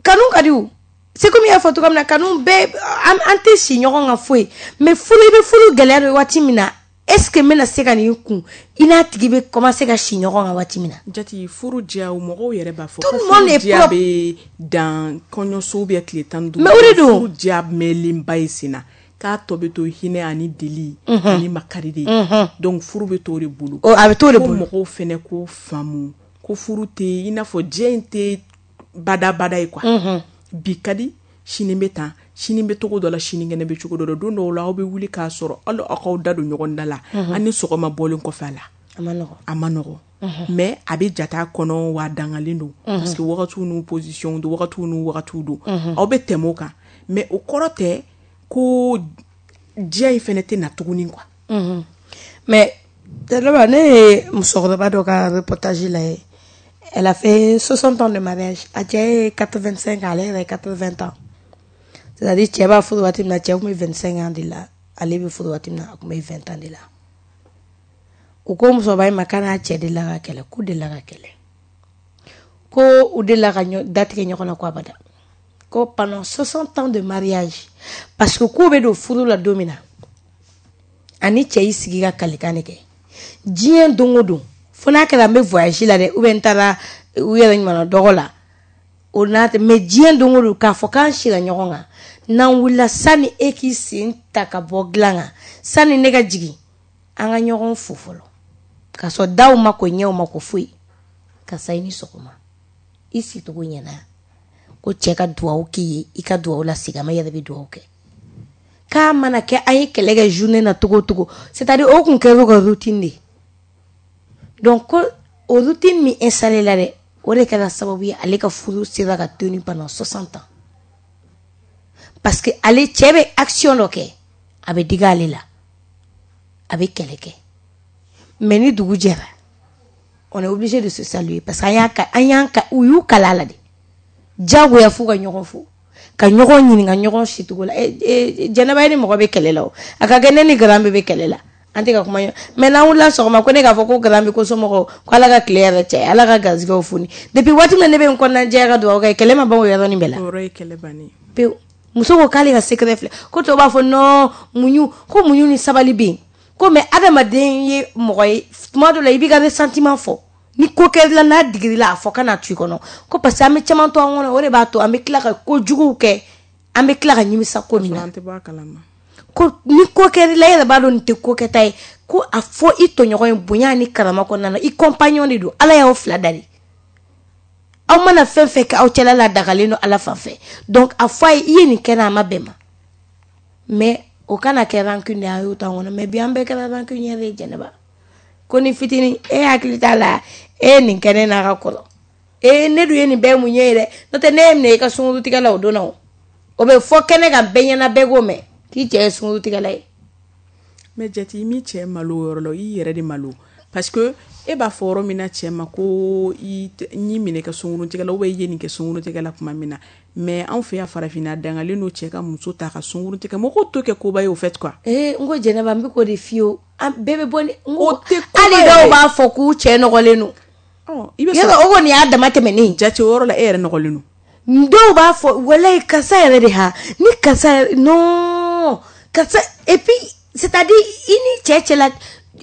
kanu ka di o. C'est comme i y'a fɔ cogoya min na, kanu bɛɛ an an tɛ si ɲɔgɔn kan foyi, mais furu, i bɛ furu gɛlɛya dɔn waati min na, est ce que n bɛna se ka nin kun, i n'a tigi bɛ commencer ka si ɲɔgɔn kan waati min na. Jati, furu diya, mɔgɔw yɛrɛ b'a fɔ tout le monde est diya bɛ dan kɔɲɔso ou bien tile tan ni duuru. Mais o de don. Furu diya mɛnlenba ye sen na, k'a tɔ bɛ to hinɛ ani deli ani makari de ye. Donc furu bɛ to o de bolo. A bɛ to o de bolo. Ko mɔgɔw fɛnɛ ko faamu ko furu tɛ i n'a fɔ diɲɛ in tɛ badabada ye quoi. Bi ka di, sini bɛ tan, sini bɛ cogo dɔ la, sinikɛnɛ bɛ cogo dɔ la. Don dɔw la, aw bɛ wuli k'a sɔrɔ hali aw k'aw da don ɲɔgɔn da la, an ni sɔgɔma bɔlen kɔfɛ a la, a ma nɔgɔn, a ma nɔgɔn, mais a bɛ jate a kɔnɔ wa a dangalen don, parce que wagatiw n'u position don, wagatiw n'u wagatiw don, aw bɛ tɛmɛ o kan, mais o kɔrɔ tɛ ko diɲɛ in fɛnɛ tɛ na tuguni quoi. Mais Tɛlɛba, ne ye musokɔrɔba dɔ ka reportage lajɛ. Elle a fait soixante ans de mariage. A cɛ ye quatre-vingt-cinq ans, ale yɛrɛ ye quatre-vingts ans. C'est-à-dire cɛ b'a furu waati min na, cɛ tun bɛ vingt-cinq ans de la, ale bɛ furu waati min na, a tun bɛ vingt ans de la. U ko musokɔrɔba in ma k'a n'a cɛ delila ka kɛlɛ, k'u delila ka kɛlɛ. Ko u delila ka datigɛ ɲɔgɔn na ko abada. Ko pendant soixante ans de mariage, parce que k'u bɛ don furu la don min na, ani cɛ y'i sigi ka kalikan de kɛ. Diɲɛ don o don, fo n'a kɛra n bɛ voyage la dɛ, ou bien n taara u yɛrɛ ɲumanna dɔgɔ la, o n'a tɛ, mais diɲɛ don o don k'a fɔ k'an sira ɲɔgɔn kan, n'an wulila, sani e k'i sen ta ka bɔ dilan kan, sani ne ka jigin, an ka ɲɔgɔn fo fɔlɔ, k'a sɔrɔ daw ma ko ɲɛw ma ko foyi, karisa i ni sɔgɔma, i sicogo ɲɛna, ko cɛ ka duwawu k'i ye, i ka duwawu lasegin a ma, i yɛrɛ bɛ duwawu kɛ. K'a mana kɛ an ye kɛlɛ kɛ journée na cogo o cogo, c'est à dire o kun kɛra u ka routine de ye. Donc ko o routine min installé la dɛ, o de kɛra sababu ye ale ka furu sera ka tenir pendant soixante ans, parce que ale cɛ bɛ action dɔ kɛ, a bɛ digi ale la, a bɛ kɛlɛ kɛ, mais ni dugu jɛra, on est obligé de se saluer, parce que an y'a ka an y'an ka u y'u kala a la de, diyagoya f'u ka ɲɔgɔn fo, ka ɲɔgɔn ɲininka ɲɔgɔn sicogo la. Jɛnɛba, ye ni mɔgɔ bɛ kɛlɛ la, o a ka kɛ ne ni garan bɛ kɛlɛ la, an tɛ ka kuma ɲɔgɔn, mais n'an wulila sɔgɔma, ko ne k'a fɔ ko garan bɛ ko somɔgɔw ko Ala ka tile yɛrɛ cɛ, Ala ka garijɛgɛw foni, depuis waati min na ne bɛ n kɔnɔna jɛya ka dugawu kɛ, kɛlɛ ma ban o yɔrɔnin bɛɛ la. O yɔrɔ ye kɛlɛ bannen pewu. Muso ko k'ale ka secret filɛ, ko tɔw b'a fɔ non, muɲu, ko muɲu ni sabali bɛ yen. Ko mais adamaden ye mɔgɔ ye, tuma dɔ la i b'i ka ressentiment fɔ. Ni ko kɛr'i la, n'a digir'i la, a fɔ kana to i kɔnɔ. Ko parce que an bɛ caman to an kɔnɔ, o de b'a to an bɛ tila ka kojuguw kɛ, an bɛ tila ka nimisa ko min na. An tɛ bɔ a kalama. Ko ni ko kɛr'i la, e yɛrɛ b'a dɔn nin tɛ ko kɛta ye. Ko a fɔ i tɔɲɔgɔn ye bonya ni karama kɔnɔna na, i compagnon de don, Ala y'aw fila da de. Aw mana fɛn fɛn kɛ aw cɛla la, dagalen don Ala fan fɛ. Donc a fɔ a ye, i ye nin kɛ n na, a ma bɛn ma. Mais o kana kɛ rancune de ye, a y'o to an kɔnɔ. Mais bi an bɛɛ kɛra rancunier ye, Jɛnɛba. Ko ni fitinin, e hakili t'a la, e ye nin kɛ ne n'a ka kɔrɔ. E ne dun ye nin bɛɛ mun ye dɛ. N'o tɛ ne ye minɛ i ka sunkurutigɛ la o don na o. O bɛ fɔ kɛnɛ kan bɛɛ ɲɛna, bɛɛ k'o mɛn k'i cɛ ye sunkurutigɛla ye. Mais jate, i m'i cɛ malo o yɔrɔ la, i yɛrɛ de malo. Parce que e b'a fɔ yɔrɔ min na cɛ ma ko i n'i minɛ ka sunkurutigɛ la, ou bien i ye nin kɛ sunkurutigɛ la tuma min na. Mais anw fɛ yan farafinna, dangalen don cɛ ka muso ta ka sunkurutigɛ. Mɔgɔw t'o kɛ koba ye o fait quoi. Ee, n ko Jɛnɛba, n bɛ k'o de f'i ye o. An bɛɛ bɛ bɔ ni n ko O tɛ koba hali yɛrɛ. Dɔw b'a fɔ k'u cɛ nɔgɔlen don. Ɔ, i bɛ Yala sɔrɔ o kɔni y'a dama tɛmɛnen ye. Jate, o yɔrɔ la e yɛrɛ nɔgɔlen don. Dɔw b'a fɔ walayi karisa yɛrɛ de ha ni karisa yɛrɛ non karisa, et puis c'est-à-dire i ni cɛ cɛla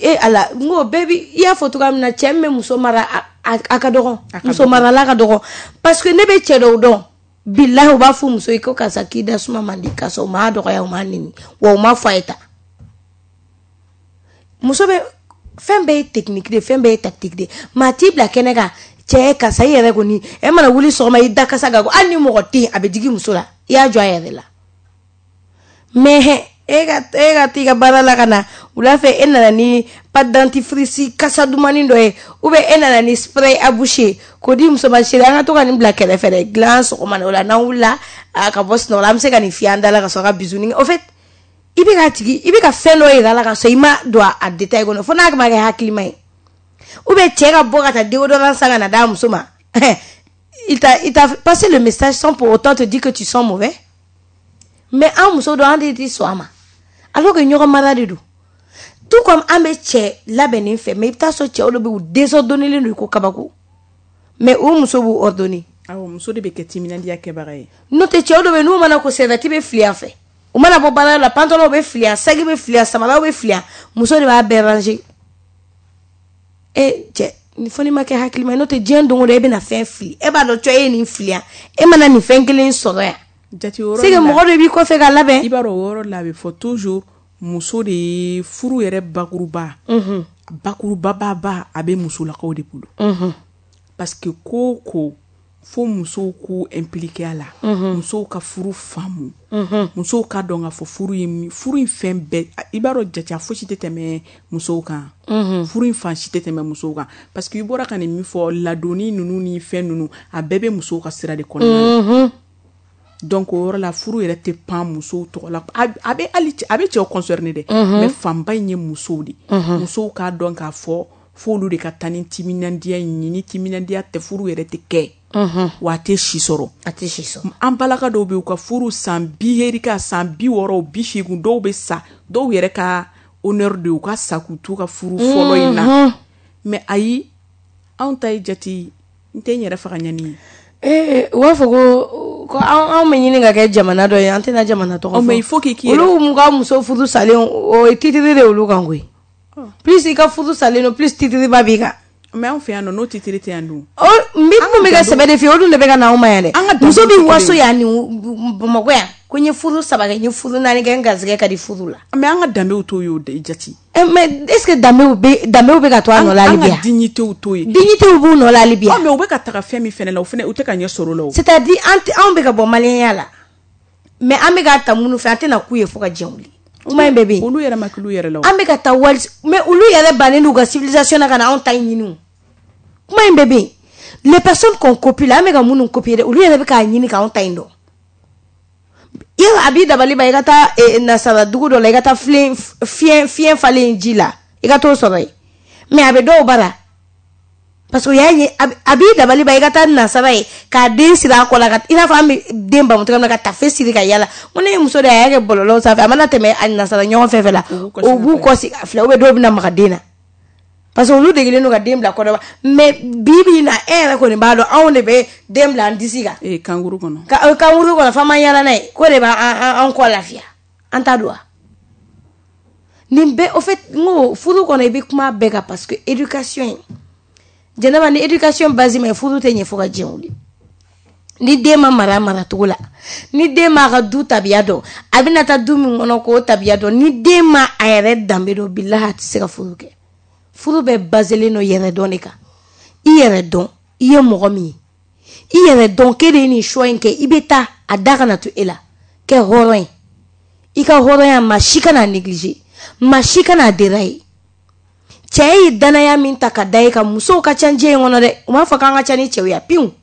e ala, n ko bɛɛ bi i y'a fɔ cogoya min na, cɛ min bɛ muso mara, a a a ka dɔgɔn. A ka Muso dɔgɔn. marala ka dɔgɔn, parce que ne bɛ cɛ dɔw dɔn, bilahi, u b'a fɔ muso ye ko karisa k'i da suma man di, karisa u m'a dɔgɔya, u m'a neni, wa u m'a fɔ a ye tan. Muso bɛ fɛn bɛɛ ye technique de, fɛn bɛɛ ye tactique de. Maa t'i bila kɛnɛ kan, cɛ karisa i yɛrɛ kɔni, e mana wuli sɔgɔma, i da kasa ka go, hali ni mɔgɔ tɛ yen, a bɛ digi muso la, i y'a jɔ a yɛrɛ la. Mais e ka e ka t'i ka baara la ka na wula fɛ, e nana ni pâte dentifrice kasa dumannin dɔ ye, ou bien e nana ni spray à bouche ye k'o di muso ma, chérie, an ka to ka nin bila kɛrɛfɛ dɛ, dilan sɔgɔma na, o la n'an wulila a ka bɔ sunɔgɔ la, an bɛ se ka nin fiyɛ an da la ka sɔrɔ ka bisou. Au fait, i bɛ ka tigi, i bɛ ka fɛn dɔ yira a la ka sɔrɔ i ma don a détail kɔnɔ, fo n'a ma kɛ hakilima ye. Ou bien cɛ ka bɔ ka taa déodorant san ka na d'a muso ma, il t'a il t'a passé le message sans pour autant te dire que tu sens mauvais. Mais an muso dɔ, an de tɛ sɔn a ma, alors que ɲɔgɔn mara de don. Tout comme an bɛ cɛ labɛnnen fɛ, mais i bɛ taa sɔrɔ cɛw dɔ bɛ yen, u désordonnélen don i ko kabako, mais o muso b'u ordonner. Awɔ, muso de bɛ kɛ timinandiya kɛbaga ye. N'o tɛ, cɛw dɔ bɛ yen, n'u mana ko serviette bɛ fili a fɛ, u mana bɔ baara la, pantalon bɛ fili yan, sac bɛ fili yan, samaraw bɛ fili yan, muso de b'a bɛɛ ranger. E cɛ, ni fɔ n'i ma kɛ hakilima ye, n'o tɛ diɲɛ don o don e bɛna fɛn fili, e b'a dɔn cɔ e ye nin fili yan, e mana nin fɛn kelen sɔrɔ yan. Jate, o yɔrɔ C'est que la mɔgɔ dɔ b'i kɔfɛ ka labɛn. I b'a dɔn, o yɔrɔ la a bɛ fɔ toujours muso de ye furu yɛrɛ bakuruba. Bakurubaba, a bɛ musolakaw de bolo. Parce que ko o ko, fo musow k'u impliqué a la. Musow ka furu faamu. Musow ka dɔn k'a fɔ furu ye min, furu in fɛn bɛɛ, i b'a dɔn jate, a fosi tɛ tɛmɛ musow kan. Furu in fan si tɛ tɛmɛ musow kan. Parce que i bɔra ka nin min fɔ, ladonni ninnu ni fɛn ninnu, a bɛɛ bɛ musow ka sira de kɔnɔna la. Donc o yɔrɔ la, furu yɛrɛ tɛ pan musow tɔgɔ la. A a bɛ hali a bɛ cɛw concerné dɛ, mais fanba in ye musow de. Musow k'a dɔn k'a fɔ f'olu de ka taa ni timinandiya in ye. Ni timinandiya tɛ, furu yɛrɛ tɛ kɛ, wa a tɛ si sɔrɔ. A tɛ si sɔrɔ. An balaka dɔw bɛ yen, u ka furu san bi herika, san bi wɔɔrɔ, bi seegin, dɔw bɛ sa, dɔw yɛrɛ ka honneur de ye u ka sa k'u t'u ka furu fɔlɔ in na. Mais ayi, anw ta ye jate, n tɛ n yɛrɛ faga ɲani ye. Ee, u b'a fɔ ko ko anw bɛ ɲini ka kɛ jamana dɔ ye, an tɛna jamana tɔgɔ Oh, fɔ. mais il faut que k'i yɛrɛ Olu mun ka muso furu salen, o ye titre de ye olu kan koyi. Plus i ka furu salen don, plus titre ba b'i kan. Mais anw fɛ yan nɔ, n'o titre tɛ yan dun? O n bɛ mun bɛ ka sɛbɛ de f'i ye, o dun de bɛ ka na anw ma yan dɛ. An ka Muso danbew bɛ tɛ waso kelen ye. yan ni Bamakɔ yan ko n ye furu saba kɛ, n ye furu naani kɛ, n garisɛgɛ ka di furu la. Mais an ka danbew t'o ye o de jate. Eh, mais est ce que danbew bɛ danbew bɛ ka to a nɔ la hali An bi ka yan? dignitéw t'o ye. Dignitéw b'u nɔ la hali bi Ɔ yan. Mais u bɛ ka taga fɛn min fɛnɛ la, o fɛnɛ u tɛ ka ɲɛ sɔrɔ o la o. C'est à dire an tɛ, anw bɛ ka bɔ maliyɛnya la, mais an bɛ ka ta minnu fɛ, an tɛna k'u ye fo ka diɲɛ wuli. Kuma in bɛɛ bɛ yen. Olu yɛrɛ ma k'olu yɛrɛ la o. An bɛ ka taa wali, mais olu yɛrɛ bannen d'u ka civilisation na ka na anw ta in ɲini o. Kuma in bɛɛ bɛ yen. Les personnes qu'on copie la, an bɛ ka minnu copier dɛ, olu yɛrɛ bɛ k'a ɲini k'anw ta in dɔn. Yala a b'i dabali ban, i ka taa eh, nasara dugu dɔ la, i ka taa filen fiɲɛ fiɲɛ falen ji la, i ka t'o sɔrɔ yen, mais a bɛ dɔw bara parce que o y'a ye, a b'i dabali ban, i ka taa nasara ye k'a den siri a kɔ la, ka i n'a fɔ an bɛ den bamu cogoya min na, ka tafe siri ka yala. N ko ne ye muso de ye, a y'a kɛ bɔlɔlɔw sanfɛ, a mana tɛmɛ a nasara ɲɔgɔn fɛn fɛn la, o b'u kɔsi a filɛ, ou bien dɔw bɛna maga den na, parce que olu degelen don ka den bila kɔnɔba. Mais bi bi in na, e yɛrɛ kɔni b'a dɔn, anw de bɛ den bila an disi kan. Ee, kankuru kɔnɔ. Ka kankuru kɔnɔ, f'an ma yala n'a ye, k'o de b'an an kɔ lafiya, an ta don wa? Nin bɛɛ, au fait, n ko furu kɔnɔ i bɛ kuma bɛɛ kan parce que éducation in, Jɛnɛba, ni éducation base ma ɲi, furu tɛ ɲɛ fo ka diɲɛ wuli. Ni den ma mara maracogo la, ni den ma a ka du tabiya dɔn, a bɛna taa du min kɔnɔ k'o tabiya dɔn, ni den ma a yɛrɛ danbe dɔn, bilahi a tɛ se ka furu kɛ. Furu bɛɛ baselen don yɛrɛ dɔn de kan. I yɛrɛ dɔn i ye mɔgɔ min ye, i yɛrɛ dɔn k'e de ye nin choix in kɛ, i bɛ taa a da kana to e la. Kɛ hɔrɔn ye, i ka hɔrɔnya maa si kana négliger, maa si kana dérailler. Cɛ ye danaya min ta ka da e kan, musow ka ca diɲɛ in kɔnɔ dɛ, u m'a fɔ k'an ka ca ni cɛw ye piwu.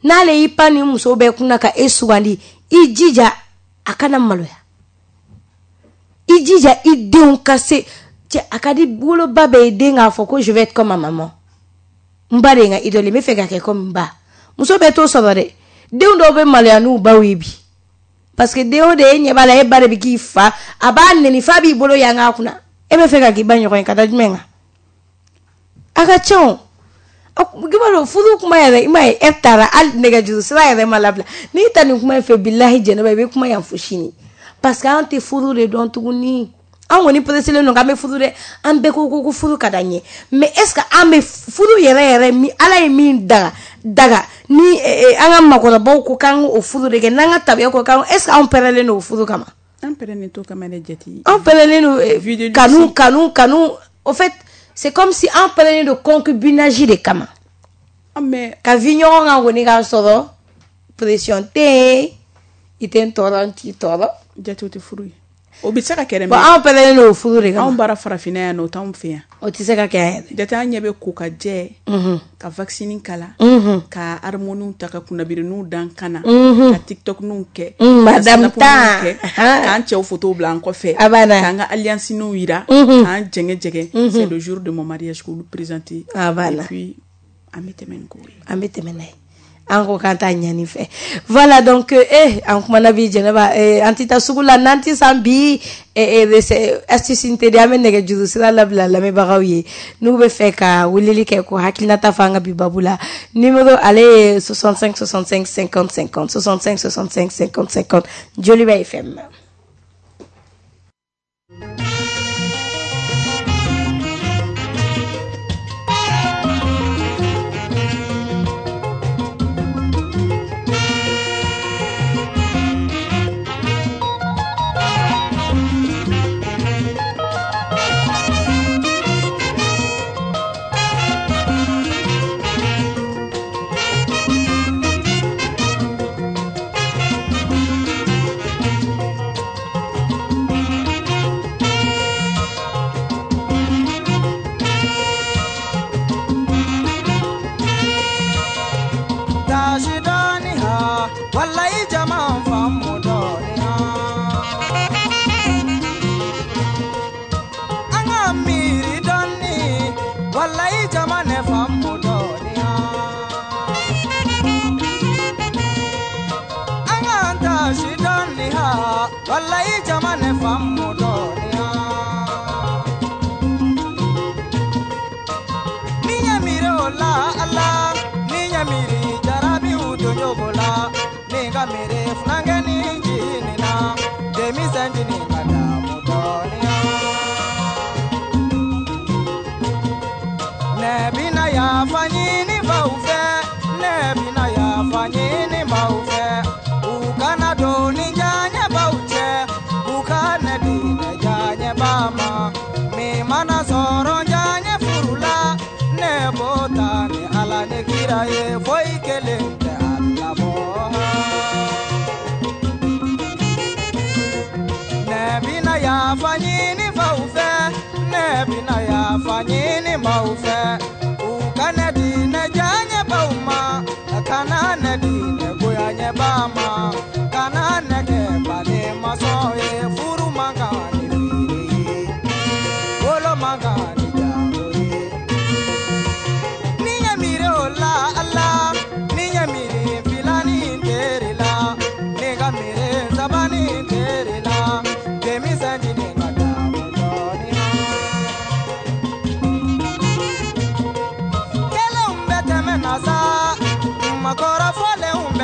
N'ale y'i pan ni muso bɛɛ kunna ka e sugandi, i jija a kana maloya, i jija i denw ka se. Cɛ, a ka di woloba bɛɛ ye den k'a fɔ ko je vais être comme ma maman, n ba de ye n ka idole, n bɛ fɛ ka kɛ comme n ba. Muso bɛɛ t'o sɔrɔ dɛ. Denw dɔw bɛ maloya n'u baw ye bi, parce que den o de e ɲɛ b'a la, e ba de bɛ k'i fa, a b'a nɛni f'a b'i bolo yanga a kunna, e bɛ fɛ ka k'i ba ɲɔgɔn ye ka da jumɛn kan? A ka ca o. I b'a dɔn furu kuma yɛrɛ, i m'a ye e taara hali nɛgɛjuru sira yɛrɛ ma labila. N'i ta nin kuma in fɛ, bilahi Jɛnɛba, i bɛ kuma yan fo sini, parce que an tɛ furu de dɔn tuguni. An kɔni pressélen don k'an bɛ furu dɛ, an bɛɛ ko ko ko furu ka d'an ye, mais est ce que an bɛ furu yɛrɛ yɛrɛ min Ala ye min daga daga ni an ka makɔrɔbaw ko k'an k'o furu de kɛ, n'an ka tabiya ko k'an, est ce que anw pɛrɛlen don o furu kama? An pɛrɛnnen t'o kama dɛ, Jati. An pɛrɛnnen don kanu kanu kanu. Au fait, c'est comme si an pɛrɛnnen don concubinage de kama. Mais ka vi ɲɔgɔn kan kɔni k'a sɔrɔ pression tɛ yen, i tɛ n tɔɔrɔ, n t'i tɔɔrɔ. Jati, o tɛ furu ye. O bɛ se ka kɛ dɛ. Bon, anw pɛrɛnnen don o furu de kama. Anw bara farafinna yan nɔ, o t'anw fɛ yan. O tɛ se ka kɛ yan yɛrɛ. Jate, an ɲɛ bɛ ko ka jɛ, ka vaccin kala, ka harmoniw ta, ka kunnabiriniw dan kan na, ka tiktokniw kɛ, madame ta kɛ, k'an cɛw photo bila an kɔfɛ, k'an ka alliance-niw yira, k'an jɛngɛ jɛngɛ. C'est le jour de mon mariage k'olu présenter. A banna. Et puis an bɛ tɛmɛ ni ko ye. An bɛ tɛmɛ n'a ye. An ko k'an t'a ɲani fɛ. Voilà, donc eh an kumana bi Jɛnɛba, eh, an tɛ taa sugu la n'an tɛ san bi eh, eh, astuce in tɛ di. An bɛ nɛgɛjuru sira labila lamɛnbagaw ye n'u bɛ fɛ ka weleli kɛ ko hakilinata fɔ an ka bi babu la. Numéro ale ye soixante-cinq soixante-cinq cinquante cinquante, soixante-cinq soixante-cinq cinquante cinquante, Joliba F M.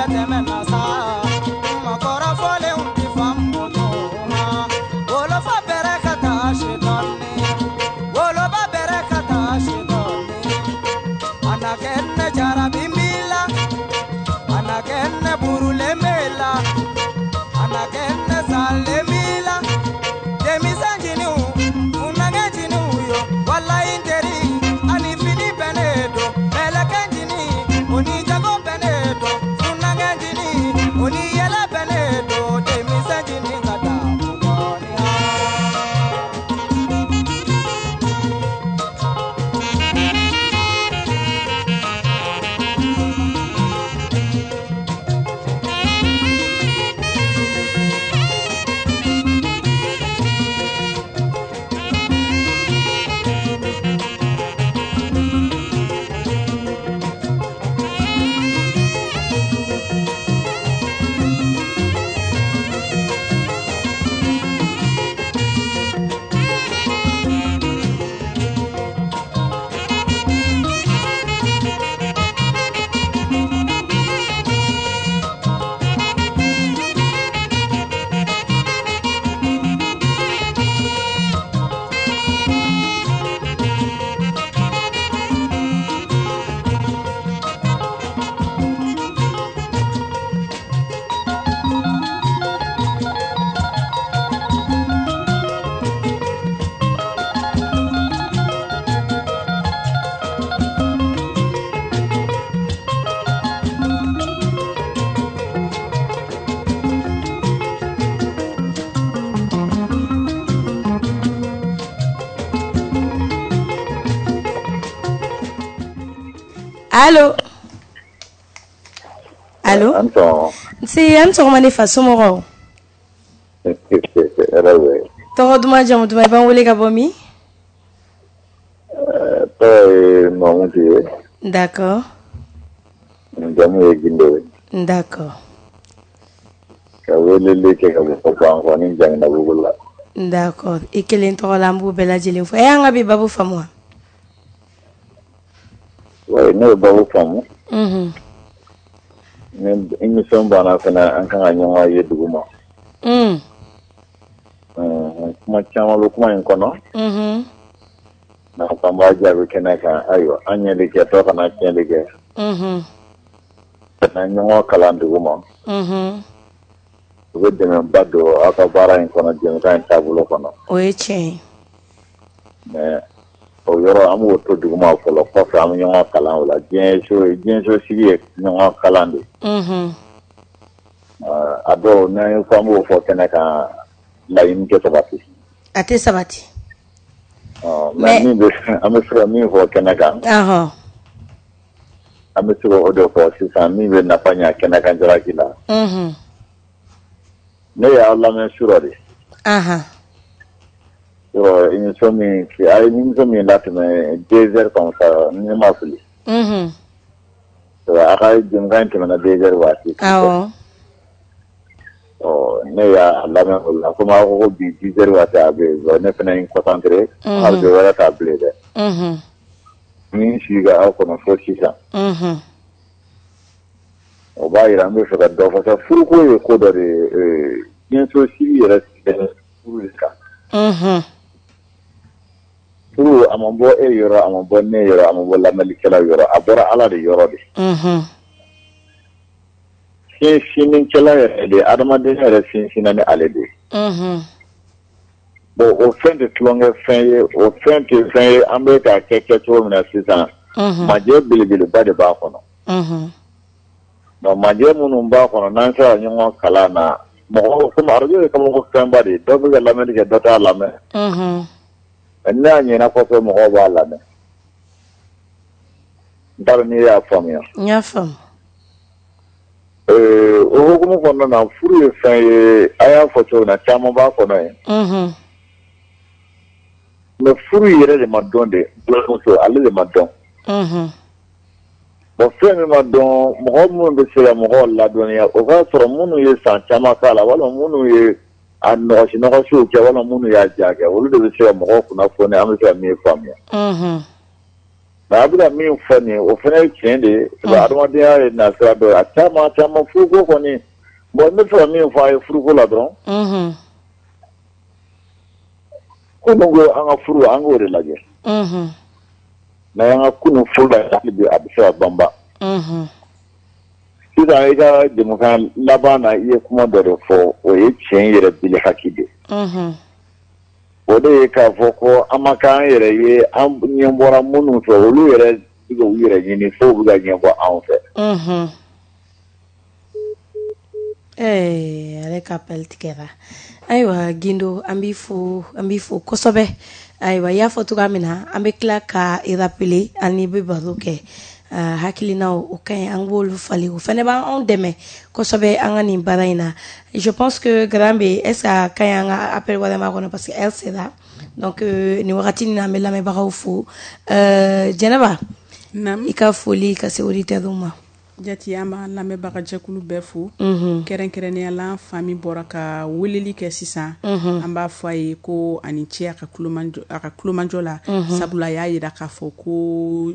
Tɛmɛ na sa, makɔrɔfɔlenw ti faamu. Anakenne jarabimila, anakenne burulemela, anakenne salemila. Demisanjinu, unagejinu yo, wala interi, ani fini benedo, melekenjini, oni jago benedo, unagejini, oni yele benedo, demisanjini kata. Allo. Allo. Nse an sɔgɔma ne fa, somɔgɔw? Tɔgɔ duman, jamu duman, i b'an wele ka bɔ min? Tɔgɔ ye Mamudu ye. D'accord. Jamu ye Gindo ye. D'accord. Ka weleli kɛ ka bɔ Bankɔni Jaminabugu la. D'accord. I kelen tɔgɔ la, an b'u bɛɛ lajɛlen fo. E y'an ka bi babu faamu wa? Oui, ne ye babu faamu. Mhm. Ni émission banna fana, an kan ka ɲɔgɔn ye dugu ma. Mm. Kuma caman bɛ kuma in kɔnɔ. Mhm. N'a ko an b'a jaabi kɛnɛ kan, ayiwa, an ɲɛli kɛ, tɔ kana tiɲɛli kɛ. Mhm. Ka na ɲɔgɔn kalan dugu ma. Mhm. U bɛ dɛmɛba don aw ka baara in kɔnɔ, jɛmukan in taabolo kɔnɔ. O ye tiɲɛ ye. Mais o yɔrɔ an b'o to duguma fɔlɔ, kɔfɛ an bɛ ɲɔgɔn kalan o la. Diɲɛ so diɲɛ so sigi ye ɲɔgɔn kalan de. Mhm. A dɔw n'an ye fɔ an b'o fɔ kɛnɛ kan, laɲini tɛ sabati. A tɛ sabati. Mais min bɛ an bɛ se ka min fɔ kɛnɛ kan. Ɔhɔn. An bɛ se k'o de fɔ sisan min bɛ nafa ɲɛ kɛnɛ kan jalaki la. Mhm. Ne y'aw lamɛn surɔ de. Ahan. Surɔ émission min a ye émission min latɛmɛ deux heures comme ça, ni ne ma fili. Mhm. A ka jɛmukan in tɛmɛna deux heures waati. Awɔ. Ɔ ne y'a lamɛn o la, komi aw ko ko bi dix heures waati a bɛ yen, ne fana ye n concentré. Arajo wɛrɛ t'a bilen dɛ. Mhm. Ni n sigi ka aw kɔnɔ fo sisan. Mhm. O b'a yira an bɛ fɛ ka dɔ fɔ sa, furuko ye ko dɔ de ye, diɲɛso sigi yɛrɛ sigilen furu de kan. Mhm. Furu a ma bɔ e yɔrɔ, a ma bɔ ne yɔrɔ, a ma bɔ lamɛnnikɛla yɔrɔ, a bɔra Ala de yɔrɔ de. Mhm. Sinsinnikɛla yɛrɛ de, adamadenya yɛrɛ sinsinna ni ale de ye. Mhm. Bon, o fɛn tɛ tulonkɛ fɛn ye, o fɛn tɛ fɛn ye an bɛ k'a kɛ kɛcogo min na sisan. Mhm. Majɛ belebeleba de b'a kɔnɔ. Mhm. Donc majɛ minnu b'a kɔnɔ, n'an sera ɲɔgɔn kalan na, mɔgɔw komi arajo ye kabako fɛnba de ye, dɔ bɛ ka lamɛnni kɛ, dɔ t'a lamɛn. Mhm. N'a ɲɛna kɔfɛ, mɔgɔw b'a lamɛn. N t'a dɔn n'i y'a faamuya. N y'a faamu. Euh, o hukumu kɔnɔna na, furu ye fɛn ye, a y'a fɔ cogo min na, caman b'a kɔnɔ yen. Mhm. Mais furu yɛrɛ de ma dɔn de, muso ale de ma dɔn. Mhm. Bon, fɛn min ma dɔn, mɔgɔ minnu bɛ se ka mɔgɔw ladɔnniya, o k'a sɔrɔ minnu ye san caman k'a la, walima minnu ye a nɔgɔsi nɔgɔsiw kɛ, walima minnu y'a ja kɛ, olu de bɛ se ka mɔgɔw kunnafoni, an bɛ se ka min faamuya. Mhm. Mais a bɛ ka min fɔ nin ye, o fana ye tiɲɛ de ye. Adamadenya ye nasira dɔ ye, a caman caman furuko kɔni. Bon, n bɛ fɛ ka min fɔ a ye furuko la dɔrɔn. Mhm. Ko min ko an ka furu, an k'o de lajɛ. Mhm. N'an y'an ka kunun furu la hali bi a bɛ se ka banba. Sisan i ka jɛmukan laban na, i ye kuma dɔ de fɔ, o ye tiɲɛ yɛrɛ bili haki de. O de ye k'a fɔ ko an ma k'an yɛrɛ ye, an ɲɛ bɔra minnu fɛ, olu yɛrɛ bɛ u yɛrɛ ɲini fo u bɛ ka ɲɛbɔ anw fɛ. Ee, ale ka appel tigɛra. Ayiwa Gindo, an b'i fo, an b'i fo kosɛbɛ. Ayiwa, i y'a fɔ cogoya min na, an bɛ tila ka i rappeler, an ni bɛ baro kɛ. Hakilinaw o ka ɲi, an b'olu falen, o fana b'anw dɛmɛ kosɛbɛ an ka nin baara in na. Je pense que Grand B, est ce que a ka ɲi an ka appel wɛrɛ ma kɔnɔ, parce que heure sera. Donc nin wagati in na, an bɛ lamɛnbagaw fo. Jɛnɛba, i ka foli ka se auditeurs ma. Jati, an b'an lamɛnbagajɛkulu bɛɛ fo, kɛrɛnkɛrɛnnenya la an fa min bɔra ka weleli kɛ sisan, an b'a fɔ a ye ko ani ce a ka kulomajɔ la, sabula a y'a yira k'a fɔ ko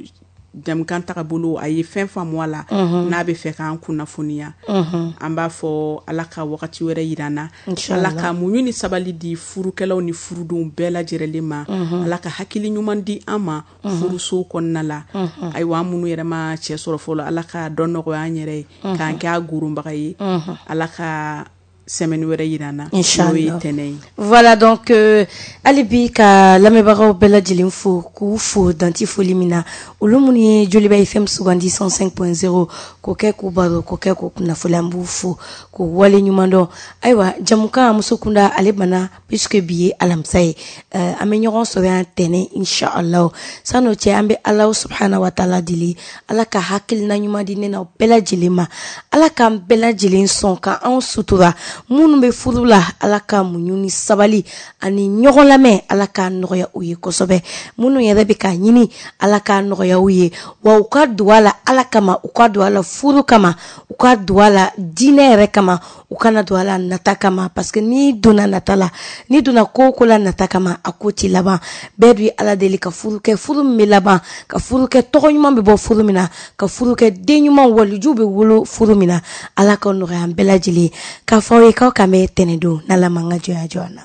jamukan tagabolo a ye fɛn faamu a la, n'a bɛ fɛ k'an kunnafoniya. An b'a fɔ Ala ka wagati wɛrɛ yira an na, Ala ka muɲu ni sabali di furukɛlaw ni furudenw bɛɛ lajɛlen ma, Ala ka hakili ɲuman di an ma furuso kɔnɔna la. Ayiwa, an minnu yɛrɛ ma cɛ sɔrɔ fɔlɔ, Ala ka dɔ nɔgɔya an yɛrɛ ye k'an kɛ a goronbaga ye. Ala ka semaine wɛrɛ yira an na, n'o ye tɛnɛn ye. Voilà, donc hali bi ka lamɛnbagaw bɛɛ lajɛlen fo, k'u fo danti foli min na, olu minnu ye Joliba F M sugandi cent cinq point zéro k'o kɛ k'u baro, k'o kɛ k'u kunnafoni, an b'u fo k'u wale ɲuman dɔn. Ayiwa, jamukan muso kunda ale banna, puisque bi ye alamisa ye, an bɛ ɲɔgɔn sɔrɔ yan tɛnɛn inshallah. San'o cɛ, an bɛ Ala subhana wa taala deli, Ala ka hakilina ɲuman di ne n'aw bɛɛ lajɛlen ma, Ala k'an bɛɛ lajɛlen sɔn ka anw sutura. Minnu bɛ furu la, Ala ka muɲu ni sabali ani ɲɔgɔn lamɛn, Ala k'a nɔgɔya u ye kosɛbɛ. Minnu yɛrɛ bɛ k'a ɲini, Ala k'a nɔgɔya u ye, wa u ka don a la Ala kama, u ka don a la furu kama, u ka don a la diinɛ yɛrɛ kama, u kana don a la nata kama, parce que n'i donna nata la, n'i donna ko o ko la nata kama, a ko t'i laban. Bɛɛ dun ye Ala deli ka furu kɛ, furu min bɛ laban, ka furu kɛ tɔgɔ ɲuman bɛ bɔ furu min na, ka furu kɛ den ɲuman walijuw bɛ wolo furu min na. Ala ka nɔgɔya an bɛɛ lajɛlen. K'a fɔ aw ye k'aw k'an bɛn tɛnɛn don n'Ala m'an ka jɔnya jɔ an na.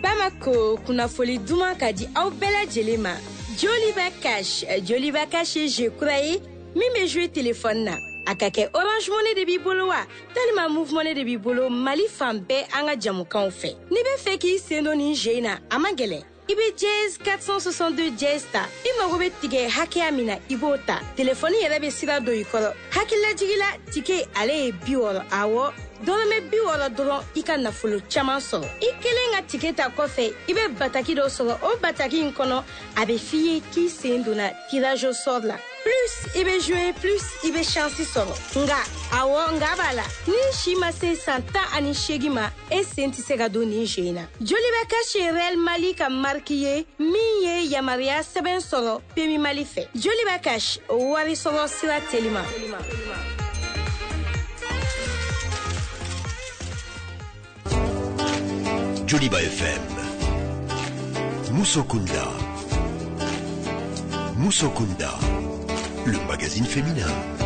Bamako, kunnafoli duman ka di aw bɛɛ lajɛlen ma. Joliba Cash, Joliba Cash ye jeu kura ye min bɛ jouer téléphone na. A ka kɛ Orange Money de b'i bolo wa, talima Moov Money de b'i bolo, Mali fan bɛɛ an ka jamukanw fɛ. N'i bɛ fɛ k'i sen don nin jeu in na, a man gɛlɛn. I bɛ dièse quatre cent soixante-deux dièse ta, i mago bɛ tigɛ hakɛya min na, i b'o ta. Telefɔni yɛrɛ bɛ sira don i kɔrɔ. Hakililajigi la, tike ale ye bi wɔɔrɔ, awɔ, dɔrɔmɛ bi wɔɔrɔ dɔrɔn, i ka nafolo caman sɔrɔ. I kelen ka tike ta kɔfɛ, i bɛ bataki dɔ sɔrɔ. O bataki in kɔnɔ, a bɛ f'i ye k'i sen donna tirage au sort la. Plus i bɛ jouer, plus i bɛ chance sɔrɔ. Nka awɔ, nka b'a la, ni si ma se san tan ani seegin ma, e sen tɛ se ka don nin jeu in na. Joliba Cash ye Real Mali ka marque ye min ye yamaruya sɛbɛn sɔrɔ P M I Mali fɛ. Joliba Cash, wari sɔrɔ sira telima. Joliba F M, Musokunda, Musokunda, le magazine féminin.